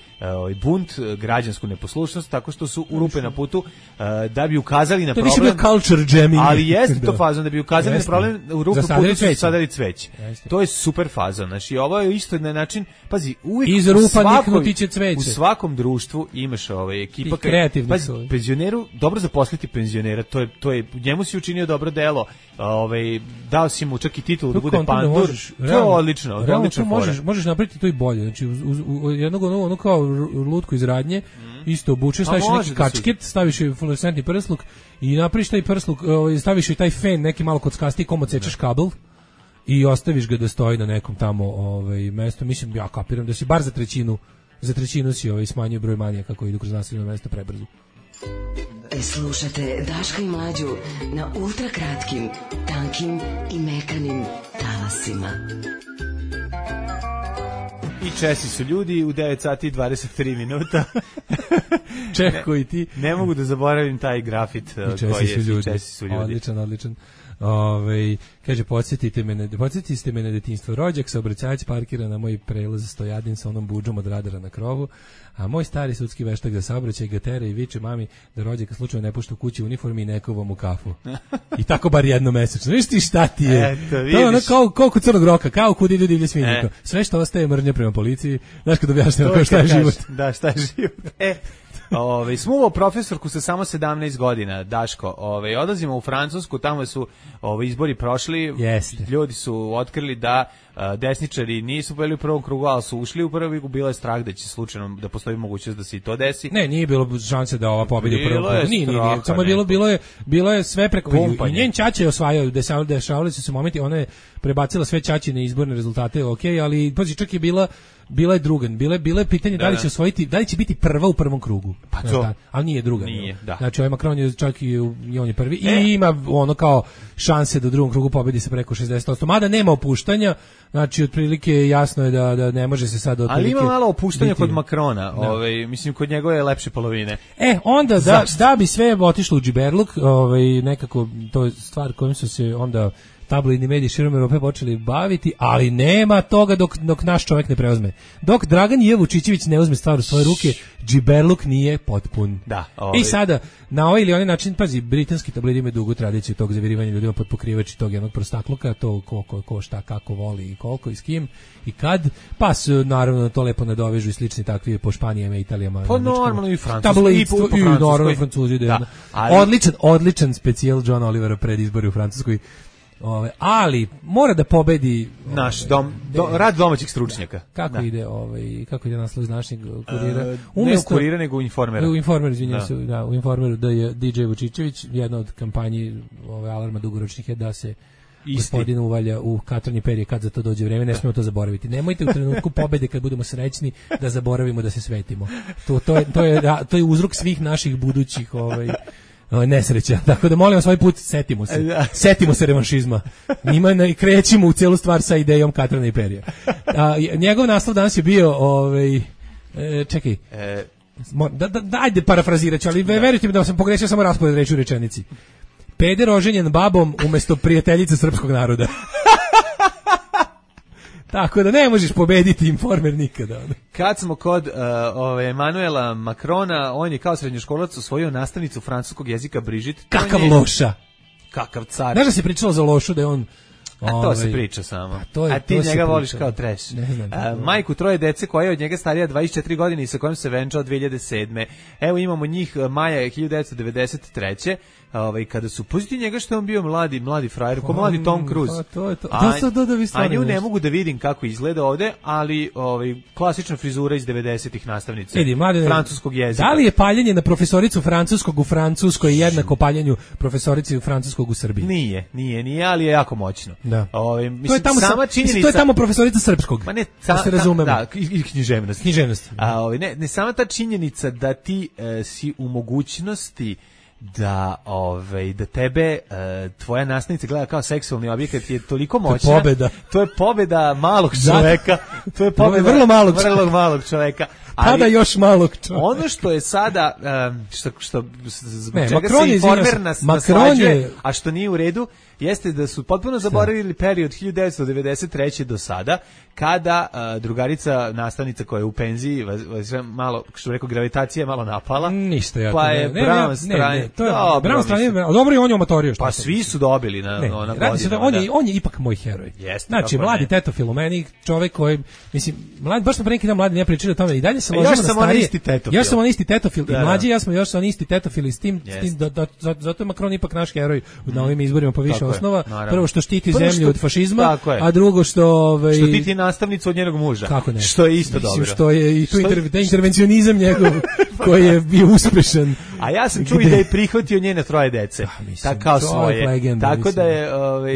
bunt, građansku neposlušnost, tako što su u rupe na putu da bi ukazali na problem. To je bio culture jamming. Ali jeste to fazon, da bi ukazali na problem, u rupu putu su sadali cveće. To je super fazon. Znači, ovo je isto na način, pazi, uvijek iz rupa niknuti će cveće. U svakom društvu imaš ekipa, kreativni penzioneru dobro za zaposliti penzionera, to je njemu si učinio dobro delo, dao si mu čak i titulu da bude pandur, to je odlično, odlično. Možeš napraviti to i bolje, znači u jednog ono kao lutku iz radnje, isto obučeš, staviš neki kačket, staviš i fluorescentni prsluk i napraviš taj prsluk, staviš i taj fen neki malo kockasti, kom odsečeš kabel i ostaviš ga da stoji na nekom tamo mestu. Mislim, ja kapiram da si bar za trećinu si smanjio broj manijaka koji idu kroz naseljeno mesto prebrzo. Slušate Daška i Mlađu na ultra kratkim, tankim i mekanim talasima. I Česi su ljudi u 9 sati i 23 minuta. Čeko i ti. Ne mogu da zaboravim taj grafit koji je Česi su ljudi. Odličan. Kaže, podsjetite me na detinjstvo. Rođak, saobraćajac parkira na moj prelaz Stojadin sa onom budžom od radara na krovu, a moj stari sudski veštak za saobraćaj ga tera i viče mami da rođaka slučajno ne pušta u kući u uniformi i nekovom u kafu. I tako bar jednom mesečno. Viš ti šta ti je? Eto, to je ono kao kod Crnog Roka, kao kud idu divlje svinjiko. Sve što ostaje mržnja prema policiji. Znaš kad objašnjamo šta je život. Da, šta je život. Smuvo profesorku sa samo 17 godina, Daško. Odlazimo u Francusku, tamo su izbori prošli. Jeste. Ljudi su otkrili da desničari nisu bili u prvom krugu, ali su ušli u prvi, bilo je strah da će slučajno da postoji mogućnost da se i to desi. Ne, nije bilo šanse da ova pobedi u prvom krugu. Nije. Samo je bilo je sve preko i njen ćaća je osvajao, dešavali su se momenti, ona je prebacila sve ćaćine izborne rezultate, okej, ali pazi, čak je bila je druga, bilo je pitanje da li će osvojiti, da li će biti prva u prvom krugu. Pa to, ali nije druga. Nije, da. Znači ovaj Macron je čak i on je prvi i ima ono kao šanse da u drugom krugu pobedi se preko 60%. Mada nema opuštanja, znači otprilike jasno je da ne može se sad otprilike. Ali ima malo opuštanja kod Macrona, mislim kod njegove lepše polovine. Onda da bi sve otišlo u džiberluk, nekako to je stvar kojom su se onda tabloidni mediji širom Evrope počeli baviti, ali nema toga dok naš čovjek ne preuzme. Dok Dragan J. Vučićević ne uzme stvar u svoje ruke, džiberluk nije potpun. Da, I sada, na ovaj ili onaj način, pazi, britanski tabloidi imaju dugu tradiciju tog zavirivanja ljudima pod pokrivači tog jednog prostakluka, to ko šta, kako voli i koliko i s kim i kad, pa su naravno to lepo nadovežu i slični takvi po Španijama i Italijama. Pa normalno i Francuskoj. I naravno Francuzi. Odličan specijal John Olivera pred izbori u Francuskoj. Ali mora da pobedi naš rad domaćih stručnjaka. Kako ide naslov iz našeg kurira? Ne u kurira, nego u Informera. U Informeru, izvinjam se, u Informeru da je DJ Vučićević, jedna od kampanji alarma dugoročnih je da se gospodin uvalja u katranje perje kad za to dođe vreme, ne smijemo to zaboraviti. Nemojte u trenutku pobede kad budemo srećni da zaboravimo da se svetimo. To je uzrok svih naših budućih nesreća. Tako da molim vas ovaj put setimo se revanšizma. Krećimo u celu stvar sa idejom katrana i perja. Njegov naslov danas je bio čekaj. Ajde parafrazirat ću, ali verujte mi da sam pogrešio samo raspored reči u rečenici. Peder oženjen babom umjesto prijateljice srpskog naroda. Tako da ne možeš pobediti Informer nikada. Kad smo kod Emanuela Macrona, on je kao srednjoškolac osvojio nastavnicu francuskog jezika Brigitte. Kakav loša. Kakav car. Znaš da se pričalo za lošu da je on... to se priča samo. A ti njega voliš kao trash. Majku troje dece koja je od njega starija 24 godine i sa kojom se venčao 2007. Evo imamo njih maja 1993. Kada su pustili njega što je on bio mladi frajer, ko mladi Tom Cruise. A nju ne mogu da vidim kako izgleda ovde, ali klasična frizura iz 90-ih nastavnice francuskog jezika. Da li je paljenje na profesoricu francuskog u Francuskoj jednako paljenju profesorici francuskog u Srbiji? Nije, ali je jako moćno. Da. Mislim, sama činjenica... To je tamo profesorica srpskog. Ma ne, se razumemo. Da, i književnost. Ne, sama ta činjenica da ti si u mogućnosti da tebe tvoja nastavnica gleda kao seksualni objekat je toliko moćna. To je pobeda malog čoveka. To je pobeda vrlo malog čoveka. Tada još malog čoveka. Ono što je sada zbog čega se Informer naslađuje, a što nije u redu, jeste da su potpuno zaboravili period 1993. do sada, kada drugarica nastavnica koja je u penziji, malo, što rekao, gravitacija je malo napala. Ništa ja. Pa je Brown stranje. Brown stranje, dobro i on je omatorio. Pa svi su dobili na godinu. On je ipak moj heroj. Znači, mladi Teto Filomeni, čovek koji mislim, mladi, baš smo pre neki dan mladi ne pričali o tome, i dalje se ložimo na starije. Još sam on isti tetofil, i mlađi ja smo još oni isti tetofili s tim zato je Macron ipak naš heroj na ovim izborima po više osnova. Prvo što štiti zemlju od fašizma, a drugo što što štiti nastavnicu od njenog muža. Kako ne? Što je isto dobro. Što je i tu intervencionizam njegov koji je bio uspešan. A ja sam čuo i da je prihvatio njene 3 dece. Tako kao svoje. Legenda, tako da je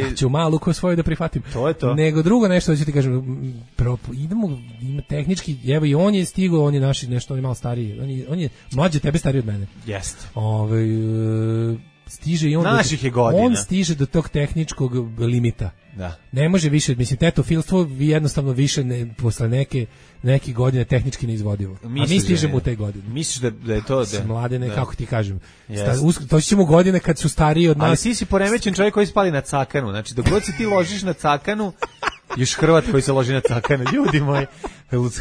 ja ću malu ko svoje da prihvatim. To je to. Nego drugo nešto ću ti kažem, ima tehnički, evo i on je stigao, on je naši nešto, on je malo stariji, on je mlađi tebe, stariji od mene. Jeste. Stiže i on naših je godina. On stiže do tog tehničkog limita. Da. Ne može više, mislim, tetofilstvo jednostavno više posle neke godine tehnički neizvodivo. A mi stižemo u te godine. Misliš da je to da mladene, kako ti kažem. To ćemo godine kad su stariji od nas. Ali ti si poremećen čovjek koji spali na cakanu. Znači, dok god se ti ložiš na cakanu, još Hrvat koji se loži na cakanu, ljudi moji.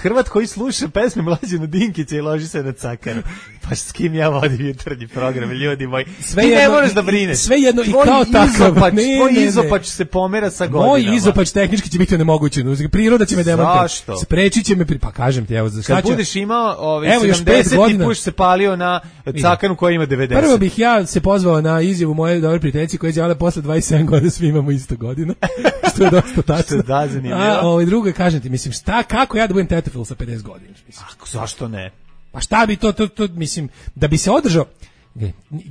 Hrvat koji sluša pesme Mlađana Dinkića i loži se na cakanu. Pa s kim ja vodim jutarnji program, ljudi moji. Ti ne moraš da brineš. Sve jedno i kao takav. Tvoj izopač se pomera sa godinama. Moj izopač tehnički će biti onemogućen. Priroda će me demontirati. Zašto? Sprečit će me, pa kažem ti, evo. Kad budeš imao 70 i puš se palio na cakanu koja ima 90. Prvo bih ja se pozvao na izjavu moje dobre prijateljice koja je izjavila posle 27 godina svi imamo isto godina. Što je dosta tačno. Da, zanimljivo. A drugo, kažem ti, mislim, kako ja da budem tetofil sa 50 godina? Zašto ne? Pa šta bi to, mislim, da bi se održao,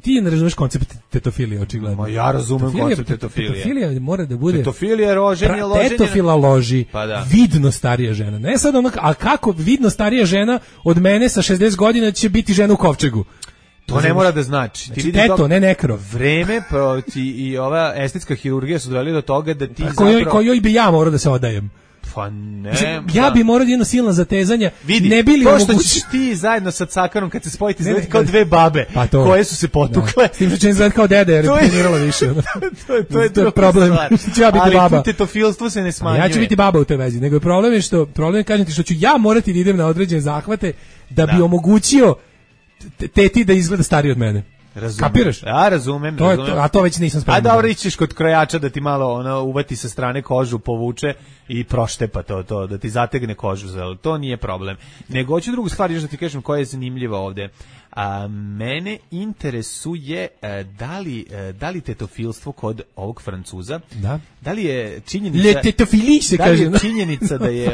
ti ne razumeš koncept tetofilije, očigledno. Ma ja razumem koncept tetofilije. Tetofilija mora da bude... Tetofilija, loženje. Tetofila loži vidno starija žena. Ne sad ono, a kako vidno starija žena od mene sa 60 godina će biti žena u kovčegu? To ne mora da znači. Ti teto, ne nekrov. Vreme i ova estetska hirurgija su doveli do toga da ti kojoj bi ja morao da se odajem. Pa ne. Ja bi morao jedno silno zatezanja. Vidi, ne bili to što ćeš ti zajedno sa cakanom kad se spojiti izgleda kao dve babe koje su se potukle. S tim što će izgleda kao dede jer je trenirala više. To je problem. Ja biti baba. Ali tetofilstvo se ne smanjuje. Ja ću biti baba u toj vezi. Nego je problem kažem ti što ću ja morati da idem na određene zahvate da bi omogućio teti da izgleda stariji od mene. Kapiraš? Ja razumem. A to već nisam spreman. A dobro, ićeš kod krojača da ti malo uvati sa strane kožu, povuče i proštepa to, da ti zategne kožu. To nije problem. Nego hoću drugu stvar još da ti kažem koja je zanimljiva ovde. Mene interesuje da li tetofilstvo kod ovog Francuza, da li je činjenica da je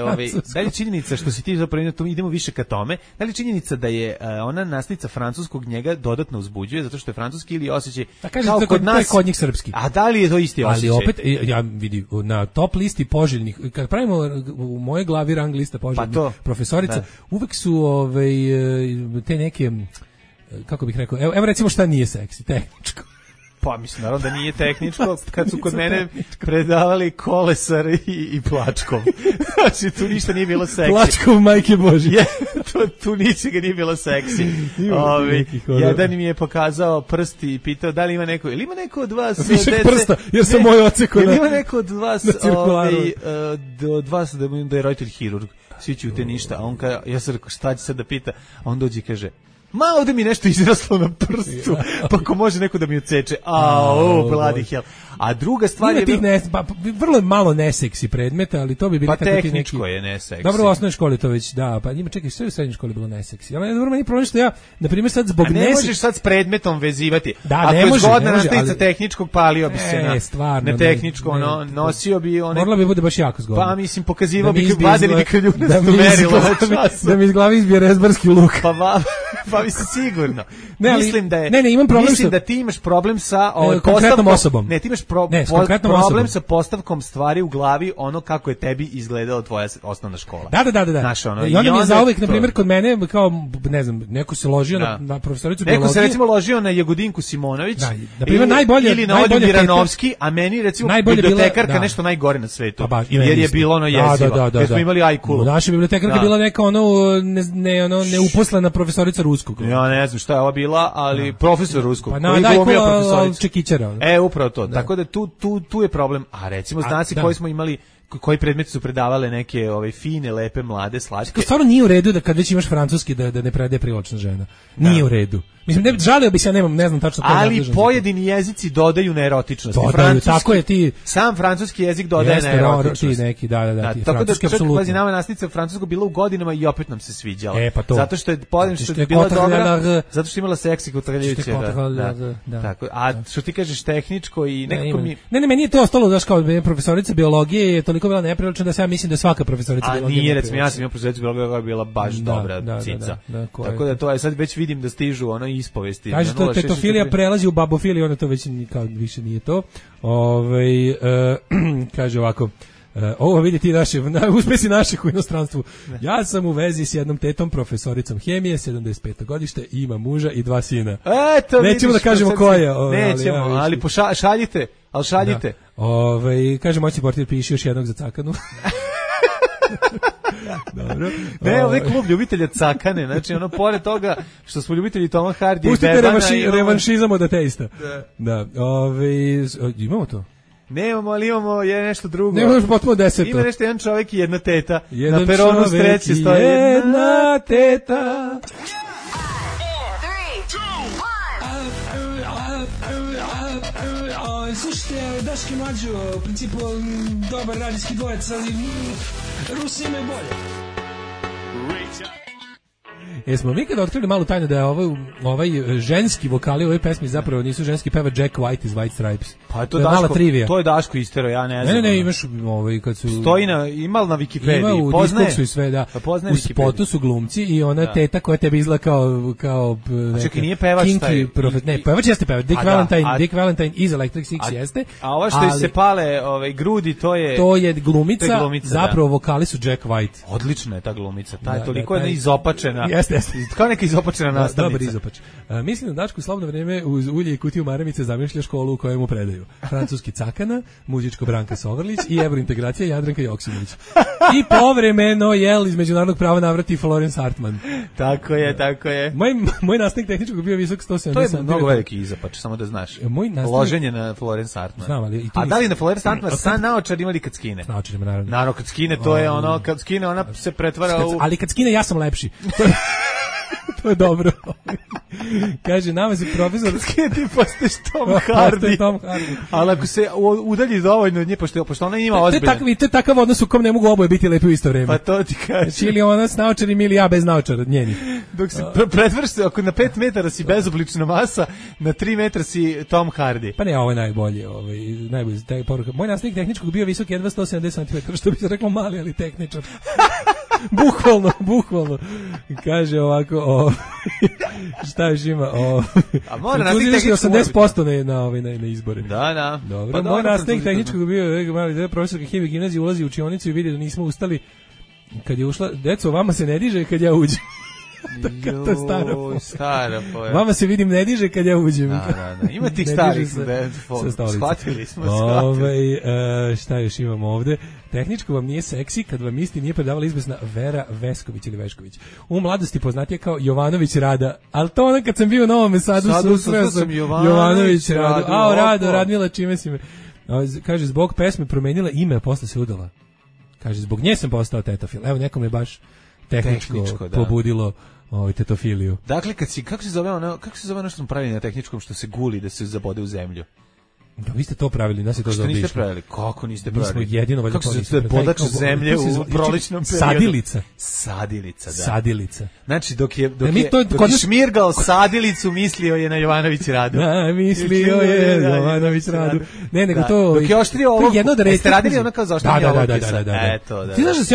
da li je činjenica što si ti zapravo idemo više ka tome, da li je činjenica da je ona nastica francuskog njega dodatno uzbuđuje zato što je francuski ili osjećaj kao kod nas kod njih srpski. A da li je to isti osjećaj? Ali opet ja vidim na top listi poželjnih, kad pravimo u moje glavi rang lista poželjnih profesorica, uvek su te neke, kako bih rekao, evo recimo šta nije seksi, tehničko. Pa mislim, naravno da nije tehničko, kad su kod mene predavali Kolesar i Plačkov. Znači, tu ništa nije bilo seksi. Plačkov, majke Bože. Tu ničega nije bilo seksi. Jedan mi je pokazao prsti i pitao da li ima neko, ili ima neko od vas višeg prsta, jer sam moj oceko ili ima neko od vas da je roditelj hirurg. Svi ćute ništa, a on kaže, ja sam rekao šta će sad da pita, a on dođe i kaže, ma ovde mi nešto izraslo na prstu, pa ko može neko da mi odseče, bloody hell. A druga stvar je... vrlo malo neseksi predmeta, ali to bi bilo tako ti neki... Pa tehničko je neseksi. Dobro, u osnovnoj školi to već, da, pa njima čekaj, sve u srednjoj školi bilo neseksi. Ali dobro, meni problem što ja, na primjer, sad zbog neseksi... A ne možeš sad s predmetom vezivati. Da, ako ne može. Ako je zgodna nastavnica tehničkog, palio bi se na tehničko, nosio bi one... Morala bi bude baš jako zgodno. Pa mislim, pokazivao bi vadili krljune merilo na času. Da mi iz glavi izbije rezbarski luk. Pa mislim, sigurno. Mislim da ti imaš problem sa konkretnom osobom. Ne, ti imaš problem sa postavkom stvari u glavi, ono kako je tebi izgledala tvoja osnovna škola. Da. I onda mi je zauvek, na primjer, kod mene, kao, ne znam, neko se ložio na profesoricu biologije. Neko se recimo ložio na Jagodinku Simonović, ili na Olju Miranovski, a meni, recimo, bibliotekarka nešto najgore na svetu. Jer je bilo ono jezivo. Jer smo imali ajkulu. Naša bibliotekarka bila neka neuposlena profesorica ruskog. Ja ne znam šta je ova bila, ali profesor ruskog. Pa na ajkula Čekićara. Upravo to. Tako da tu je problem. A recimo, znaci koji smo imali koji predmeti su predavale neke fine, lepe, mlade, slatke. Stvarno nije u redu da kad već imaš francuski da ne predaje privlačna žena. Nije u redu. Mislim, ne žalio bi se, ja ne znam tačno koji. Ali pojedini jezici dodaju neerotičnost. Dodaju, tako je ti. Sam francuski jezik dodaje neerotičnost. Ti neki, da, ti tako da francuski, čak apsolutno. pazi, nama nastavnica francuskog bila u godinama i opet nam se sviđala. Pa to. Zato što je bila dobra, zato što je imala seksi kotrljajuće. Tako. A što ti kažeš tehničko i nekako mi... Ne, meni je to ostalo, znaš, kao profesorica biologije je toliko bila neprilična da se ja mislim da svaka profesorica biologije... A nije, recimo, ja sam imao profesorica biologije koja je bila baš dobra cica. Tako da to je, sad već vidim da stižu ispovesti. Kaže to tetofilija prelazi u babofiliju, ono to već kao više nije to. Kaže ovako, ovo vidi ti uspesi naših u inostranstvu. Ja sam u vezi s jednom tetom profesoricom hemije, 75. godište, i ima muža i 2 sina. Eto, nećemo da kažemo ko je. Nećemo, ali šaljite. Kaže moćni portir, piši još jednog za cakanu. Dobro. Ne, ovaj klub ljubitelja cakane, znači pored toga što smo ljubitelji Toma Hardija i Bebana. Pustite revanšizam od ateista. Da. Imamo to? Nemamo, ali imamo nešto drugo. Nemamo još potpuno 10. Ima nešto, jedan čovjek i jedna teta. Na peronu sreće stoji jedna teta. Slušajte, Daški Mlađo, u principu dobar radijski dvojec, ali Rusi imaju bolje. Jesmo mi kada otkrili malu tajnu da je ovaj ženski vokali u ovoj pesmi zapravo nisu ženski, peva Jack White iz White Stripes. Pa je to Daško, to je Daško istero, ja ne znam. Ne, imaš kad su... Stoji ima na Wikipediji, ima poznaje. Ima u i sve, da. U spotu su glumci i ona teta koja tebi izgleda kao čekaj, nije pevač taj... Ne, pevač jeste pevač. Dick Valentine iz Electric Six jeste. A ovo što se pale grudi, to je... To je glumica, zapravo vokali su Jack White. Odlična je ta glumica, toliko je izopačena. Kao neka izopačena nastavnica. Dobar izopač. Mislim da Dačko slobodno vreme uz ulje i kutiju maramice zamišlja školu u kojoj mu predaju. Francuski cakana, muzičko Branka Sovrlić i evrointegracija Jadranka Joksimović. I povremeno iz međunarodnog prava navrati Florence Hartman. Tako je. Moj nastavnik tehničkog bio visok 170. To je mnogo veliki izopač, samo da znaš. Loženje na Florence Hartman. Znam, ali a da li na Florence Hartman sa naočar imali kad skine? S naočarima, naravno. Naravno, kad skine, to je kad skine, ona se pretvara u... Ali kad skine, ja sam lepši. To je dobro. Kaže, nama se profesor... Skine ti postaješ Tom Hardy. Ali ako se udalji dovoljno od nje, pošto ona ima ozbiljno. To je takav odnos u kom ne mogu oboje biti lepi u isto vreme. Pa to ti kaže. Ili ona s naočarim ili ja bez naočara, njeni. Dok se pretvrš se, ako na 5 metara si bezoblična masa, na 3 metra si Tom Hardy. Pa ne, ovo je najbolje. Najbolje taj poruka. Moj nastavnik tehničkog bio visok jedva 170 cm, što bi se reklo mali, ali tehničar. Bukvalno. Kaže ovako, šta još ima? A mora nastavnik tehničkog 80% na izbore. Da. Dobro, pa moj nastavnik tehničkog bio mali profesorka hemije gimnazije, ulazi u učionicu i vidi da nismo ustali. Kad je ušla, deco, vama se ne diže kad ja uđem. To je stara poja. Vama se vidim ne diže kad ja uđem. Da. Ima tih starih shvatili smo. Šta još imamo ovde? Tehničko vam nije seksi kad vam isti nije predavala izbesna Vera Vesković ili Vešković. U mladosti poznatija kao Jovanović Rada. Ali to onda kad sam bio u Novom Sadu susreo sam Jovanović Radu. Rado, Radmila, čime si me... Kaže, zbog pesme promenila ime, a posle se udala. Kaže, zbog nje sam postao tetofil. Evo, nekom je baš tehničko pobudilo tetofiliju. Dakle, kako se zove ono što smo pravili na tehničkom, što se guli da se zabode u zemlju? Da, vi ste to pravili, nas je to zaobišlo. Što niste pravili? Kako niste pravili? Mi smo jedino valjda to nismo pravili. Podač zemlje u proličnom periodu. Sadilica. Znači, dok je šmirgal sadilicu, mislio je na Jovanović Radu. Mislio je Jovanović Radu. Ne, nego to... Dok je oštrio ovo... Ste radili ono kao zaoštrenje ovo pisa? Da. Ti znaš da se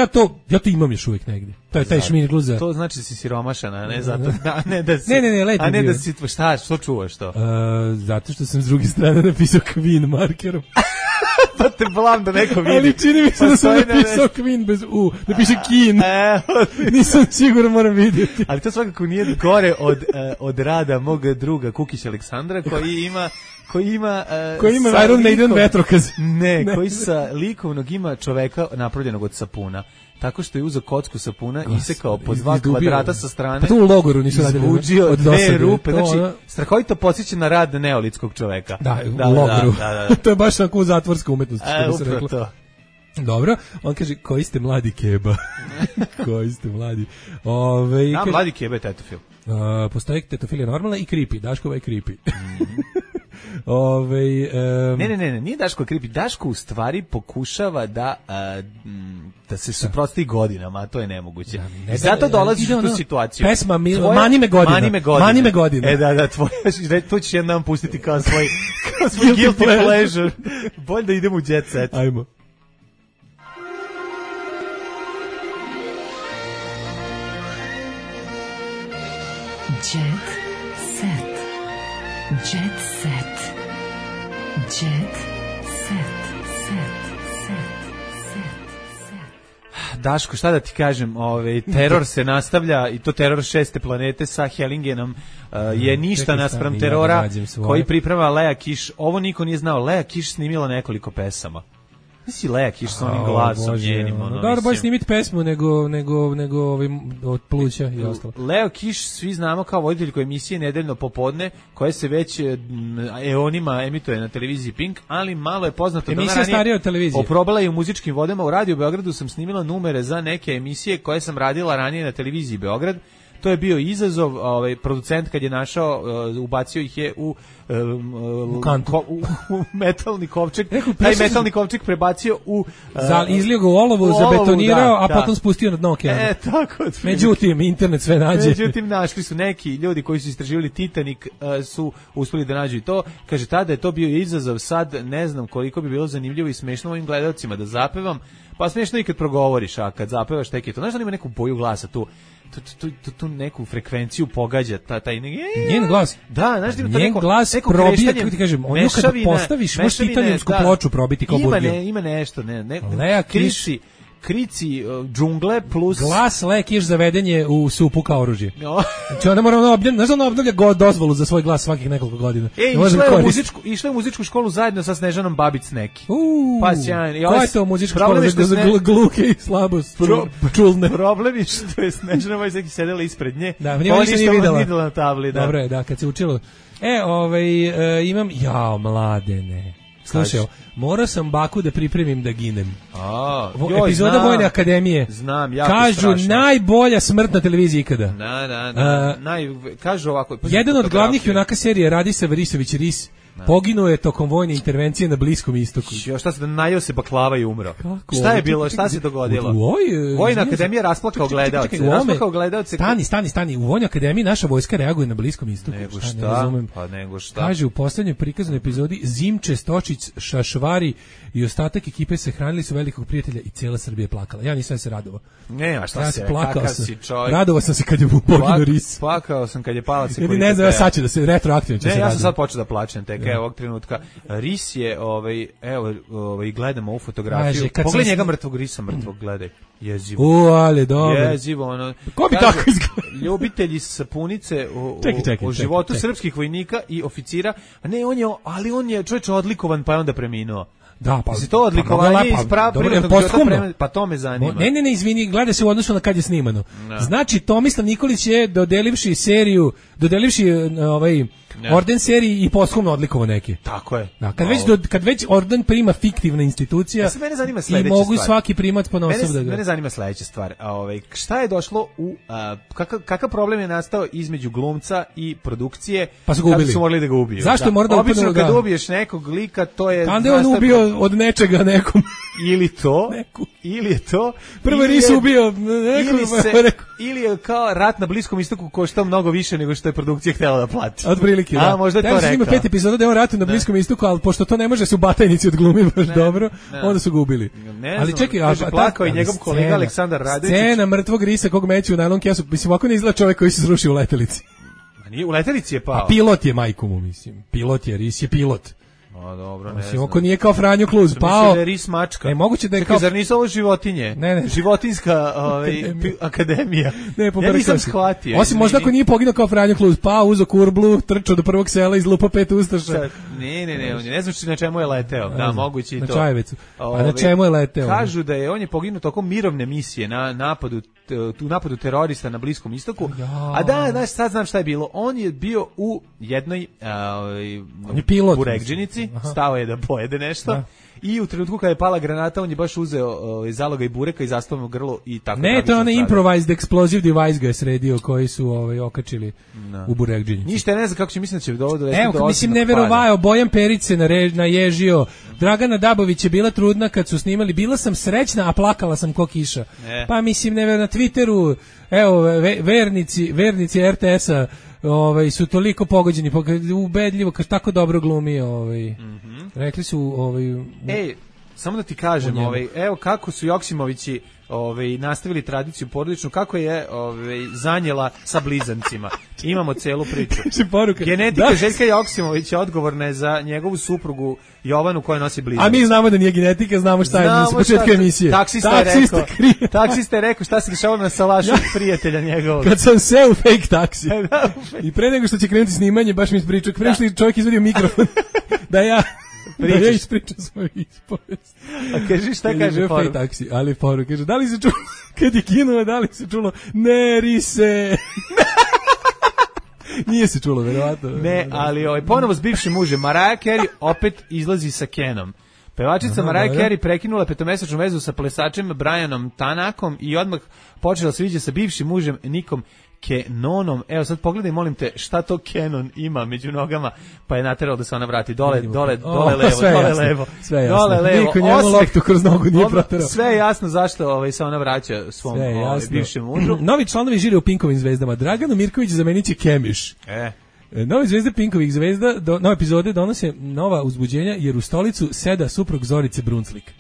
ja to imam još uvijek negdje. To je taj šmirgl za... To znači da si siromašan, a ne zato... Ne, lepo. A ne da si... Šta, što čuvaš to? Zato što sam s druge strane napisao Queen markerom. Pa te blam da neko vidi. Ali čini mi se da sam napisao Queen bez U. Da piše Keen. Nisam siguran, moram vidjeti. Ali to svakako nije gore od rada mog druga Kukića Aleksandra, koji ima Iron Maiden vetrokaz. Ne, koji sa likovnog ima čoveka napravljenog od sapuna. Tako što je uzeo kocku sapuna i isekao po 2 kvadrata sa strane. Pa to u logoru nisu radili. Izvuđio 2 rupe. Znači, strahovito podsjeća na rad neolitskog čoveka. Da, u logoru. To je baš tako zatvorska umetnost, što bi se reklo. Dobro, on kaže, koji ste mladi keba? Koji ste mladi? Kaže, mladi keba je tetofil. Postoji tetofilija normalna i creepy, Daškova je creepy. Ne, nije Daško creepy. Daško u stvari pokušava da se suprotstavi godinama, a to je nemoguće. I zato dolaziš u tu situaciju. Pesma Mani me godina. Da, to ćeš jedan pustiti kao svoj guilty pleasure. Bolje da idemo u jet set. Ajmo. Jet set. Jet set. Jet set. Daško, šta da ti kažem, teror se nastavlja i to teror 6. planete sa Hellingenom je ništa naspram terora koji priprema Lea Kiš. Ovo niko nije znao, Lea Kiš snimila nekoliko pesama. Nisi Lea Kiš sa onim glasom njenim. Dobro, bolje snimiti pesmu nego od pluća i ostalo. Leo Kiš svi znamo kao voditeljko emisije Nedeljno popodne, koje se već eonima emituje na televiziji Pink, ali malo je poznato da ona ranije starija od televizije. Oprobala je u muzičkim vodama. U Radio Beogradu sam snimila numere za neke emisije koje sam radila ranije na televiziji Beograd. To je bio izazov, producent kad je našao, ubacio ih je u metalni kovčeg. Taj metalni kovčeg prebacio u... izlio ga u olovu, zabetonirao, a potom spustio na dno okeana. Tako. Međutim, internet sve nađe. Međutim, našli su neki ljudi koji su istraživali Titanic, su uspeli da nađu i to. Kaže, tada je to bio izazov, sad ne znam koliko bi bilo zanimljivo i smešno ovim gledalcima da zapevam. Pa smešno i kad progovoriš, a kad zapevaš tek je to. Znaš da ima neku boju glasa tu neku frekvenciju pogađa taj njen glas. Da, znaš da ima njen glas probija, kako ti kažem, on ju kad postaviš, možeš titaniumsku ploču probiti kao burgiju. Ima nešto, Lea Kiš, krici džungle plus glas Lea Kiš zavedenje u supu kao oružje. Znači ona mora obnavlja dozvolu za svoj glas svakih nekoliko godina. Išla je u muzičku školu zajedno sa Snežanom Babić neki. Pa sjajno. Koja je to muzička škola za gluke i slabost čulne? Problem je što je Snežana Babić neki sedela ispred nje. Da, ona nije videla na tabli. Dobro je, da, kad se učilo. Imam, Mladene. Slušaj, morao sam baku da pripremim da ginem. Epizoda Vojne akademije. Znam, jako kažu strašno. Najbolja smrt na televiziji ikada. Da. Kažu ovako. Jedan od glavnih junaka serije Radisa Verisović Ris poginuo je tokom vojne intervencije na Bliskom istoku. Šta se najeo se baklava i umro? Šta je bilo? Šta se dogodilo? Vojna akademija rasplakao gledaoce. Stani. U Vojnoj akademiji naša vojska reaguje na Bliskom istoku. Nego šta? Kaže u poslednjoj prikazanoj epizodi Zimče, Stočić, Šašvari i ostatak ekipe se hranili su velikog prijatelja i cijela Srbija je plakala. Ja nisam se radovao. Ne, a šta se? Plakao sam. Radovao sam se kad je poginuo Ris. Plakao sam kad je palac. Ne znam, sad će da se retroaktivno će se. Ja sam sad počeo da plačem ovog trenutka. Ris je, gledamo ovu fotografiju. Pogledaj njega mrtvog Risa, gledaj. Jezivo. Ali dobro. Jezivo, ono. Ko bi tako izgledao? Ljubitelji sapunice o životu srpskih vojnika i oficira. A ne, on je čovječ odlikovan, pa je onda preminuo. Da, pa to odlikovanje iz privatnog života, pa to me zanima. Ne, izvini, gleda se u odnosu na kad je snimano. Znači, Tomislav Nikolić je dodelivši orden seriji i posthumno odlikovo neke. Tako je. Da, kad već orden prima fiktivna institucija, mene zanima sledeća i mogu stvar. Svaki primat ponosov da ga... Mene zanima sledeća stvar. Šta je došlo kakav problem je nastao između glumca i produkcije, pa su ga ubili. Kada su morali da ga ubiju. Zašto mora da obično kad ubiješ nekog lika, to je... Kada je on ubio od nečega nekom. Ili je to... Prvo Ris ubio ili je kao rat na Bliskom istoku koštao mnogo više nego što je produkcija htjela da plati. Otprilike, da. Možda je to rekao. Ima 5 epizoda da je on ratu na Bliskom istoku, ali pošto to ne može se u Batajnici odglumi baš dobro, onda su ga ubili. Ali čekaj, plakao i njegov kolega Aleksandar Radović. Scena mrtvog Risa kog meću u najlon kesu, mislim, ovako ne izgleda čovjek koji se srušio u letelici. U letelici je pao. A pilot je majku mu, mislim. Ris je pilot. Dobro, ne znam. Oko nije kao Franjo Kluz pao. Da je Ris mačka. Moguće da je kao... Zar nisu ovo životinje? Ne. Životinska akademija. Ja nisam shvatio. Osim možda ako nije poginuo kao Franjo Kluz, pao, uzo kurblu, trčao do prvog sela, izlupa 5 ustaša. Ne znam na čemu je leteo. Da, moguće i to. Na Čajevecu. A na čemu je leteo? Kažu da je on je poginuo tokom mirovne misije na napadu terorista na Bliskom istoku. A da, sad znam šta je bilo. On je bio u jednoj buregdžinici, stao je da pojede nešto i u trenutku kada je pala granata on je baš uzeo zalogaj bureka i zastavio grlo i tako. Ne, to je onaj improvised explosive device ga je sredio koji su okačili u burekdžinjicu. Ništa ne znam kako će, mislim da će dovesti do. Evo, mislim neverovao, Bojan Perić se naježio, Dragana Dabović je bila trudna kad su snimali, bila sam srećna, a plakala sam ko kiša. Pa mislim, na Twitteru, evo, vernici RTS-a su toliko pogođeni, ubedljivo, kad tako dobro glumi, rekli su, samo da ti kažem, evo kako su Joksimovići nastavili tradiciju porodičnu, kako je Zanjela sa blizancima. Imamo celu priču. Genetika Željka Joksimovića odgovorna je za njegovu suprugu Jovanu koja nosi blizance. A mi znamo da nije genetika, znamo šta je s početka emisije. Taksista je rekao šta se dešavalo na salašu prijatelja njegovog. Kad sam seo u fake taksi. I pre nego što će krenuti snimanje, baš mi ispričao, pre što čovjek izvadio mikrofon, da ja ispričam svoju ispovest. A kaži šta kaže poru? Taksi, ali poru kaže, da li se čulo, kad je kinuo, da li se čulo, ne rise. Nije se čulo, verovatno. Ne, ali ponovo s bivšim mužem, Mariah Carey opet izlazi sa Kenom. Pevačica Mariah Carey prekinula 5-mesečnu vezu sa plesačem Brianom Tanakom i odmah počela se viđa sa bivšim mužem Nikom Canonom. Evo sad pogledaj, molim te, šta to Canon ima među nogama, pa je naterao da se ona vrati dole levo. Sve jasno. Niko njemu loptu kroz nogu nije proterao. Sve je jasno zašto se ona vraća svom bivšem mužu. Novi članovi žire u Pinkovim zvezdama. Dragana Mirković zameniće Kemiš. Nove zvezde Pinkovih zvezda, nove epizode donose nova uzbuđenja jer u stolicu seda suprug Zorice Brunslik.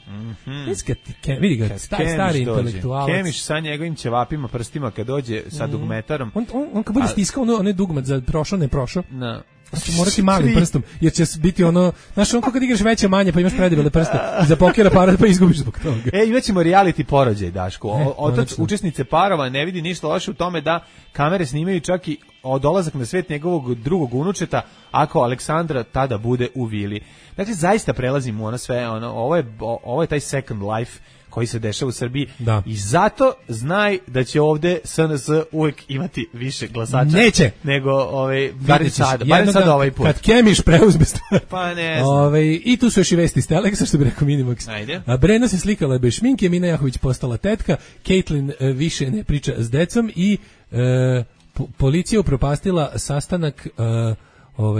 Vidi ga, stari intelektualac. Kemiš sa njegovim ćevapima, prstima kad dođe sa dugmetarom. On kad bude stiskao onaj dugmet za prošao, ne prošao. Znači morati malim prstom, jer će biti ono, znaš, on kad igraš veće manje pa imaš predebele prste i za poker aparat pa izgubiš zbog toga. Imaćemo reality porođaj, Daško. Otac učesnice parova ne vidi ništa loše u tome da kamere snimaju čak i dolazak na svet njegovog drugog unučeta ako Aleksandra tada bude u vili. Dakle, zaista prelazimo ono sve, ovo je taj second life koji se dešava u Srbiji i zato znaj da će ovde SNS uvek imati više glasača. Neće. Nego barem sad ovaj put. Kad Kemiš preuzme stvar. Pa ne znam. I tu su još i vesti iz Teleksa, što bi rekao Minimax. Ajde. Brena se slikala bez šminke, Mina Jahović postala tetka, Caitlyn više ne priča s decom i policija upropastila sastanak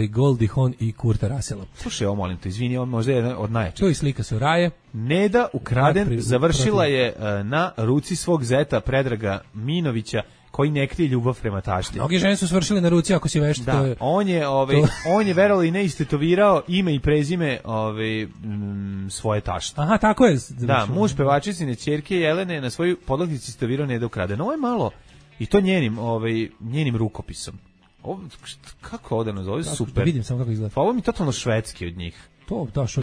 Goldie Hawn i Kurta Russella. Slušaj, ovo molim te, izvini, on možda je jedan od najjačih. To je slika Soraje. Neda ukraden završila je na ruci svog zeta Predraga Minovića, koji ne krije ljubav prema tašti. Mnogi žene su svršili na ruci ako si vešt. Da, on je verovali i ne istetovirao ime i prezime svoje tašte. Aha, tako je. Da, muž pevačicine ćerke Jelene na svoju podlaktici istetovirao Neda ukraden. Ovo je malo i to njenim rukopisom. Kako ovdje nazove? Super. Da vidim samo kako izgleda. Pa ovo mi je totalno švedski od njih. To, tašta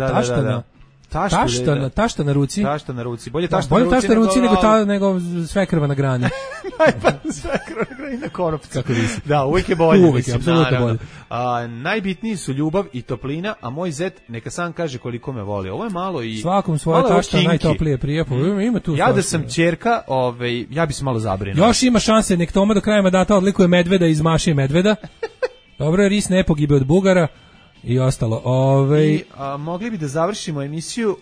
na ruci. Tašta na ruci. Bolje tašta na ruci nego svekrva na grani. Svekrva na grani na konopcu. Kako nisi. Da, uvijek je bolje. Uvijek je, apsolutno bolje. Najbitniji su ljubav i toplina, a moj zet neka sam kaže koliko me voli. Ovo je malo i... Svakom svoje tašta najtoplije prijepo. Ima tu ja da sam ćerka, ja bi se malo zabrinuo. Još ima šanse, nek Toma do kraja mandata odlikuje medveda iz Maše medveda. Dobro je, ris ne pogibe od Bugara. I ostalo. Mogli bi da završimo emisiju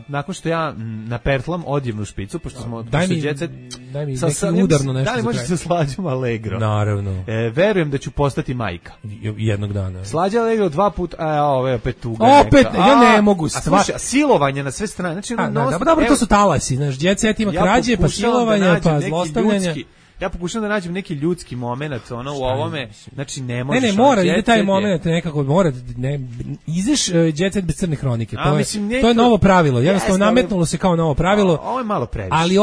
nakon što ja napertlam odjevnu špicu, pošto smo... Daj mi neki udarno nešto. Da li možeš sa Slađom Allegro? Naravno. Verujem da ću postati majka. Jednog dana. Slađa Allegro 2 puta, ovo je opet tuga. Opet, ja ne mogu. Silovanje na sve strane. Znači, dobro, to su talasi, znaš, djecet ima krađe, pa silovanja, pa zlostavljanja. Ja pokušam da nađem neki ljudski moment u ovome, znači ne možeš... Ne, mora, ide taj moment nekako, mora, izeš Jet Set bez crne hronike, to je novo pravilo, jednostavno nametnulo se kao novo pravilo. Ovo je malo previše. Ali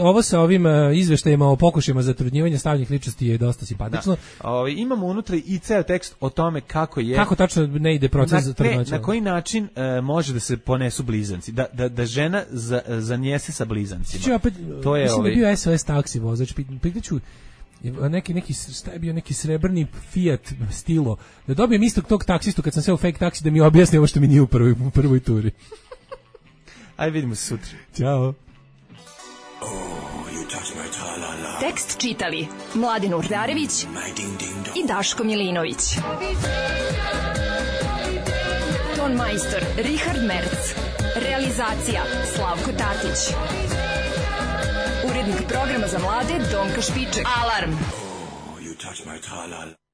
ovo sa ovim izveštajima o pokušajima zatrudnjivanja stavljenih ličnosti je dosta simpatično. Imamo unutra i ceo tekst o tome kako tačno ne ide proces zatrudnjivanja. Na koji način može da se ponesu blizanci, da žena zanjese sa blizancima. To je mislim da je bio SOS taksi vozač, pitaću šta je bio neki srebrni Fiat Stilo, da dobijem istog tog taksistu kad sam seo u fake taksi da mi objasni ovo što mi nije u prvoj turi. Ajde, vidimo se sutra. Ćao. Tekst čitali Mladin Urdarević i Daško Milinović. Ton majstor Richard Merc. Realizacija Slavko Tatić. Urednik programa za mlade Donka Špiček. Alarm! You touch my tra-la.